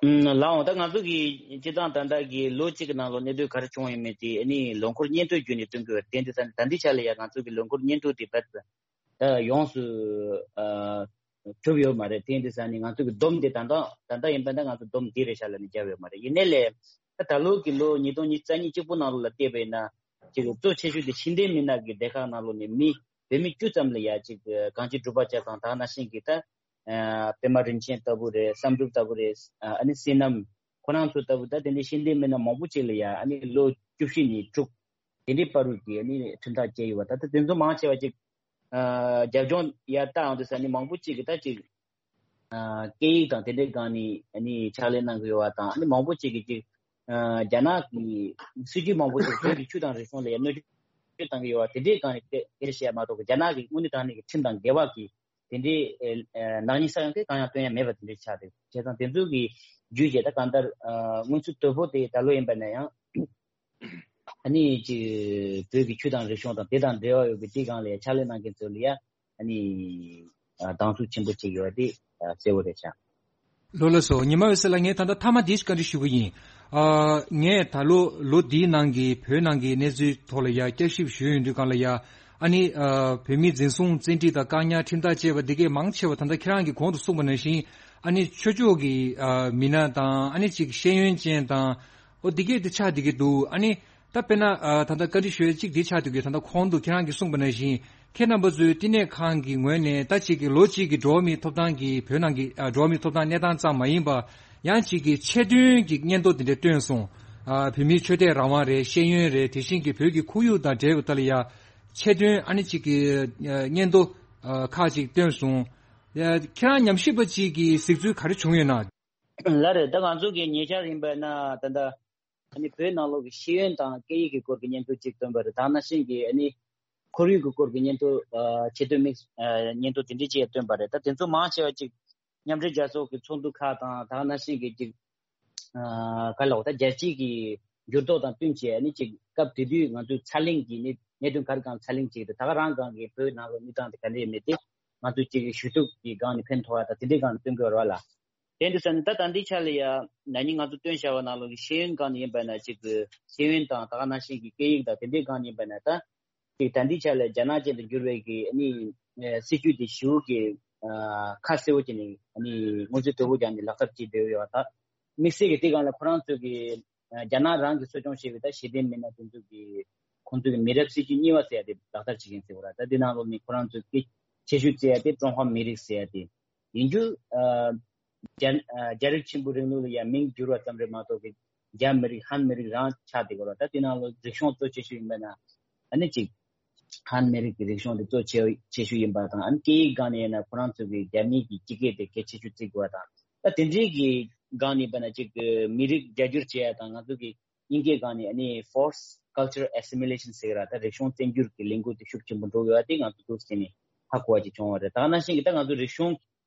ཨུམ། ལགས་འོང་། ད་ང་ཚོ་གི་སྤྱི་བཏང་ད་ལྟ་གི་ལོ་གཅིག་གི་ནང་ལོགས་གནས་སྡོད་ག་རེ་བྱུང་ཡོད་མེད་དེ་ཨ་ནི་ལོ་འཁོར་སྙན་ཐོ་བརྒྱུད་ནས་སྟོན་གྱི་ཡོད་རེད། དེ་འདྲ་ས་ནས་ད་ལྟའི་ཆ་ལ་ཡ་ང་ཚོ་གི་ལོ་འཁོར་སྙན་ཐོ་དེ་ད་ད་ཡོངས་སུ་ཨ་གྲུབ་ཡོད་མ་རེད། དེ་འདྲ་ས་ནས་ང་ཚོ་གི་བསྡོམས་དེ་ད་ལྟ་ད་ལྟ་ཡིན་པ་ན་ང་ཚོ་བསྡོམས་དེ་རེད་ཤག་ལབ་ནས་བརྒྱབ་ཡོད་མ་རེད། ཡིན་ནའི་ལས་ད་ད་ལོ་གི་ལོ་ཉིས་སྟོང་ཉི་ཤུ་རྩ་གཉིས་གཅིག་པུ་ནང་ལོགས་ལ་བལྟས་པ་ཡིན་ན་ཅིག་གཙོ་ཆེ་ཤོས་དེ་ཤེས་ལྡན་མི་སྣ་གི་སྡེ་ཁག་ནང་ལོགས་ནས་མི་བོད་མི་བཅུ་ཙམ་ལ་ཡ་ཅིག་གང་ཅི་སྒྲུབ་པ་བྱས་ཙང་ད་ནང་བཞིན་གྱི་ད། ཨ་པད་མ་རིན་ཆེན་ལྟ་བུ་རེད། བསམ་གྲུབ་ལྟ་བུ་རེད། ཨ་ཨ་ནི་བསོད་ནམས་ཁོ་རང་ཚོ་ལྟ་བུ་ད་དེ་འདྲའི་ཤེས་ལྡན་མི་སྣ་མང་པོ་ཅིག་ལ་ཡ་ཨ་ནི་ལོ་བཅུ་བཞི་ནས་དྲུག་དེ་འདྲའི་བར་དུ་གི་ཨ་ནི་ཁྲིམས་ཐག་བཅད་ཡོད་པ། ད་ལྟ་དེ་ཚོ་མང་ཆེ་བ་ཅིག་ཨ་རྒྱབ་ལྗོངས་ཡར་ལྟ་ཡོང་དུས་ས་ནི་མང་པོ་ཅིག་གིས་ད་ཅིག་ཨ་སྐད་ཡིག་དང་དེ་འདྲའི་སྒང་ནས་ཨ་ནི་ཕྱག་ལས་གནང་གི་ཡོད་པ་དང་། ཨ་ནི་མང་པོ་ཅིག་གིས་ཅིག་ཨ་རྒྱ་ནག་གི་སྲིད་ཇུས་མང་པོ་ཅིག་བོད་ཀྱི་ཆོས་དང་རིག་གཞུང་ལ་ཡ་གནོད་སྐྱོན་བཏང་གི་ཡོད་པ་དེ་འདྲའི་སྒང་ནས་དེ་དེ་བཤད་མ་གཏོགས། རྒྱ་ནག་གི་དངོས་གནས་དྲང་གནས་ཀྱི་ཁྲིམས་དང་འགལ་བ་གི་དེ་འདྲའི་ཨེ་ཨེ་ནག་ཉེས་ས་ཡོང་གི་གང་ཡང་བཏོན་ཡ་མེད་པ་དེ་འདྲའི་ཆགས་འདུག་བྱས་ཙང་དེ་ཚོ་གི་བརྒྱུད་བྱས་ད་གང་ལྟར་ཨ་སྔོན་ཚུད་དོད་པོ་དེ་ད་ལོ་ཡིན་པ་ན་ཡང་ ཨ་ནི་ཅིག་བོད་ཀྱི་ཆོས་དང་རིག་གཞུང་དང་དེ་དང་འབྲེལ་བ་ཡོད་པའི་དེའི་སྒང་ལ་ཡ་ཕྱག་ལས་གནང་མཁན་ཚོ་ལ་ཡ་ཨ་ནི་ཨ་སྡང་ཟུག་ཆེན་པོ་ཅིག་ཡོད་པ་དེ་ཨ་གསལ་བོ་རེད་ཤག་ལགས་ལགས་སོ། ཉི་མ་འོད་ཟེར་ལགས། ངས་ད་ལྟ་མཐའ་མ་འདི་ཞིག་བཀའ་འདྲི་ཞུ་གི་ཡིན། ཨ་ངས་ད་ལོ་ལོ་འདིའི་ནང་གི་བོད་ནང་གི་གནས་ཚུལ་ཐོག་ལ་ཡ་བསྐྱར་ཞིབ་ཞུས་ཡོང་དུས་སྒང་ལ་ཡ། ཨ་ནི་ཨ་བོད་མིའི་འཛིན་བཟུང་བཙན་ཁྲིད་དང་བཀག་ཉར་ཁྲིམས་ཐག་བཅད་པ་འདི་གས་མང་ཆེ་བ་ད་ལྟ་ཁྱེད་རང་གིས་གོང་དུ་གསུངས་པ་ནང་བཞིན། ཨ་ནི་ཆོས་ཕྱོགས་ཀྱི་ཨ་མི་སྣ་དང་། ཨ་ནི་ཅིག་ཤེས་ཡོན་ཅན་དང་། ཨོ་འདི་གས་དེ་ཆགས་བསྡད་ཀྱི་འདུག་ཨ་ནི་ད་དཔེར་ན་ཨ་ད་ལྟ་བཀའ་འདྲི་ཞུ་ཡ་གཅིག་འདི་ཆགས་བསྡད་ཀྱི། ད་ལྟ་གོང་དུ་ཁྱེད་རང་གིས་གསུངས་པ་ནང་བཞིན། ཁྱེད་རྣམ་པ་ཚོའི་བསྟི་གནས་ཁང་གི་ངོས་ནས་ད་ཅིག་གི་ལོ་གཅིག་གི་འགྲོ་བ་མིའི་ཐོབ་ཐང་གི་བོད་ནང་གི་ཨ་འགྲོ་བ་མིའི་ཐོབ་ཐང་གནས་སྟངས་ཙམ་མ་ཡིན་པ། ཡང་ཅིག་གི་ཆེད་དོན་གྱི་སྙན་ཐོ་དེ་འདྲ་བཏོན་སོང་། ཨ་བོད་མིའི་ཆོས་དད་རང་དབང་རེད། ཤེས་ཡོན་རེད། དེ་བཞིན་གྱི་བོད་ཀྱི་ཁོར་ཡུག་དང་འབྲེལ་བའི་ཐད་ལ་ཡ་ཆེད་དོན། ཨ་ནི་ཅིག་གི་ཨ་སྙན་ཐོ་ཨ་ཁག་ཅིག་བཏོན་སོང་། ཨ་ཁྱེད་རང་ཉམས་ཞིབ་པ་ཅིག་གིས་གཟིགས་ཚུལ་ག་རེ་བྱུང་ཡོད་ན། ལགས་རེད། ད་ང་ཚོ་གི་ཉེ་ཆར་ཡིན་པ་ན་ད་ལྟ་ཨ་ནི་བོད་ནང་ལོགས་ཀྱི་ཤེས་ཡོན་དང་སྐད་ཡིག་གི་སྐོར་གྱི་སྙན་ཐོ་གཅིག་བཏོན་པ་རེད། ད་ནང་བཞིན་གྱི་ཨ་ནི་ཁོར་ཡུག་གི་སྐོར་གྱི་སྙན་ཐོ་ཨ་ཆེད་དོན་དམིགས་ཨ་སྙན་ཐོ་དེ་འདྲ་ཅིག་བཏོན་པ་རེད། ད་དེ་ཚོ་མང་ཆེ་བ་ཅིག་མཉམ་འབྲེལ་རྒྱལ་ཚོགས་ཀྱི་ཚོགས་འདུ་ཁག་དང་། ད་ནང་བཞིན་གྱི་ཅིག་ཨ་ག་ལ་འོ་ད་རྒྱལ་སྤྱིའི་གི་འགྱུར་ལྡོག་དང་བསྟུན་བྱས། ཨ་ནི་ཅིག་སྐབས་དེ་དུས་ང་ཚོའི་ཚ་གླེང་གི་གནད་གནད་དོན་ག་རེ་སྒང་ཚ་གླེང་བྱེད་ཀྱི་འདུག་ད་ག་རང་སྒང་གི་བོད་ནང་ལོགས་གནས་སྟངས་དེ་ག་འདྲ་ཡོད་མེད་དེ་ང་ཚོས་ཅིག་ཞུ་གཏུག་གི་སྒང་ནས་ཕན་ཐོགས་ཡ་དང་དེ་འདྲའི་སྒང་ནས་སྟོན་དགོས་རེད་བ་ལ། དེ་འདྲ་ཟེར་ནས་ད་ད་ལྟའི་ཆ་ལ་ཡ་ན་ནིང་ང་ཚོ་བཏོན་བཞག་པ་ནང་ལོགས་ཀྱི་ཤེས་ཡོན་སྒང་ནས་ཡིན་པ་ན་ཅིག་གི་ཤེས་ཡོན་དང་ད་ག་ནང་བཞིན་གྱི་སྐད་ཡིག་དང་དེ་འདྲའི་སྒང་ནས་ཡིན་པ་ན། ད་ཅིག་ད་ལྟའི་ཆ་ལ་རྒྱ་ནག་ཅན་དུ་འགྱུར་བའི་གི་ཨ་ནི་ཨ་སྲིད་ཇུས་དེ་ཞེ་པོ་གི་ཨ་ཁ་གསལ་པོ་བྱས་ནས་ཨ་ནི་སྔོན་ཚུད་དོད་པོ་རྒྱག་ནས་ལག་བསྟར་བྱེད་བསྡད་ཡོད་པ། ད་དམིགས་བསལ་གྱི་དེ་སྒང་ལ་ཁོ་རང་ཚོ་གི་ཨ་རྒྱ་ནག་རང་གིས་གསོ་སྐྱོང་བྱས་པའི་ད་ཤེས་ལྡན་མི་སྣ་དེ་ཚོ་གི་ཁོང་ཚོ་གི་མི་རབས་སྲིད་ཇུས་གཉིས་པ་ཟེར་ཡ་དེ་ལག་བསྟར་བྱེད་མཁན་ཟེར་བ་ར། ད་དེ་ནང་ལོགས་ནས་ཁོ་རང་ཚོ་གི་ཆེ་ཤོས་བརྩི་ཡ་དེ་ཀྲུང་ཧྭ་མི་རིགས་ཟེར་ཡ་དེ་ཡིན་རྒྱུ། ཨ་རྒྱ་ཨ་རྒྱ་རིགས་ཆེན་པོའི་རིང་ལུགས་ལ་ཡ་མིང་བསྒྱུར་བ་ཙམ་རེད་མ་གཏོགས་གི་རྒྱ་མི་རིགས་ཧན་མི་རིགས་རང་ཆགས་བསྡད་ཡོད་ར། ད་དེ་ནང་ལོགས་རིག་གཞུང་གཙོ་ཆེ་ཤོས་ཡིན་པ་ན་ཨ་ནི་ཅིག་ཧན་མི་རིགས་ཀྱི་རིག་གཞུང་དེ་གཙོ་ཆེ་ཆེ་ཤོས་ཡིན་པ་དང་། ཨ་ནི་སྐད་ཡིག་སྒང་ནས་ཡིན་ན་ཁོ་རང་ཚོ་གི་རྒྱ་མིའི་གི་སྤྱི་སྐད་དེ་གལ་ཆེ་ཤོས་བརྩི་དགོས་པ་དང་། ད་དེ་འདྲའི་གི་སྒང་ནས་ཡིན་པ་ན་ཅིག་གི་མི་རིགས་རྒྱ་སྒྱུར་བྱེད་ཡ་དང་། ང་ཚོ་གི་དབྱིན་སྐད་སྒང་ནས་ཨ་ནི་forced cultural assimilation ཟེར་གི་ར། ད་རིག་གཞུང་བཙན་སྒྱུར་གྱི་ལས་འགུལ་དེ་ཤུགས་ཆེན་པོ་འགྲོ་གི་ཡོད་པ་དེ་ང་ཚོ་འདུག་སེ་ནས་ཧ་གོ་བ་ཅིག་བྱུང་བ་རེད། ད་ག་ནང་བཞིན་གྱི་ད་ང་ཚོ་རིག་གཞུང་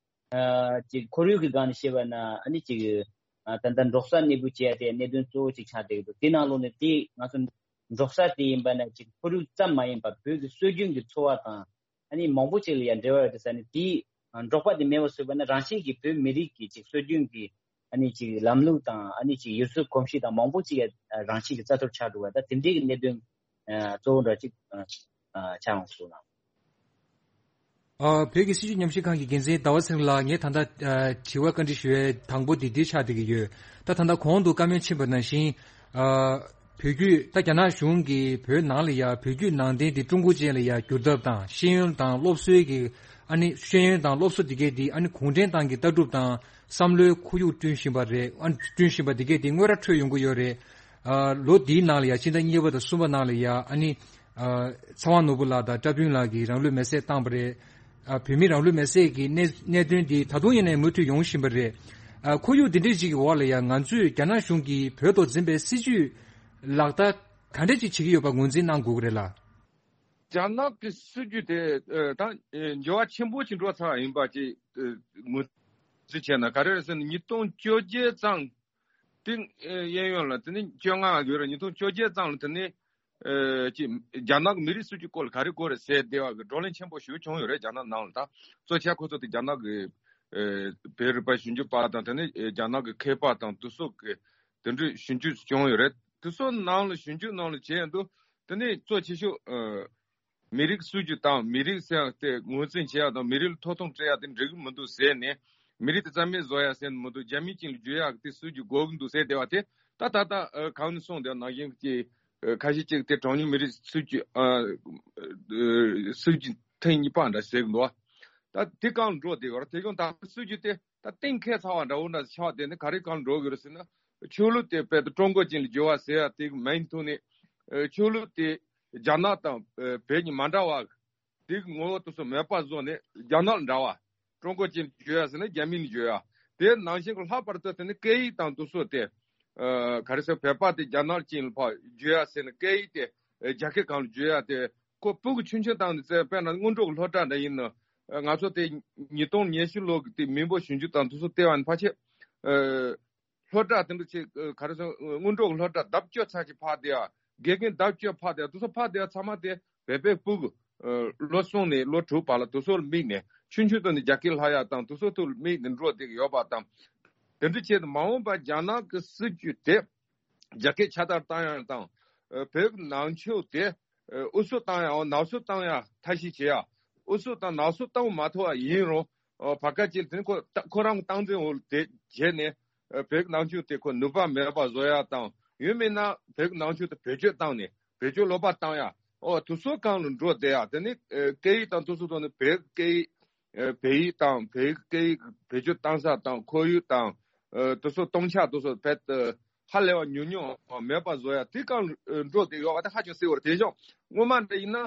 ཨ་ཅིག་ཁོར་ཡུག་གི་སྒང་ནས་བཤད་པ་ན་ཨ་ནི་ཅིག་ཨ་ད་ལྟ་འབྲོག་ས་གནས་སྤོས་བྱེད་ཡ་དེ་གནད་དོན་གཙོ་བོ་ཅིག་ཆགས་བསྡད་ཀྱི་འདུག་དེ་ནང་ལོགས་ནས་དེ་ང་ཚོ་འབྲོག་ས་དེ་ཡིན་པ་ན་ཅིག་ཁོར་ཡུག་ཙམ་མ་ཡིན་པར་བོད་ཀྱི་སྲོལ་རྒྱུན་གྱི་འཚོ་བ་དང་ཨ་ནི་མང་པོ་ཅིག་ལ་ཡང་འབྲེལ་བ་ཡོད་དེ་ཟེར་ནས། དེའི་འབྲོག་པ་དེ་མེད་པ་བཟོས་པ་ན་རང་བཞིན་གྱིས་བོད་མི་རིགས་ཀྱི་ཅིག་སྲོལ་རྒྱུན་གྱི་ཨ་ནི་ཅིག་ལམ་ལུགས་དང་ཨ་ནི་ཅིག་ཡུལ་སྲོལ་གོམས་གཤིས་དང་མང་པོ་ཅིག་རང་བཞིན་གྱིས་རྩ་གཏོར་ཆགས་འགྲོ་བ། ད་དེ་འདྲའི་གི་གནད་དོན་གཙོ་བོ་འདྲ་ཅིག་ཆགས་འོང་སོང་ལ། ཨ་བོད་ཀྱི་སྲིད་བྱུས་ཉམས་ཞིབ་ཁང་གི་འགན་འཛིན་ཟླ་བ་ཚེ་རིང་ལགས། ངས་ད་ལྟ་ཨ་དྲི་བ་བཀའ་འདྲི་ཞུ་ཡའི་དང་པོ་འདི་འདི་ཆགས་བསྡད་ཀྱི་ཡོད། ད་ད་ལྟ་གོང་དུ་བཀའ་མོལ་ཕྱིན་པ་ནང་བཞིན། ཨ་བོད་བརྒྱུད་ད་རྒྱ་ནག་གཞུང་གིས་བོད་ནང་ལ་ཡ་བོད་བརྒྱུད་ནང་བསྟན་འདི་ཀྲུང་གོ་ཅན་ལ་ཡ་བསྒྱུར་ཐབས་དང་། ཤེས་ཡོན་དང་སློབ་གསོའི་གི་ཨ་ནི་ཤེས་ཡོན་དང་སློབ་གསོ་འདི་གས་འདི་ཨ་ནི་གུང་ཁྲན་ཏང་གི་ལྟ་གྲུབ་དང་བསམ་བློའི་ཁོར་ཡུག་བསྐྲུན་བཞིན་པ་རེད། ཨ་བསྐྲུན་བཞིན་པ་འདི་གས་འདི་དངོས་ར་འཕྲོད་ཡོང་གི་ཡོད་རེད། ཨ་ལོ་འདིའི་ནང་ལ་ཡ་ཕྱི་ཟླ་གཉིས་པ་དང་གསུམ་པ་ནང་ལ་ཡ་ཨ་ནི་ཨ་ཚེ་དབང་ནོར་བུ་ལགས་དང་བཀྲ་ཕུན་ལགས་ཀྱིས་རང་ལུས་མེར་སྲེག་བཏང་པ་རེད། ཨ་བོད་མི་རང་ལུས་མེར་སྲེག་གི་གནད་གནད་དོན་འདི་ད་དུང་ཡིན་ནའི་མུ་མཐུད་ཡོང་བཞིན་པ་རེད། ཨ་ཁོར་ཡུག་འདི་འདྲའི་ཅིག་གི་འོག་ལ་ཡ་ང་ཚོས་རྒྱ་ནག་གཞུང་གིས་བོད་ཐོག་འཛིན་པའི་སྲིད་བྱུས་ལག་བསྟར་ག་འདྲ་ཅིག་བྱེད་ཀྱི་ཡོད་པ་ངོས་འཛིན་གནང་དགོས་ཀྱི་རེད་ལ། རྒྱ་ནག་གི་སྲིད་བྱུས་དེ་ཨ་ད་ཨ་འགྱུར་བ་ཆེན་པོ་ཞིག་འགྲོ་ཚར་བ་ཡིན་པ་ཅིག་ཨ་ངོས་འཛིན་བྱས་ན། ག་རེ་རེད་ཟེར་ན་ཉིས་སྟོང་བཅོ་བརྒྱད་ཙམ་དེ་ཨ་གཡས་གཡོན་ལ། དེ་ནས་བཅོ་ལྔ་ཡོད་རེད། ཉིས་སྟོང་བཅོ་བརྒྱད་ཙམ་ལ་དེ་ནས་ཨ་ཅིག་རྒྱ་ནག་གི་མི་རིགས་སྲིད་བྱུས་སྐོར་ལ་ག་རེ་དགོས་རེད་ཟེར་བསྡད་པ་གི་བགྲོ་གླེང་ཆེན་པོ་ཞིག་བྱུང་ཡོད་རེད། རྒྱ་ནག་ནང་ལ། ད་གཙོ་ཆེ་ཁོ་ཚོ་དེ་རྒྱ་ནག་གི་ཨ་བོད་རིག་པ་ཞིབ་འཇུག་པ་དང་། དེ་ནས་ཨ་རྒྱ་ནག་གི་མཁས་པ་དང་དེ་ཚོ་གི་དེ་འདྲའི་ཞིབ་འཇུག་བྱུང་ཡོད་རེད། དེ་ཚོ་ནང་ལ་ཞིབ་འཇུག་ནང་ལ་བྱས་འདུག་དེ་ནས་གཙོ་ཆེ་ཤོས་ཨ་མི་རིགས་སྲིད་བྱུས་དང་མི་རིགས་ཟེར་ཡ་དེ་ངོས་འཛིན་བྱེད་ཡ་དང་མི་རིགས་ལ་ཐོབ་ཐང་སྤྲད་ཡ་དེ་འགྲིག་གི་མི་འདུག་ཟེར་ནས། མི་རིགས་དེ་རྩ་མེད་བཟོ་ཡ་ཟེར་ནས་མི་འདུག་རྒྱ་མི་ཅན་ལ་བསྒྱུར་ཡག་དེ་སྲིད་བྱུས་དགོས་ཀྱི་འདུག་ཟེར་བསྡད་པ་དེ། ད་ད་ལྟ་ཨ་གང་ནས་གསུངས་བསྡད་ནང་བཞིན་གྱི་ཨ་ཁ་ཤས་ཅིག་དེ་གྲངས་ཉུང་མི་རིགས་སྲིད་བྱུས་ཨ་ཨ་སྲིད་བྱུས་ཐེངས་གཉིས་པ་འདྲ་ཟེར་གི་འདུག་ད་དེ་སྒང་འགྲོ་བསྡད་ཡོད་རེད། དེ་ཀྱང་ད་སྲིད་བྱུས་དེ་ད་གཏན་འཁེལ་ཚར་བ་འདྲ་བོ་འདྲ་ཆགས་བསྡད་ནས། ག་རེ་སྒང་འགྲོ་གི་རེད་ཟེར་ན། ཆོས་ལུགས་དེ་དཔེ་ད་ཀྲུང་གོ་ཅན་ལ་བསྒྱུར་བ་ཟེར་ཡ་དེ་མིང་ཐོག་ནས་ཨ་ཆོས་ལུགས་དེ་རྒྱ་ནག་དང་ཨ་བོད་གཉིས་མ་འདྲ་བ། དེ་གི་ངོ་བོ་དེ་ཚོ་མེད་པ་བཟོས་ནས་རྒྱ་ནག་ལ་འདྲ་བ། ཀྲུང་གོ་ཅན་བསྒྱུར་ཡ་ཟེར་ན་རྒྱ་མི་ནས་བསྒྱུར་ཡ། དེ་ནང་བཞིན་གྱི་ལྷག་པར་དུ་དེ་ནི་སྐད་ཡིག་དང་དེ་ཚོ་དེ་ཨ་ག་རེ་ཟེར། བོད་པ་དེ་རྒྱ་ནག་ཅན་ལ་ཕར་བསྒྱུར་ཡ་ཟེར་ན་སྐད་ཡིག་དེ་ཨ་རྒྱ་སྐད་སྒང་ལ་བསྒྱུར་ཡ་དེ། ཁོ་སྤུ་གུ་ཆུང་ཆུང་སྒང་ནས་བཙལ། དཔེར་ན་སྔོན་འགྲོ་གི་སློབ་གྲྭ་འདྲ་ཡིན་ན། ཨ་ང་ཚོ་དེ་ཉིས་སྟོང་ཉི་ཤུ་ལོ་གི་དེ་མི་འབོར་ཞིབ་འཇུག་དང་དེ་ཚོ་བལྟས་པ་ཡིན་ན་ཕལ་ཆེར་ཨ་སློབ་གྲྭ་དེ་འདྲ་ཅིག་ཨ་ག་རེ་ཟེར། སྔོན་འགྲོ་གི་སློབ་གྲྭ་ལྡབ་བཅུ་ཙམ་ཅིག་ཕར་བསྡད་ཡ། དགེ་རྒན་ལྡབ་བཅུ་ཕར་དེ་དེ་ཚོ་ཕར་དེ་ཚང་མ་དེ་བོད་པའི་ཕྲུ་གུ་ལོ་གསུམ་ནས་ལོ་དྲུག་བར་ལ་དེ་ཚོ་ལ་དམིགས་ནས་ཆུང་ཆུང་དུས་ནས་རྒྱ་སྐད་ལྷག་ཡག་དང་དེ་ཚོ་དེ་ལ་དམིགས་ནས་འགྲོ་བསྡད་ཀྱི་ཡོད་པ་དང་། དེ་འདྲ་བྱས་ཏེ་མ་འོངས་པར་རྒྱ་ནག་གི་སྲིད་ཇུས་དེ་རྒྱ་སྐད་ཁྱབ་གདལ་བཏང་ཡག་དང་། ཨ། བོད་ཀྱི་ནང་ཆོས་དེ་ཨ་འུ་སུ་བཏང་ཡག་ནག་སུ་བཏང་ཡག་ཐབས་ཤེས་བྱེད་ཡག་འུ་སུ་དང་ནག་སུ་བཏང་མ་ཐུབ་པ་ཡིན་རུང་། ཨ། བར་སྐབས་ཅིག་དེ་ཁོ་ཁོ་རང་གི་སྟངས་འཛིན་འོག་དེ་བྱས་ནས། ཨ། བོད་ཀྱི་ནང་ཆོས་དེ་ཁོ་ནུས་པ་མེད་པ་བཟོ་ཡག་དང་། ཡང་མིན་ན་བོད་ཀྱི་ནང་ཆོས་དེ་བེད་སྤྱོད་བཏང་ནས་བེད་སྤྱོད་ལོག་པ་བཏང་ཡག་འོ་དེ་ཚོ་སྒང་ལ་འགྲོ་བསྡད་ཡག་དེ་ནི་ཨ་སྐད་ཡིག་དང་དེ་ཚོ་ཐོག་ནས་བོད་སྐད་ཡིག་ཨ་བོད་ཡིག་དང་བོད་སྐད་ཡིག་བེད་སྤྱོད་བཏང་ས་དང་ཁོར་ཡུག་དང་། ཨ། དེ་ཚོ་སྟོང་ཆ་དེ་ཚོ་བེད་ཨ་ཧ་ལས་པ་ཉུང་ཉུང་མེད་པ་བཟོ་ཡག་དེ་སྒང་ལ་འགྲོ་བསྡད་ཡོད་པ་དེ་ཧ་ཅང་གསལ་པོ་རེད། དེ་བཞིན་སྔོན་མ་འདྲ་ཡིན་ན་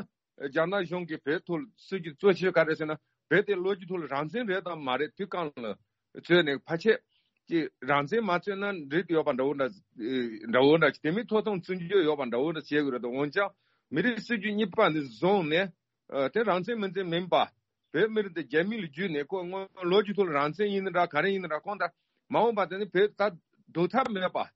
རྒྱ་ནག་གཞུང་གིས་བོད་ཐོག་ལ་སྲིད་ཇུས་གཙོ་ཆེ་ག་རེ་ཟེར་ན། བོད་དེ་ལོ་རྒྱུས་ཐོག་ལ་རང་བཙན་རེད་དམ་མ་རེད་དེ་སྒང་ལ་རྩོད་ནས་ཕལ་ཆེར་ཀྱི་རང་བཙན་མ་རྩོད་ན་འགྲིག་ཡོད་པ་འདྲ་བོ་འདྲ་འདྲ་བོ་འདྲ་ཅིག་དེ་མིན་ཐོབ་ཐང་བརྩི་འཇོག་ཡོད་པ་འདྲ་བོ་འདྲ་བྱེད་དགོས་རེད་དོ། འོན་ཀྱང་མི་རིགས་སྲིད་ཇུས་གཉིས་པ་འདི་བཟུང་ནས་ཨ་དེ་རང་བཙན་མིན་བཙན་མིན་པ། བོད་མི་རིགས་འདི་རྒྱ་མི་ལ་བརྒྱུད་ནས་ཁོ་སྔོན་ལོ་རྒྱུས་ཐོག་ལ་རང་བཙན་ཡིན་ནི་འདྲ་ག་རེ་ཡིན་ནི་འདྲ་ཁོང་ད་མ་འོངས་པ་དེ་ནི་བོད་ད་སྡུག་ཐབས་མེད་པ།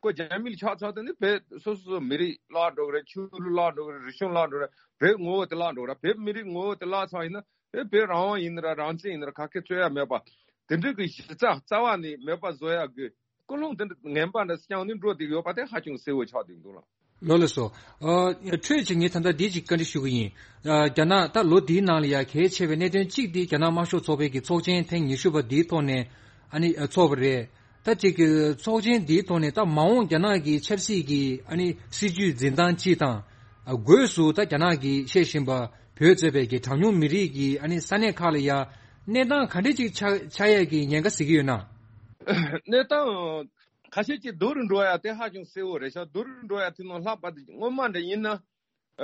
ཁོ་རྒྱ་མི་ལ་ཆགས་ཚར་དེ་ནི་བོད་སོ་སོ་སོ་མི་རིགས་བརླག་འགྲོ་གི་རེད། ཆོས་ལུགས་བརླག་འགྲོ་གི་རེད། རིག་གཞུང་བརླག་འགྲོ་གི་རེད། བོད་ངོ་བོ་དེ་བརླག་འགྲོ་གི་རེད། བོད་མི་རིགས་ངོ་བོ་དེ་བརླག་ཚར་ཡིན་ན་ཨེ་བོད་རང་དབང་ཡིན་ནི་ར་རང་བཙན་ཡིན་ནི་ར་ག་གེ་རྩོད་ཡ་མེད་པ། དེ་འདྲ་གི་གཞི་རྩ་རྩ་བ་ནས་མེད་པ་བཟོ་ཡ་གི་ཀུན་སློང་དེ་འདྲ་ངན་པ་འདྲ་བསྐྱངས་ནས་འགྲོ་བསྡད་ཡོད་པ་དེ་ཧ་ཅང་གསལ་བོ་ཆགས་བསྡད་འདུག་ལ། ལགས་ལགས་སོ། ཨ། འཕྲོས་ཀྱི་ངས་ད་ལྟ་འདི་ཅིག་བཀའ་འདྲི་ཞུ་གི་ཡིན། ཨ། རྒྱ་ནག་ད་ལོ་འདིའི་ནང་ལ་ཡ་གལ་ཆེ་བའི་གནད་དོན་གཅིག་འདི་རྒྱ་ནག་དམར་ཤོག་ཚོགས་པའི་གི་ཚོགས་ཆེན་ཐེངས་ཉི་ཤུ་པ་འདིའི་ཐོག་ནས་ཨ་ནི་ཨ་ཚོགས་པ་རེད། ད་ཅིག་གི་ཚོགས་ཆེན་འདིའི་ཐོག་ནས་ད་མ་འོངས་རྒྱ་ནག་གི་ཆབ་སྲིད་ཀྱི་ཨ་ནི་སྲིད་ཇུས་འཛིན་སྟངས་སྤྱི་དང་། ཨ། སྒོས་སུ་ད་རྒྱ་ནག་གིས་བཤད་བཞིན་པ་བོད་གཙོས་པའི་གི་གྲངས་ཉུང་མི་རིགས་ཀྱི་ཨ་ནི་ས་གནས་ཁག་ལ་ཡ་གནས་སྟངས་ག་འདྲ་ཅིག་ཆགས་ཆགས་ཡས་ཀྱི་ཉེན་ཁ་གཟིགས་ཀྱི་ཡོད་ན། གནས་སྟངས་ཁ་ཤས་ཀྱིས་སྡུག་རུ་འགྲོ་ཡ་དེ་ཧ་ཅང་གསལ་བོ་རེད་ཤག་སྡུག་རུ་འགྲོ་ཡ་དེ་ནང་ལྷག་པར་དུ་སྔོན་མ་འདྲ་ཡིན་ན། ཨ།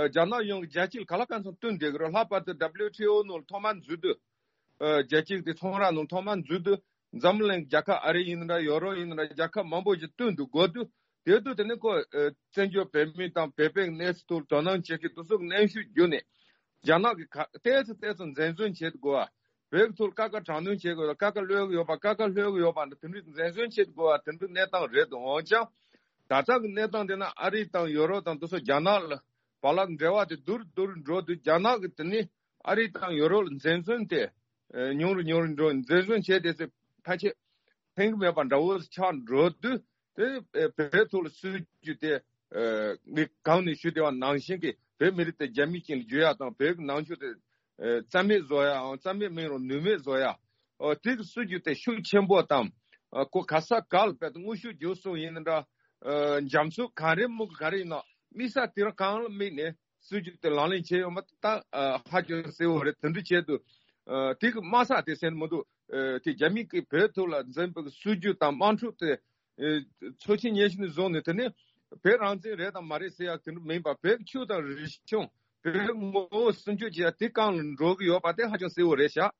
རྒྱ་ནག་གཞུང་གིས་རྒྱལ་སྤྱི་ལ་ག་ལ་གང་འཚམ་བསྟུན་བསྡད་ཀྱི་རེད། ལྷག་པར་དུ་W T O ནང་ལ་ཐོག་མར་འཛུལ་དུས། ཨ། རྒྱལ་སྤྱི་དེ་ཚོང་ར་ནང་ཐོག་མར་འཛུལ་དུས་འཛམ་གླིང་རྒྱལ་ཁབ་ཨ་རི་ཡིན་ན་འདྲ་ཡོ་རོབ་ཡིན་ན་འདྲ་རྒྱལ་ཁབ་མང་པོ་ཞིག་བསྟུན་དུ་དགོས་དུས་དེ་དུས་དེ་ནི་ཁོ་ཨ་བཙན་བྱོལ་བོད་མི་དང་བོད་པའི་གནས་ཚུལ་ཐོག་དོ་སྣང་བྱེད་མཁན་དེ་ཚོ་གི་གནོན་ཤུགས་བརྒྱུད་ནས་རྒྱ་ནག་གིས་ག་ཏོག་ཙམ་ཏོག་ཙམ་འཛེམ་ཟོན་བྱེད་དགོས་པ། བོད་ཀྱི་ཐོག་ལ་དཀའ་ཁག་དྲག་གནོན་བྱེད་དགོས་པ། དཀའ་ཁག་ལྷོད་ཀྱི་ཡོད་པ། དཀའ་ཁག་ལྷོད་ཀྱི་ཡོད་པ་འདི་དེ་འདྲའི་འཛེམ་ཟོན་བྱེད་དགོས་པ་དེ་འདྲའི་གནས་སྟངས་རེད་འདུག་འོན་ཀྱང་། ད་ལྟ་གི་གནས་སྟངས་དེ་ན་ཨ་རི་དང་ཡོ་རོབ་དང་དེ་ཚོ་རྒྱ་ནག་ལ་བར་ལ་འབྲེལ་བ་དེ་སྡུག་རུ་སྡུག་རུ་འགྲོ་དུས་རྒྱ་ནག་གི་དེ་ནི་ཨ་རི་དང་ཡོ་རོབ་ལ་འཛེམ་ཟོན་དེ་ཨ་ཉུང་རུ་ཉུང་རུ་འགྲོ། འཛེམ་ཟོན་བྱས་ཏེ་ཚེ་ཕལ་ཆེར་ཕན་གྱི་མེད་པ་འདྲ་བོ་ཆགས་འགྲོ་དུས། དེ་ཨ་བོད་ཐོག་ལ་སྲིད་ཇུས་དེ་ཨ་ངས་གོང་ནས་ཞུས་བསྡད་པ་ནང་བཞིན་གྱི་བོད་མི་རིགས་དེ་རྒྱ་མི་ཅན་ལ་བསྒྱུར་ཡག་དང་བོད་ཀྱི་ནང་ཆོས་དེ་ཨ་རྩ་མེད་བཟོ་ཡའམ་རྩ་མེད་མིན་རུང་ནུས་མེད་བཟོ་ཡ། ཨ་དེ་གི་སྲིད་ཇུས་དེ་ཤུགས་ཆེན་པོ་དང་། ཨ་ཁོ་ག་ས་ག་ལ་དཔེ་དེ་དངོས་ཤུགས་བརྒྱུད་གསུམ་ཡིན་ན་འདྲ། ཨ་འཇམ་རྩུབ་ག་རེ་མུ་ག་རེ་ཡིན་ན་དམིགས་ས་དེ་རང་གང་ལ་དམིགས་ནས་སྲིད་ཇུས་དེ་ལག་ལེན་བྱས་ཡོད་མ་ད་ཨ་ཧ་ཅང་གསལ་བོ་རེད། དེ་འདྲ་བྱས་དུས་ཨ་དེ་གི་དམའ་ས་དེ་སེམས་མི་འདུག་ཨ་དེ་རྒྱ་མི་གིས་བོད་ཐོག་ལ་འཛིན་པའི་སྲིད་ཇུས་དང་དམག་འཁྲུག་དེ། ཨེ་ཚོགས་ཆེན་ཉེར་བཞི་ནས་བཟུང་ནས་དེ་ནི་བོད་རང་བཙན་རེད་དང་མ་རེད་ཟེར་ཡག་དེ་འདྲ་མིན་པ། བོད་ཆོས་དང་རིག་གཞུང་བོད་ངོ་བོ་སྲུང་སྐྱོབ་བྱེད་ཡག་དེ་སྒང་ལ་འགྲོ་གི་ཡོད་པ་དེ་ཧ་ཅང་གསལ་བོ་རེད་ཤག་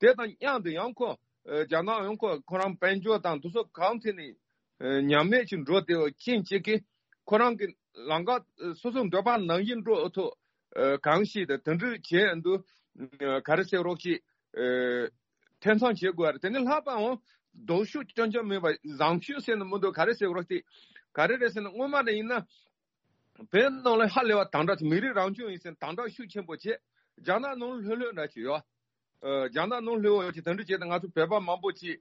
དེ་དང་མཉམ་དུ་ཡང་ཁོ་ཨེ་རྒྱ་ནག་ཡང་ཁོ་ཁོ་རང་དཔལ་འབྱོར་དང་དེ་ཚོ་གང་ཐད་ནས་ཨེ་ཉམས་དམས་ཅིག་འགྲོ་བསྡད་པ་རྐྱེན་གཅིག་གིས་ཁོ་རང་གི་ལམ་ཁ་ཨེ་སོ་སོའི་འདོད་པ་ནང་བཞིན་འགྲོ་ཐུབ་ཨེ་གང་ཞིག་དང་དེ་འདྲ་བྱས་འདུག་ཨེ་ག་རེ་ཟེར་རོགས་ཅིག་ཨེ་འཐེན་ཚང་བྱེད་དགོས་རེད། དེ་ནི་ལྷག་པའང་ལྡོག་ཕྱོགས་སྐྱོན་ཅན་མིན་པ་བཟང་ཕྱོགས་ཟེར་ན་མི་འདུག་ག་རེ་ཟེར་དགོས་རེད་དེ། ག་རེ་རེད་ཟེར་ན་སྔོན་མ་ནས་ཡིན་ན་བོད་ནང་ལ་ཧ་ལས་པ་དམ་དྲག་མི་རིགས་རང་སྐྱོང་ཡིན་ཟེར་ན་དམ་དྲག་ཤུགས་ཆེན་པོ་བྱས། རྒྱ་ནག་ནང་ལྷོད་ལྷོད་འདྲ་ཅིག་ཡོད། ཨ་རྒྱ་ནག་ནང་ལྷོད་འོ་ཅིག་དེ་འདྲ་བྱས་ཏེ་ང་ཚོ་བོད་པ་མང་པོ་ཅིག་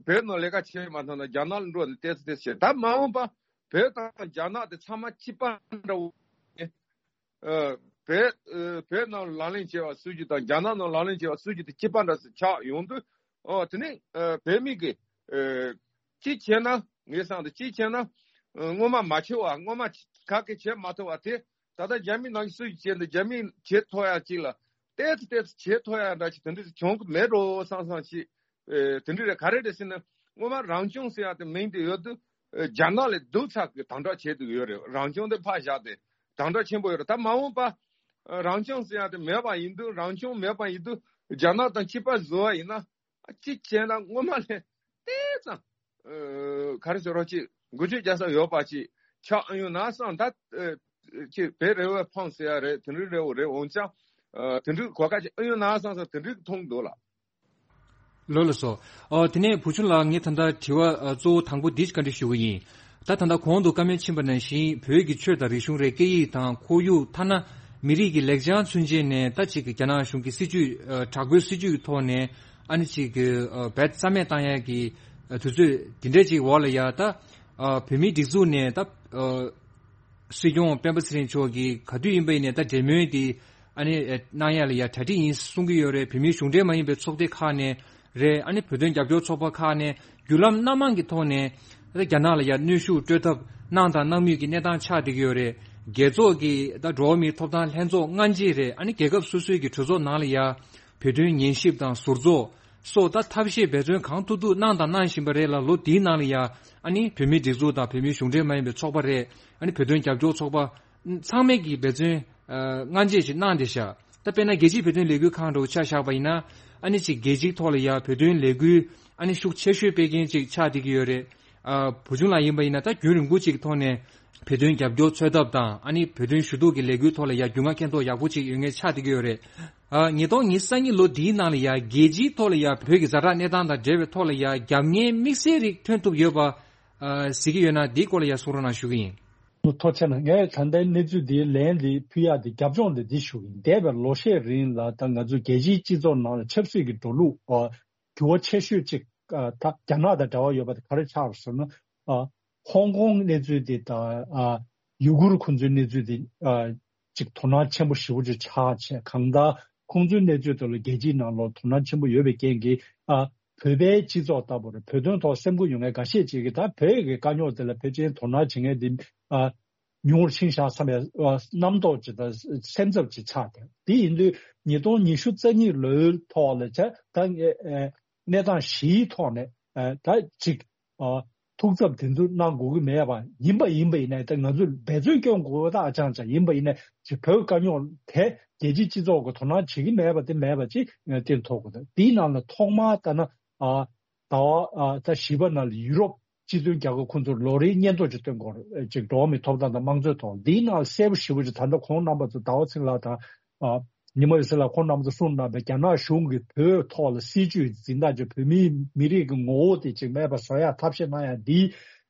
བོད་ནང་ལས་ཀ་བྱེད་མ་ཐུབ་ན་རྒྱ་ནག་ལ་འགྲོ་ནས་ཏོག་ཙམ་ཏོག་ཙམ་བྱས། ད་མ་འོངས་པ་བོད་དང་རྒྱ་ནག་དེ་ཚང་མ་གཅིག་པ་འདྲ་བོ། ཨ་བོད་ཨ་བོད་ནང་ལག་ལེན་བྱས་པ་སྲིད་ཇུས་དང་རྒྱ་ནག་ནང་ལག་ལེན་བྱས་པ་སྲིད་ཇུས་དེ་གཅིག་པ་འདྲ་སེ་ཆགས་ཡོང་དུས། ཨོ་དེ་ནས་ཨ་བོད་མི་གི་ཨ་གཅིག་བྱས་ན་ངས་བསམ་དུས་གཅིག་བྱས་ན་ཨ་སྔོན་མ་མ་བྱས་པ་སྔོན་མ་ག་གེ་བྱས་མ་ཐུབ་པ་དེ་ད་ལྟ་རྒྱ་མི་ནང་གི་སྲིད་ཇུས་བྱས་འདི་རྒྱ་མི་བྱེད་ཐུབ་ཡ་གཅིག་ལ་ཏོག་ཙམ་ཏོག་ཙམ་བྱེད་ཐུབ་ཡ་འདྲ་ཅིག་དེ་འདྲ་ཅིག་བྱུང་གི་མེད་འགྲོ་བསམ་བསམ་ཞིག་ཨེ་དེ་འདྲ་རེད། ག་རེ་རེད་ཟེར་ན་སྔོན་མ་རང་སྐྱོང་ཟེར་ཡག་དེ་མིང་དེ་ཡོད་དུས་ཨེ་རྒྱ་ནག་ལས་སྡུག་ཚ་གི་དམ་དྲག་བྱེད་དུ་ཡོད་རེད། རང་སྐྱོང་དེ་ཕར་བཞག་སྟེ་དམ་དྲག་ཆེན་པོ་ཡོད་རེད། ད་མ་འོངས་པ་ཨེ་རང་སྐྱོང་ཟེར་ཡག་དེ་མེད་པ་ཡིན་དུས་རང་སྐྱོང་མེད་པ་ཡིན་དུས་རྒྱ་ནག་དང་གཅིག་པ་བཟོ་བ་ཡིན་ན་ཨ་གཅིག་བྱས་ན་སྔོན་མ་ལས་ཏོག་ཙམ་ཨེ་ག་རེ་ཟེར་རོགས་ཅིག་འགུལ་སྐྱོད་རྒྱག་ས་ཡོད་པ་ཅིག་ཆགས་ཨ་ཡོང་ན་བསམ། ད་ཨེ་ཅིག་བོད་རེ་བ་ཕངས་ཟེར་ཡ་རེད། དེ་འདྲ་རེད་འོ་རེད། འོན་ཀྱང་ཨེ་དེ་འདྲ་གོ་སྐབས་ཅིག་ཨ་ཡོང་ན་བསམ་བསམ་དེ་འདྲ་མཐོང་འདུག་ལགས། ལགས་ལགས་སོ། ཨོ་དེ་ནས་བུ་ཆུང་ལགས་ངས་ད་ལྟ་དྲི་བ་ཨ་གཙོ་བོ་དང་པོ་འདི་བཀའ་འདྲི་ཞུ་གི་ཡིན། ད་ད་ལྟ་གོང་དུ་བཀའ་མོལ་ཕྱིན་པ་ནང་བཞིན་བོད་ཀྱི་ཆོས་དང་རིག་གཞུང་རེད། སྐད་ཡིག་དང་ཁོར་ཡུག་ཐ་ན་མི་རིགས་ཀྱི་ལེགས་བྱང་ཚུན་ཆད་ནས་ད་ཅིག་རྒྱ་ནག་གཞུང་གི་སྲིད་ཇུས་ཨ་དྲག་པོའི་སྲིད་ཇུས་ཀྱི་ཐོག་ནས་ཨ་ནི་ཅིག་གི་ཨ་བེད་རྩ་མེད་བཏང་ཡག་གི་ཨ་དུས་ཚོད་འདི་འདྲ་ཅིག་འོག་ལ་ཡ་ད་ཨ་བོད་མིའི་སྒྲིག་འཛུགས་ནས་ད་ཨ་སྲིད་སྐྱོང་སྤེན་པ་ཚེ་རིང་མཆོག་གིས་ག་དུས་ཡིན་པ་ཡིན་ནའི་ད་འབྲེལ་མོལ་དེ་ཨ་ནི་ཨེ་གནང་ཡ་ལ་ཡ་གྲ་སྒྲིག་ཡིན་གསུང་གི་ཡོད་རེད། བོད་མིའི་གཞུང་འབྲེལ་མ་ཡིན་པའི་ཚོགས་སྡེ་ཁག་ནས་རེད། ཨ་ནི་བོད་དོན་རྒྱབ་སྐྱོར་ཚོགས་པ་ཁག་ནས་བརྒྱུད་ལམ་སྣ་མང་གི་ཐོག་ནས་ཨ་རྒྱ་ནག་ལ་ཡ་གནོན་ཤུགས་སྤྲོད་ཐབས་གནང་དང་གནང་མུས་ཀྱི་གནས་སྟངས་ཆགས་བསྡད་ཀྱི་ཡོད་རེད། རྒྱལ་ཚོགས་ཀྱི་ད་འགྲོ་བ་མིའི་ཐོབ་ཐང་ལྷན་ཚོགས་སྔ་རྗེས་རེད། ཨ་ནི་རྒྱལ་ཁབ་སོ་སོའི་གི་གྲོས་ཚོགས་ནང་ལ་ཡ་བོད་དོན་ཉན་ཞིབ་དང་ཟུར་འཛུགས་སོགས་ད་ཐབས་ཤེས་འབད་བརྩོན་གང་ཐུབ་ཐུབ་གནང་དང་གནང་བཞིན་པ་རེད་ལ། ལོ་འདིའི་ནང་ལ་ཡ་ཨ་ནི་བོད་མིའི་སྒྲིག་འཛུགས་དང་བོད་མིའི་གཞུང་འབྲེལ་མ་ཡིན་པའི་ཚོགས་པ་རེད། ཨ་ནི་བོད་དོན་རྒྱབ་སྐྱོར་ཚོགས་པ་ཚང་མས་ཀྱི་འབད་བརྩོན་ཨ་སྔ་རྗེས་ཤིག་གནང་བསྡད་ཤག་ད་དཔེར་ན་རྒྱལ་སྤྱིའི་བོད་དོན་ལས་འགུལ་ཁང་འདྲ་བོ་ཆ་བཞག་པ་ཡིན་ན་ཨ་ནི་ཅིག་རྒྱལ་སྤྱིའི་ཐོག་ལ་ཡ་བོད་དོན་ལས་འགུལ་ཨ་ནི་ཤུགས་ཆེ་ཤོས་སྤེལ་མཁན་ཅིག་ཆགས་བསྡད་ཀྱི་ཡོད་རེད། ཨ་བུ་ཆུང་ལགས་ཡིན་པ་ཡིན་ན་ད་རྒྱུན་རིང་པོ་ཅིག་གི་ཐོག་ནས་བོད་དོན་རྒྱབ་སྐྱོར་འཚོལ་ཐབས་དང་ཨ་ནི་བོད་དོན་ཞུ་གཏུག་གི་ལས་འགུལ་ཐོག་ལ་ཡ་རྒྱུས་མངའ་མཁྱེན་རྟོགས་ཡག་པོ་ཅིག་ཡོད་མཁན་ཆགས་བསྡད་ཀྱི་ཡོད་རེད། ཨ་ཉིས་སྟོང་ཉི་ཤུ་རྩ་གཉིས་ལོ་འདིའི་ནང་ལ་ཡ་རྒྱལ་སྤྱིའི་ཐོག་ལ་ཡ་བོད་ཀྱི་ཛ་དྲག་གནས་སྟངས་དང་འབྲེལ་བའི་ཐོག་ལ་ཡ་རྒྱབ་གཉེར་དམིགས་བསལ་རིགས་ཐོན་ཐུབ་ཡོད་པ་ཨ་གཟིགས་ཀྱི་ཡོད་ན་འདིའི་སྐོར་ལ་ཡ་གསུང་རོགས་གནང་ཞུ་གི་ཡིན། ཐུགས་རྗེ་ཆེ་གནང་། ངས་ད་ལྟའི་གནས་ཚུལ་འདིའི་ལན་འདི་ཕུལ་ཡག་འདི་རྒྱབ་ལྗོངས་འདི་འདི་ཞུ་གི་ཡིན། འདས་པའི་ལོ་ཤས་རིང་ལ་ད་ང་ཚོ་རྒྱལ་སྤྱིའི་སྤྱི་ཚོགས་ནང་ལ་ཆབ་སྲིད་ཀྱི་འགྲོ་ལུགས་ཨ་འགྱུར་བ་ཆེ་ཤོས་གཅིག་ཨ་ད་རྒྱ་ནག་དང་འབྲེལ་བ་ཡོད་པ་དེ་ག་རེ་ཆགས་རེད་ཟེར་ན། ཨ་ཧོང་ཀོང་གནས་ཚུལ་དེ་དང་ཨ་ཡུ་གུར་ཁོང་ཚོའི་གནས་ཚུལ་དེ་ཨ་ཅིག་དོ་སྣང་ཆེན་པོ་ཞེ་པོ་ཅིག་ཆགས་བྱས། གང་ལྟར་ཁོང་ཚོའི་གནས་ཚུལ་དེ་ལ་རྒྱལ་སྤྱིའི་ནང་ལོགས་དོ་སྣང་ཆེན་པོ་ཡོད་པའི་རྐྱེན་གྱིས་ཨ་བོད་པའི་སྤྱི་ཚོགས་ལྟ་བུར་བོད་དོན་ཐོག་སེམས་ཁུར་ཡོད་མཁན་འགའ་ཤས་ཅིག་གིས་ད་བོད་ཀྱི་དཀའ་རྙོག་དེ་ལ་ཕལ་ཆེར་དོ་སྣང་བྱེད་མཁན་དེ་ཨ་ཉུང་རུ་ཕྱིན་བཞག་བསམ་པའི་ཨ་རྣམ་རྟོག་ཅིག་དང་སེམས་འཚབ་ཅིག་ཆགས་ཏེ། དེ་ཡིན་དུས་ཉིས་སྟོང་ཉི་ཤུ་རྩ་གཉིས་ལོའི་ཐོག་ལ་ཆ་ད་ཨེ་ཨེ་གནས་སྟངས་བཞིའི་ཐོག་ནས་ཨེ་ད་ཅིག་ཨ་ཐུགས་འཚབ་དེ་ཚོ་གནང་དགོས་ཀྱི་མེད་པ་ཡིན་པ་ཡིན་པ་ཡིན་ནའི་ད་ང་ཚོས་འབད་བརྩོན་སྐྱོན་དགོས་པ་ད་ཨ་ཅང་ཅང་ཡིན་པ་ཡིན་ནའི་ཅིག་བོད་དཀའ་རྙོག་དེ་རྒྱལ་སྤྱིའི་སྤྱི་ཚོགས་ཀྱི་དོ་སྣང་བྱེད་ཀྱི་མེད་པ་དེ་མེད་པ་ཅིག་ཨེ་དེ་ཐོག་གི་ད་དེའི་ནང་ལ་ཐོག་མར་ལྟ་ན་ཨ་ཟླ་བ་ཨ་ད་བཞི་པ་ནང་ལ་ཡུ་རོབ་སྤྱི་མཐུན་རྒྱལ་ཁབ་ཁོང་ཚོར་ལོ་རེའི་སྙན་ཐོ་ཅིག་སྟོན་དགོས་རེད། ཅིག་འགྲོ་བ་མིའི་ཐོབ་ཐང་དང་དམངས་གཙོའི་ཐོག་འདིའི་ནང་གསལ་པོ་ཞེ་པོ་ཅིག་ད་ལྟ་ཁོང་རྣམ་པ་ཚོ་ཟླ་བ་ཚེ་རིང་ལགས་དང་ཨ་ཉི་མ་འོད་ཟེར་ལགས་ཁོང་རྣམ་པ་ཚོ་གསུངས་གནང་པའི་རྒྱ་ནག་གཞུང་གིས་བོད་ཐོག་ལ་སྲིད་ཇུས་འཛིན་སྟངས་ཅིག་བོད་མིའི་མི་རིགས་ཀྱི་ངོ་བོ་དེ་ཅིག་མེད་པ་བཟོ་ཡག་ཐབས་ཤེས་གནང་ཡག་འདི་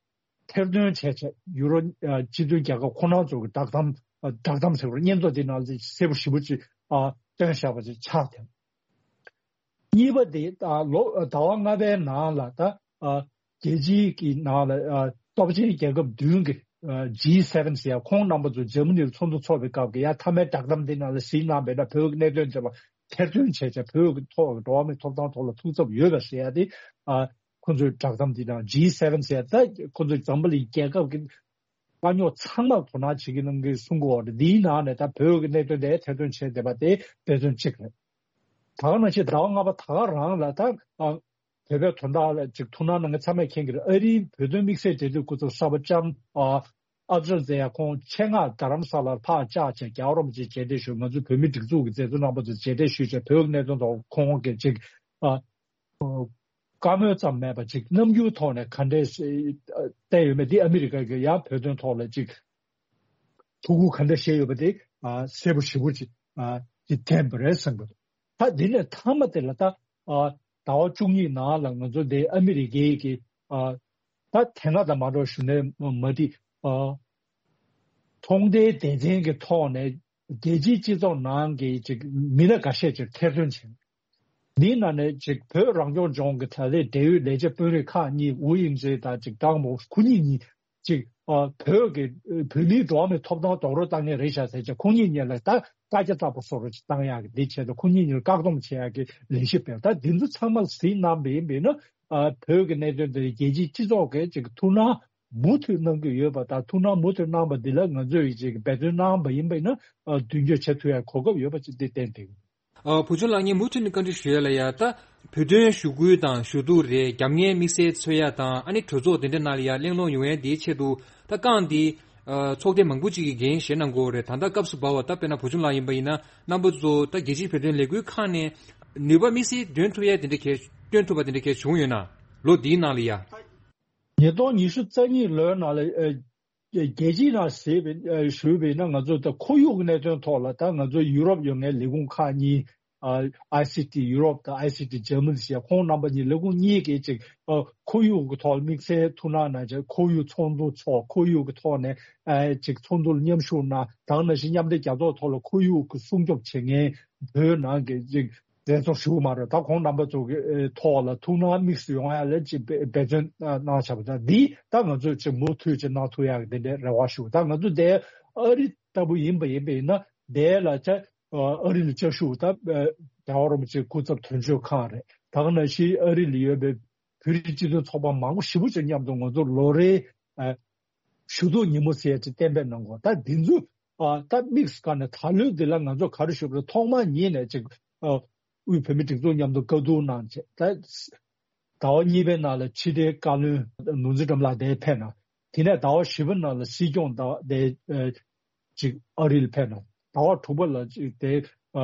ཐེར་འདོན་བྱས་བྱས་ཡུ་རོ་ཨ་སྤྱི་མཐུན་རྒྱལ་ཁབ་ཁོང་རྣམ་ཚོ་གི་བསྒྲགས་གཏམ་ཨ་བསྒྲགས་གཏམ་ཟེར་བ་སྙན་ཐོ་འདི་ནང་གསལ་པོ་ཞེ་པོ་ཅིག་ཨ་བཏོན་བཞག་པ་ཅིག་ཆགས་ཏེ། གཉིས་པ་དེ་ད་ལོ་ཟླ་བ་ལྔ་པའི་ནང་ལ་ད་ཨ་རྒྱལ་སྤྱིའི་གི་ནང་ལ་ཨ་སྟོབས་ཆེན་རྒྱལ་ཁབ་བདུན་གྱི་ཨ་ཇི་སེ་ཝེན་ཟེར་ཡ་ཁོང་རྣམ་པ་ཚོ་འཇར་མ་ནི་ལ་ཚོགས་འདུ་ཚོགས་པའི་སྐབས་ཀྱི་ཡ་མཐའ་མའི་བསྒྲགས་གཏམ་འདི་ནང་ལ་གཟིགས་གནང་བས་ན་བོད་ཀྱི་གནད་དོན་དེ་ལ་ཐེར་འདོན་བྱས་བྱས་བོད་ཀྱི་ཐོག་འགྲོ་བ་མིའི་ཐོབ་ཐང་ཐོག་ལ་ཐུགས་འཚབ་ཡོད་པ་ཟེར་ཡ་དེ་ཨ་ཁོང་ཚོའི་བསྒྲགས་གཏམ་འདི་དང་ཇི་སེ་ཝེན་ཟེར་ཡ་ད་ཁོང་ཚོའི་འཛམ་བུ་གླིང་རྒྱལ་ཁབ་ཀྱི་དཀའ་རྙོག་ཚང་མར་དོ་སྣང་བྱེད་ཀྱི་གནང་གི་གསུང་གི་ཡོད་རེད། འདིའི་ནང་ནས་ད་བོད་ཀྱི་གནད་དོན་དེ་ཐེར་འདོན་བྱས་བསྡད་པ་དེ་འབད་བརྩོན་གཅིག་རེད། ད་ག་ནང་བཞིན་ཟླ་བ་ལྔ་པ་ད་ག་རང་ལ་ད་ཨ་བོད་པའི་དོན་དག་ལ་ཅིག་ཐུགས་སྣང་གནང་མཁན་ཚང་མས་མཁྱེན་གྱི་རེད། ཨ་རིའི་བོད་དོན་དམིགས་བསལ་འབྲེལ་མཐུད་སྐུ་ཚབ་གསར་པ་ལྕམ་ཨ་ཨ་ཛལ་ཛེ་ཡ་ཁོང་ཆེད་མངགས་རྡ་རམ་ས་ལར་ཕར་བཅར་བྱས་རྒྱལ་བ་རིན་པོ་ཆེ་མཇལ་འཕྲད་ཞུས། ང་ཚོ་བོད་མིའི་སྒྲིག་འཛུགས་ཀྱི་མཛད་གཙོ་རྣམ་པ་ཚོ་མཇལ་འཕྲད་ཞུས་བྱས་བོད་ཀྱི་གནད་དོན་ཐོག་ཁོང་གིས་ཅིག་ཨ། བཀའ་མོལ་ཙམ་མེད་པ་ཅིག་རྣམ་འགྱུར་ཐོག་ནས་ག་འདྲས་བསྟན་ཡོད་མེད་འདི་ཨ་མི་རི་ཀ་གི་ཡང་བོད་དོན་ཐོག་ལ་ཅིག་ཐུགས་ཁུར་ག་འདྲ་བཞེས་ཡོད་པ་དེ་ཨ་གསལ་པོ་ཞེ་པོ་ཅིག་ཨ་ཅིག་བསྟན་པ་རེད་བསམ་གི་འདུག་ད་འདི་ནས་མཐའ་མ་དེ་ལ་ད་ཨ་ཟླ་བ་བཅུ་གཉིས་ནང་ལ་ང་ཚོ་འདི་ཨ་མི་རི་ཀའི་གི་ཨ་ད་དེ་སྔ་དང་མ་འདྲ་བ་ཞུ་ནས་མ་འགྲིག་ཨ་ཚོང་དོན་སྡེ་ཚན་གི་ཐོག་ནས་རྒྱལ་སྤྱིའི་སྤྱི་ཚོགས་ནང་གི་ཅིག་མི་སྣ་འགའ་ཤས་ཅིག་ཐེར་འདོན་བྱས། འདིའི་ནང་ནས་ཅིག་བོད་རང་སྐྱོང་ལྗོངས་ཀྱི་ད་ལྟའི་འབྲེལ་ཡོད་ལས་བྱེད་དཔོན་རིགས་ཁག་གཉིས་ཝུའུ་དབྱིང་ཅེ་དང་ཅིག་ཀྲང་མོ་ཁོ་གཉིས་གཉིས་ཅིག་ཨ་བོད་ཀྱི་བོད་མིའི་འགྲོ་བ་མིའི་ཐོབ་ཐང་རྡོག་རོལ་བཏང་མཁན་རེད་ཤག་ཟེར་བྱས་ཁོ་གཉིས་གཉིས་ལ་ད་བཀའ་རྒྱ་བཏབ་པ་བཟོ་འདྲ་ཅིག་བཏང་ཡག་གི་འདི་བྱས་ཏེ་ཁོ་གཉིས་གཉིས་ལ་བཀག་སྡོམ་བྱེད་ཡག་གི་ལས་གཞི་སྤེལ། ད་འདི་ཚོ་ཚང་མ་གཟིགས་གནང་བ་ཡིན་པས་ན་ཨ་བོད་ཀྱི་གནད་དོན་དེ་རྒྱལ་སྤྱིའི་སྤྱི་ཚོགས་ཀྱིས་ཅིག་ཐུགས་སྣང་མུ་མཐུད་གནང་གི་ཡོད་པ་དང་ཐུགས་སྣང་མུ་མཐུད་གནང་བ་འདི་ལ་ང་ཚོས་ཅིག་འབད་བརྩོན་གནང་བ་ཡིན་པས་ན་ཨ་མདུན་སྐྱོད་བྱེད་ཐུབ་ཡག་གོ་སྐབས་ཡོད་པ་ཅིག་འདི་བསྟན་ཏེ། ཨ་བུ་ཆུང་ལགས་ངས་མུ་མཐུད་ནས་བཀའ་འདྲི་ཞུ་ཡ་ལ་ཡ་ད་བོད་དོན་ཞུ་སྐུལ་དང་ཞུ་གཏུག་རེད། རྒྱབ་གཉེར་དམིགས་བསལ་འཚོལ་ཡ་དང་ཨ་ནི་གྲོས་ཚོགས་དེ་འདྲ་ནང་ལ་ཡ་གླེང་སློང་ཡོང་ཡ་འདིའི་ཆེད་དུ་ད་རྐང་འདི་ཨ་ཚོགས་སྡེ་མང་པོ་ཅིག་གིས་འགན་བཞེས་གནང་དགོས་རེད། ད་ལྟ་སྐབས་སུ་བབས་པ་ད་དཔེར་ན་བུ་ཆུང་ལགས་ཡིན་པ་ཡིན་ན་རྣམ་པ་ཚོ་ད་རྒྱལ་སྤྱིའི་བོད་དོན་ལས་འགུལ་ཁག་ནས་ནུས་པ་དམིགས་བསལ་འདོན་ཐུབ་ཡ་དེ་འདྲ་གལ་སྟོན་ཐུབ་པ་དེ་འདྲ་གལ་བྱུང་ཡོད་ན་ལོ་འདིའི་ནང་ལ་ཡ། ཉིས་སྟོང་ཉི་ཤུ་རྩ་གཉིས་ལོའི་ནང་ལ་ཨ་རྒྱལ་སྤྱིའི་ནང་ཟེར་བའི་ཨ་ཞུས་པས་ན་ང་ཚོ་ད་ཁོར་ཡུག་གི་གནད་དོན་ཐོག་ལ་ད་ང་ཚོ་ཡུ་རོབ་ཡོད་མཁན་ལས་ཁུངས་ཁག་གཉིས་ ཨ་ཨའི་སི་ཊི་ཡུ་རོབ་དང་ཨའི་སི་ཊི་འཇར་མ་ནི་ཟེར་ཡ་ཁོང་རྣམ་པ་གཉིས་ལས་ཁུངས་གཉིས་ཀྱིས་ཅིག་ཨ་ཁོར་ཡུག་གི་ཐོག་ལ་དམིགས་བསལ་ཐུགས་སྣང་གནང་བྱས། ཁོར་ཡུག་ཚོགས་འདུ་ཚོགས། ཁོར་ཡུག་གི་ཐོག་ནས་ཨ་ཅིག་ཚོགས་འདུ་ལ་མཉམ་ཞུགས་གནང་། ད་ག་ནང་བཞིན་མཉམ་འབྲེལ་རྒྱལ་ཚོགས་ཐོག་ལ་ཁོར་ཡུག་གི་སྲུང་སྐྱོབ་བྱེད་མཁན་བོད་ནང་གི་ཅིག་མཛད་གཙོ་ཞུ་གི་མ་རེད། ད་ཁོང་རྣམ་པ་ཚོ་གི་ཨེ་ཐོག་ལ་ཐུགས་སྣང་དམིགས་སུ་ཡོང་ཡ་ལ་ཅིག་འབད་བརྩོན་གནང་བྱ་བ་དང་། འདི་ད་ང་ཚོས་ཅིག་མུ་མཐུད་ཅིག་གནང་ཐུབ་ཡ་གི་དེ་འདྲའི་རེ་བ་ཞུ། ད་ང་ཚོ་དེ་ཨ་རི་ལྟ་བུ་ཡིན་པ་ཡིན་པ་ཡིན་ན། དེ་ལ་ཅིག་ཨ་རི་ལ་བཅའ་བཞུགས་ད་ཨ་རྒྱལ་བ་རིན་པོ་ཆེའི་སྐུ་ཚབ་དོན་གཅོད་ཁང་རེད། ད་ག་ནང་བཞིན་ཨ་རི་ལ་ཡོད་པའི་བོད་རིགས་སྤྱི་མཐུན་ཚོགས་པ་མང་པོ་ཞེ་པོ་ཅིག་མཉམ་དུ་ང་ཚོ་ལོ་རེའི་ཨ་ཞུ་གཏུག་ཉིན་མོ་ཟེར་ཡ་ཅིག་གཏན་འབེབས་གནང་དགོས། ད་འདི་ཚོ་ཨ་ད་དམིགས་སུ་བཀར་ནས་ད་ལོའི་འདི་ལ་ང་ཚོ་ག་རེ་ཞུ་དགོས་རེད། ཐོག་མ་ཉིད་ནས་ཅིག་ཨ་དབུས་བོད་མིའི་སྒྲིག་འཛུགས་མཉམ་དུ་བཀའ་བསྡུར་གནང་བྱས། ད་ཟླ་བ་གཉིས་པའི་ནང་ལ་ཕྱི་དྲིལ་བཀའ་བློན་ནོར་འཛིན་སྒྲོལ་མ་ལགས་དེ་ཕེབས་གནང་། དེ་ནས་ཟླ་བ་བཞི་པའི་ནང་ལ་སྲིད་སྐྱོང་དང་དེ་ཨ་ཅིག་ཨ་རི་ལ་ཕེབས་གནང་། ཟླ་བ་དྲུག་པ་ལ་ཅིག་དེ་ཨ་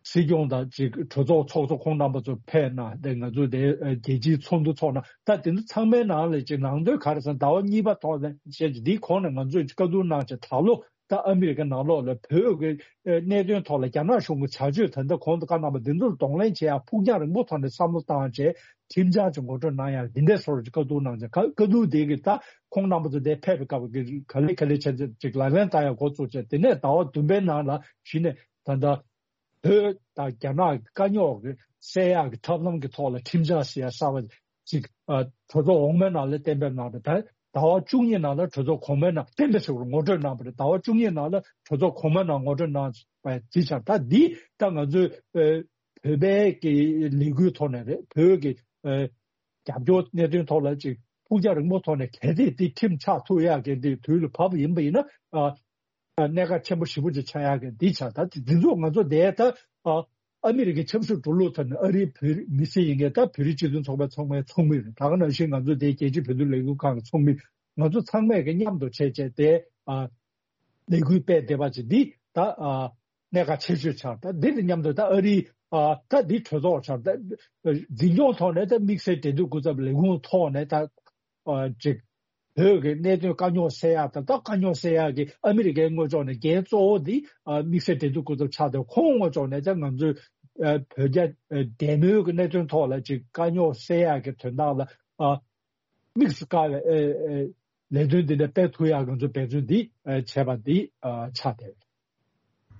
སྲིད་སྐྱོང་དང་ཅིག་གྲོས་ཚོགས་ཚོགས་གཙོ་ཁོང་རྣམ་པ་ཚོ་ཕེབས་གནང་། དེ་ང་ཚོ་དེ་ཨ་རྒྱལ་སྤྱིའི་ཚོགས་འདུ་ཚོགས་གནང་། ད་དེ་ཚོ་ཚང་མའི་ནང་ལ་ཅིག་ནང་དོན་ག་རེ་ཟེར་ན། ཟླ་བ་གཉིས་པ་ཐོག་ནས་བཤད་ཀྱི་འདིའི་གོང་ནས་ང་ཚོས་ཅིག་བཀའ་བསྡུར་གནང་བྱས། ད་ལོ་ད་ཨ་མི་རི་ཀ་ནང་ལོགས་ལ་བོད་ཀྱི་ཨ་གནད་དོན་ཐོག་ལ་རྒྱ་ནག་གཞུང་གི་བྱ་སྤྱོད་ད་ལྟ་གོང་དུ་བཀའ་གནང་བ་འདི་ཚོར་གདོང་ལེན་བྱེད་ཡ་ཕུགས་རྒྱང་རིང་པོ་ཐོག་ནས་བསམ་བློ་བཏང་བྱས། ཁྲིམས་འཆར་ཅིག་ངོ་སྤྲོད་གནང་ཡག་འདི་འདྲའི་བཟོ་འདྲ་ཅིག་བཀའ་བསྡུར་གནང་བྱས། བཀའ་བཀའ་བསྡུར་དེ་གི་ད་ཁོང་རྣམ་པ་ཚོ་དེ་ཕེབས་པའི་སྐབས་ཀྱི་ག་ལེ་ག་ལེ་བྱས་ཅིག་ལག་ལེན་བསྟར་ཡག་འགོ་བཙུགས་བྱས། དེ་ནས་ཟླ་བ་བདུན་པའི་ནང་ལ་གཞི་ནས་ད་ལྟ་བོད་དང་རྒྱ་ནག་གི་དཀའ་རྙོག་གི་སེལ་ཡག་གི་ཐབས་ལམ་གྱི་ཐོག་ལ་ཁྲིམས་འཆར་ཟེར་ཡ་གསར་པ་ཅིག་ཨ་གྲོས་ཚོགས་འོག་མའི་ནང་ལ་གཏན་འབེབས་གནང་བ་དང་། ཟླ་བ་བཅུ་གཉིས་ནང་ལ་གྲོས་ཚོགས་གོང་མའི་ནང་གཏན་འབེབས་ཞུ་བར་ངོ་སྤྲོད་གནང་བ་རེད། ཟླ་བ་བཅུ་གཉིས་ནང་ལ་གྲོས་ཚོགས་གོང་མའི་ནང་ངོ་སྤྲོད་གནང་བ་ཅིག་ཆགས། ད་འདི་ད་ང་ཚོས་ཨ་བོད་པའི་གི་ལས་འགུལ་ཐོག་ནས་རེད། བོད་ཀྱི་ཨ་རྒྱབ་སྐྱོར་གནད་དོན་ཐོག་ལ་ཅིག་ཕུགས་རྒྱང་རིང་པོ་ཐོག་ནས་གལ་སྲིད་འདི་ཁྲིམས་ཆགས་ཐུབ་ཡག་གི་འདི་དུས་ལ་བབ་པ་ཡིན་པ་ཡིན་ན། ཨ་གནད་འགག་ཆེན་པོ་ཞེ་པོ་ཅིག་ཆགས་ཡག་གི་འདི་ཆགས། ད་འདི་ཚོ་ང་ཚོ་དེ་ད་ཨ་ཨ་མི་རི་ཀའི་ཆབ་སྲིད་འགྲོ་ལུགས་ཐོག་ནས་ཨ་རིའི་བོད་མི་སེར་ཡིན་མཁན་ད་བོད་རིགས་སྤྱི་མཐུན་ཚོགས་པའི་ཚོགས་མི་ཚོགས་མི་རེད། ད་ག་ནང་བཞིན་ང་ཚོ་དེ་རྒྱལ་སྤྱིའི་བོད་དོན་ལས་འགུལ་ཁང་གི་ཚོགས་མི། ང་ཚོ་ཚང་མས་ཀྱི་མཉམ་དུ་བྱས་བྱས་དེ་ཨ་ལས་འགུལ་སྤེལ་བསྡད་པ་ཅིག་འདི་ད་ཨ་གནད་འགག་ཆེ་ཤོས་ཆགས། ད་འདི་དང་མཉམ་དུ་ད་ཨ་རིའི་ཨ་ད་འདི་གྲོས་ཚོགས་ཆགས། ད་འཛིན་སྐྱོང་ཐོག་ནས་ད་དམིགས་བསལ་འབྲེལ་མཐུད་སྐུ་ཚབ་ལས་ཁུངས་ཐོག་ནས་ད་ཨ་ཅིག་བོད་ཀྱི་གནད་དོན་དཀའ་རྙོག་སེལ་ཡག་དང་། ད་དཀའ་རྙོག་སེལ་ཡག་གི་ཨ་མི་རི་ཀའི་ངོས་ཕྱོགས་ནས་འགན་གཙོ་བོ་འདི་ཨ་དམིགས་བསལ་འབྲེལ་མཐུད་སྐུ་ཚབ་ཆགས་ཏེ། ཁོང་ངོས་ཕྱོགས་ནས་ད་ང་ཚོས་ཨ་བོད་རྒྱ་ཨ་འབྲེལ་མོལ་གྱི་གནད་དོན་ཐོག་ལ་ཅིག་དཀའ་རྙོག་སེལ་ཡག་གི་དོན་དག་ལ་ཨ་དམིགས་སུ་བཀར་བའི་ཨེ་ཨེ་ལས་དོན་འདི་འདྲ་སྤེལ་ཐུབ་ཡག་ང་ཚོ་འབད་བརྩོན་འདི་ཨེ་བྱས་པ་འདི་ཨ་ཆགས་བསྡད།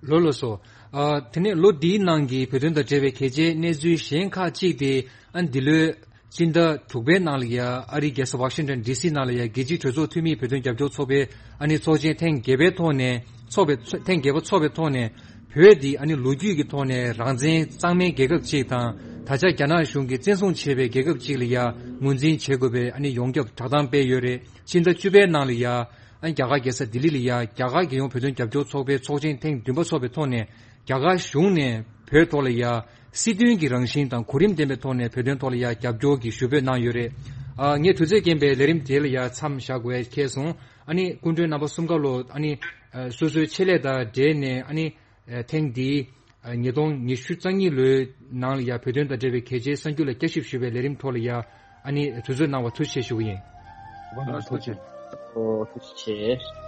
ལགས་ལགས་སོ། ཨ་དེ་ནས་ལོ་འདིའི་ནང་གི་བོད་དོན་དང་འབྲེལ་བའི་གལ་ཆེའི་གནས་ཚུལ་གཞན་ཁག་ཅིག་དེ་ཨ་འདི་ལོའི་སྤྱི་ཟླ་དྲུག་པའི་ནང་ལ་ཡ་ཨ་རིའི་རྒྱལ་ས་ཝ་ཤིང་ཊོན་ཌི་སི་ནང་ལ་ཡ་རྒྱལ་སྤྱིའི་གྲོས་ཚོགས་འཐུས་མིའི་བོད་དོན་རྒྱབ་སྐྱོར་ཚོགས་པའི་ཨ་ནི་ཚོགས་ཆེན་ཐེངས་བརྒྱད་པའི་ཐོག་ནས་ཚོགས་པའི་ཐེངས་བརྒྱད་པ་ཚོགས་པའི་ཐོག་ནས། བོད་འདི་ཨ་ནི་ལོ་རྒྱུས་ཀྱི་ཐོག་ནས་རང་བཙན་གཙང་མའི་རྒྱལ་ཁབ་ཅིག་དང་། ད་ཆ་རྒྱ་ནག་གཞུང་གིས་བཙན་བཟུང་བྱས་པའི་རྒྱལ་ཁབ་ཅིག་ལ་ཡ་ངོས་འཛིན་བྱེད་དགོས་པའི་ཨ་ནི་ཡོངས་ཁྱབ་བསྒྲགས་གཏམ་སྤེལ་ཡོད་རེད། ཕྱི་ཟླ་བཅུ་པའི་ནང་ལ་ཡ་ཨ་ནི་རྒྱ་གར་རྒྱལ་ས་ལྡི་ལི་ལ་ཡ་རྒྱ་གར་རྒྱལ་ཡོངས་བོད་དོན་རྒྱབ་སྐྱོར་ཚོགས་པའི་ཚོགས་ཆེན་ཐེངས་བདུན་པ་ཚོགས་པའི་ཐོག་ནས། རྒྱ་གར་གཞུང་ནས་བོད་ཐོག་ལ་ཡ་སྲིད་དོན་གྱི་རང་བཞིན་དང་གོ་རིམ་ལྡན་པའི་ཐོག་ནས་བོད་དོན་ཐོག་ལ་ཡ་རྒྱབ་སྐྱོར་གྱི་ཞུ་འབོད་གནང་ཡོད་རེད། ཨ་ངས་དུས་ཚོད་རྐྱེན་པས་ལས་རིམ་དེ་ལ་ཡ་མཚམས་བཞག་དགོས་ཡ་ཁེལ་སོང་། ཨ་ནི་སྐུ་མགྲོན་རྣམ་པ་གསུམ་ཀ་ལོ་ཨ་ནི་ཨ་སོ་སོའི་ཆེད་ལས་དང་འབྲེལ་ནས་ཨ་ནི་ཨ་ཐེངས་འདིའི་ཨ་ཉིས་སྟོང་ཉི་ཤུ་རྩ་གཉིས་ལོའི་ནང་ལ་ཡ་བོད་དོན་དང་འབྲེལ་བའི་གལ་ཆེའི་གསར་འགྱུར་ལ་བསྐྱར་ཞིབ་ཞུ་བའི་ལས་རིམ་ཐོག་ལ་ཡ་ཨ་ནི་དུས་ཚོད་གནང་བར་ཐུགས་རྗེ་ཆེ་ཞུ་གི་ཡིན། ཨོ་ཐུགས་རྗེ་ཆེ།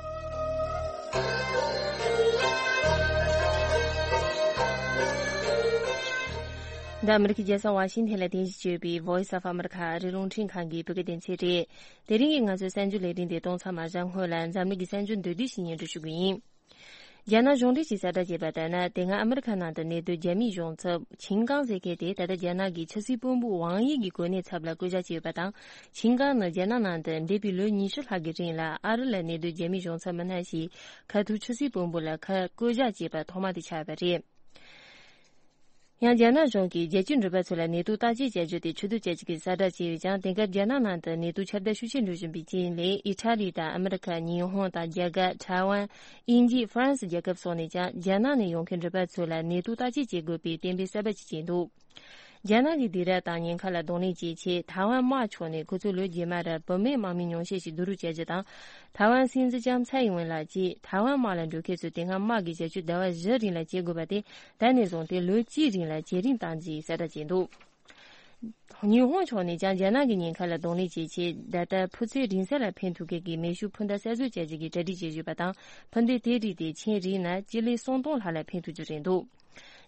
འདི་ཨ་མི་རི་ཀའི་རྒྱལ་ས་ཝ་ཤིང་ཐན་ལ་རྟེན་གཞི་བྱས་པའི་Voice of America ཨ་རིའི་རླུང་འཕྲིན་ཁང་གི་བོད་སྐད་སྡེ་ཚན་རེད། དེ་རིང་གི་ང་ཚོའི་གསར་འགྱུར་ལས་རིམ་དེ་གཏོང་མཚམས་མ་བཞག་སྔོན་ལ་འཛམ་གླིང་གི་གསར་འགྱུར་མདོར་བསྡུས་ཤིག་སྙན་སྒྲོན་ཞུ་གི་ཡིན། རྒྱ་ནག་གཞུང་འབྲེལ་གྱིས་གསལ་བསྒྲགས་བྱས་པ་ལྟར་ན། དེ་སྔ་ཨ་མི་རི་ཁ་ནང་དུ་གནས་སྡོད་རྒྱ་མིའི་གཞུང་ཚབ་ཆིང་ཀང་ཟེར་མཁན་དེ་ད་ལྟ་རྒྱ་ནག་གི་ཕྱི་སྲིད་བློན་པོ་ཝང་དབྱི་གི་གོ་གནས་ཚབ་ལ་བསྐོ་གཞག་བྱས་ཡོད་པ་དང་། ཆིང་ཀང་ནི་རྒྱ་ནག་ནང་དུ་འདས་པའི་ལོ་ཉི་ཤུ་ལྷག་གི་རིང་ལ་ཨ་རི་ལ་གནས་སྡོད་རྒྱ་མིའི་གཞུང་ཚབ་མི་སྣ་ཞིག་ཁ་ཐུག་ཕྱི་སྲིད་བློན་པོ་ལ་ཁ་བསྐོ་གཞག་བྱས་པ་ཐོག་མ་དེ་ཆགས་པ་རེད། ཡང་རྒྱ་ནག་གཞུང་གིས་རྒྱལ་སྤྱིའི་འགྲུལ་པ་ཚོ་ལ་ནད་དུག་བརྟག་དཔྱད་བྱ་རྒྱུ་དེ་ཆུ་ཚོད་བཅུ་གཅིག་གི་གསལ་བསྒྲགས་བྱས་ཡོད་ཀྱང་། དེང་སྐབས་རྒྱ་ནག་ནང་དུ་ནད་དུག་ཁྱབ་གདལ་ཤུགས་ཆེ་འགྲོ་བཞིན་པའི་རྐྱེན་ལས། ཨི་ཊ་ལི་དང་ཨ་མི་རི་ཁ། ཉི་ཧོང་དང་རྒྱ་གར། ཐའེ་ཝན། དབྱིན་ཇི། ཧྥ་རན་སི་རྒྱལ་ཁབ་སོགས་ནས་ཀྱང་རྒྱ་ནག་ནས་ཡོང་མཁན་འགྲུལ་པ་ཚོ་ལ་ནད་དུག་བརྟག་དཔྱད་བྱེད་དགོས་པའི་གཏན་འབེབས་གསར་པ་ཞིག་བྱས་འདུག་རྒྱ་ནག་གི་སྡིགས་ར་དང་ཉེན་ཁ་ལ་གདོང་ལེན་བྱེད་ཆེད། ཐའེ་ཝན་དམག་ཕྱོགས་ནས་ཁོ་ཚོས་ལོ་རྗེས་མ་ར་བུད་མེད་དམག་མིའི་ཉུང་ཤས་ཤིག་བསྡུ་རུབ་བྱ་རྒྱུ་དང་། ཐའེ་ཝན་སྲིད་འཛིན་ལྕམ་ཚའེ་ཨིན་ཝེན་ལགས་ཀྱིས་ཐའེ་ཝན་དམག་ལ་འགྲོ་མཁན་ཚོས་དེ་སྔ་དམག་གི་བྱ་སྤྱོད་ཟླ་བ་བཞི་རིང་ལ་བྱེད་དགོས་པ་དེ་ད་ནས་བཟུང་སྟེ་ལོ་གཅིག་རིང་ལ་བྱེད་རིང་བཏང་རྒྱུའི་གསལ་བསྒྲགས་བྱས་འདུག་ཉི་ཧོང་ཕྱོགས་ནས་ཀྱང་རྒྱ་ནག་གི་ཉེན་ཁ་ལ་གདོང་ལེན་བྱེད་ཆེད། ད་ལྟ་ཕུ་ཚོས་རིང་ས་ལ་འཕེན་ཐུབ་མཁན་གྱི་མེ་ཤུགས་འཕུར་མདའ་གསར་བཟོ་བྱ་རྒྱུ་གི་གྲ་སྒྲིག་བྱེད་བཞིན་པ་དང་། འཕུར་མདའ་དེའི་རིགས་དེ་ཆིངས་རིང་ན་སྤྱི་ལེ་སུམ་སྟོང་ལྷག་ལ་འཕེན་ཐུབ་རྒྱུ་རེད་འདུག་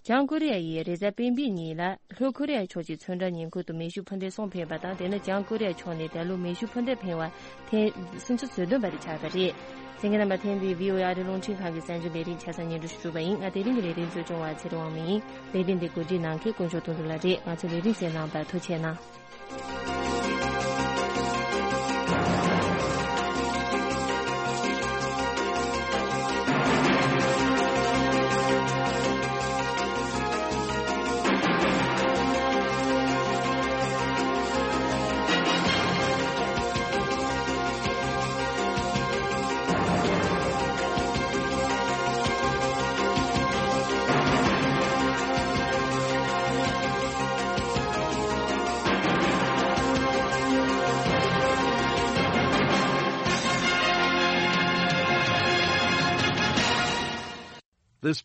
བྱང་ཀོ་རི་ཡ་ཡིས་རེས་གཟའ་སྤེན་པའི་ཉིན་ལ་ལྷོ་ཀོ་རི་ཡ་ཕྱོགས་ཀྱི་ཚོན་ཁྲ་ཉིང་ཁུ་དུ་མེ་ཤུགས་འཕུར་མདེལ་གསུམ་འཕེན་པ་དང་། དེ་ནི་བྱང་ཀོ་རི་ཡ་ཕྱོགས་ནས་ད་ལོ་མེ་ཤུགས་འཕུར་མདེལ་འཕེན་པ་ཐེངས་སུམ་ཅུ་སོ་བདུན་པ་དེ་ཆགས་པ་རེད། གསན་མཁན་རྣམ་པ། ཐེངས་འདིའི་བྷི་ཨོ་ཨེ་ཨ་རིའི་རླུང་འཕྲིན་ཁང་གི་གསར་འགྱུར་ལས་རིམ་ཆ་ཚང་སྙན་སྒྲོན་ཞུ་གྲུབ་པ་ཡིན། ང་། དེ་རིང་གི་ལས་རིམ་གཙོ་སྐྱོང་བ་ཚེ་རིང་དབང་མོ་ཡིན། ལས་རིམ་འདི་གོ་སྒྲིག་གནང་མཁན་དཀོན་མཆོག་དོན་གྲུབ་ལགས་རེད། ང་ཚོའི་ལས་རིམ་གསན་གནང་བར་ཐུགས་རྗེ་གནང་། This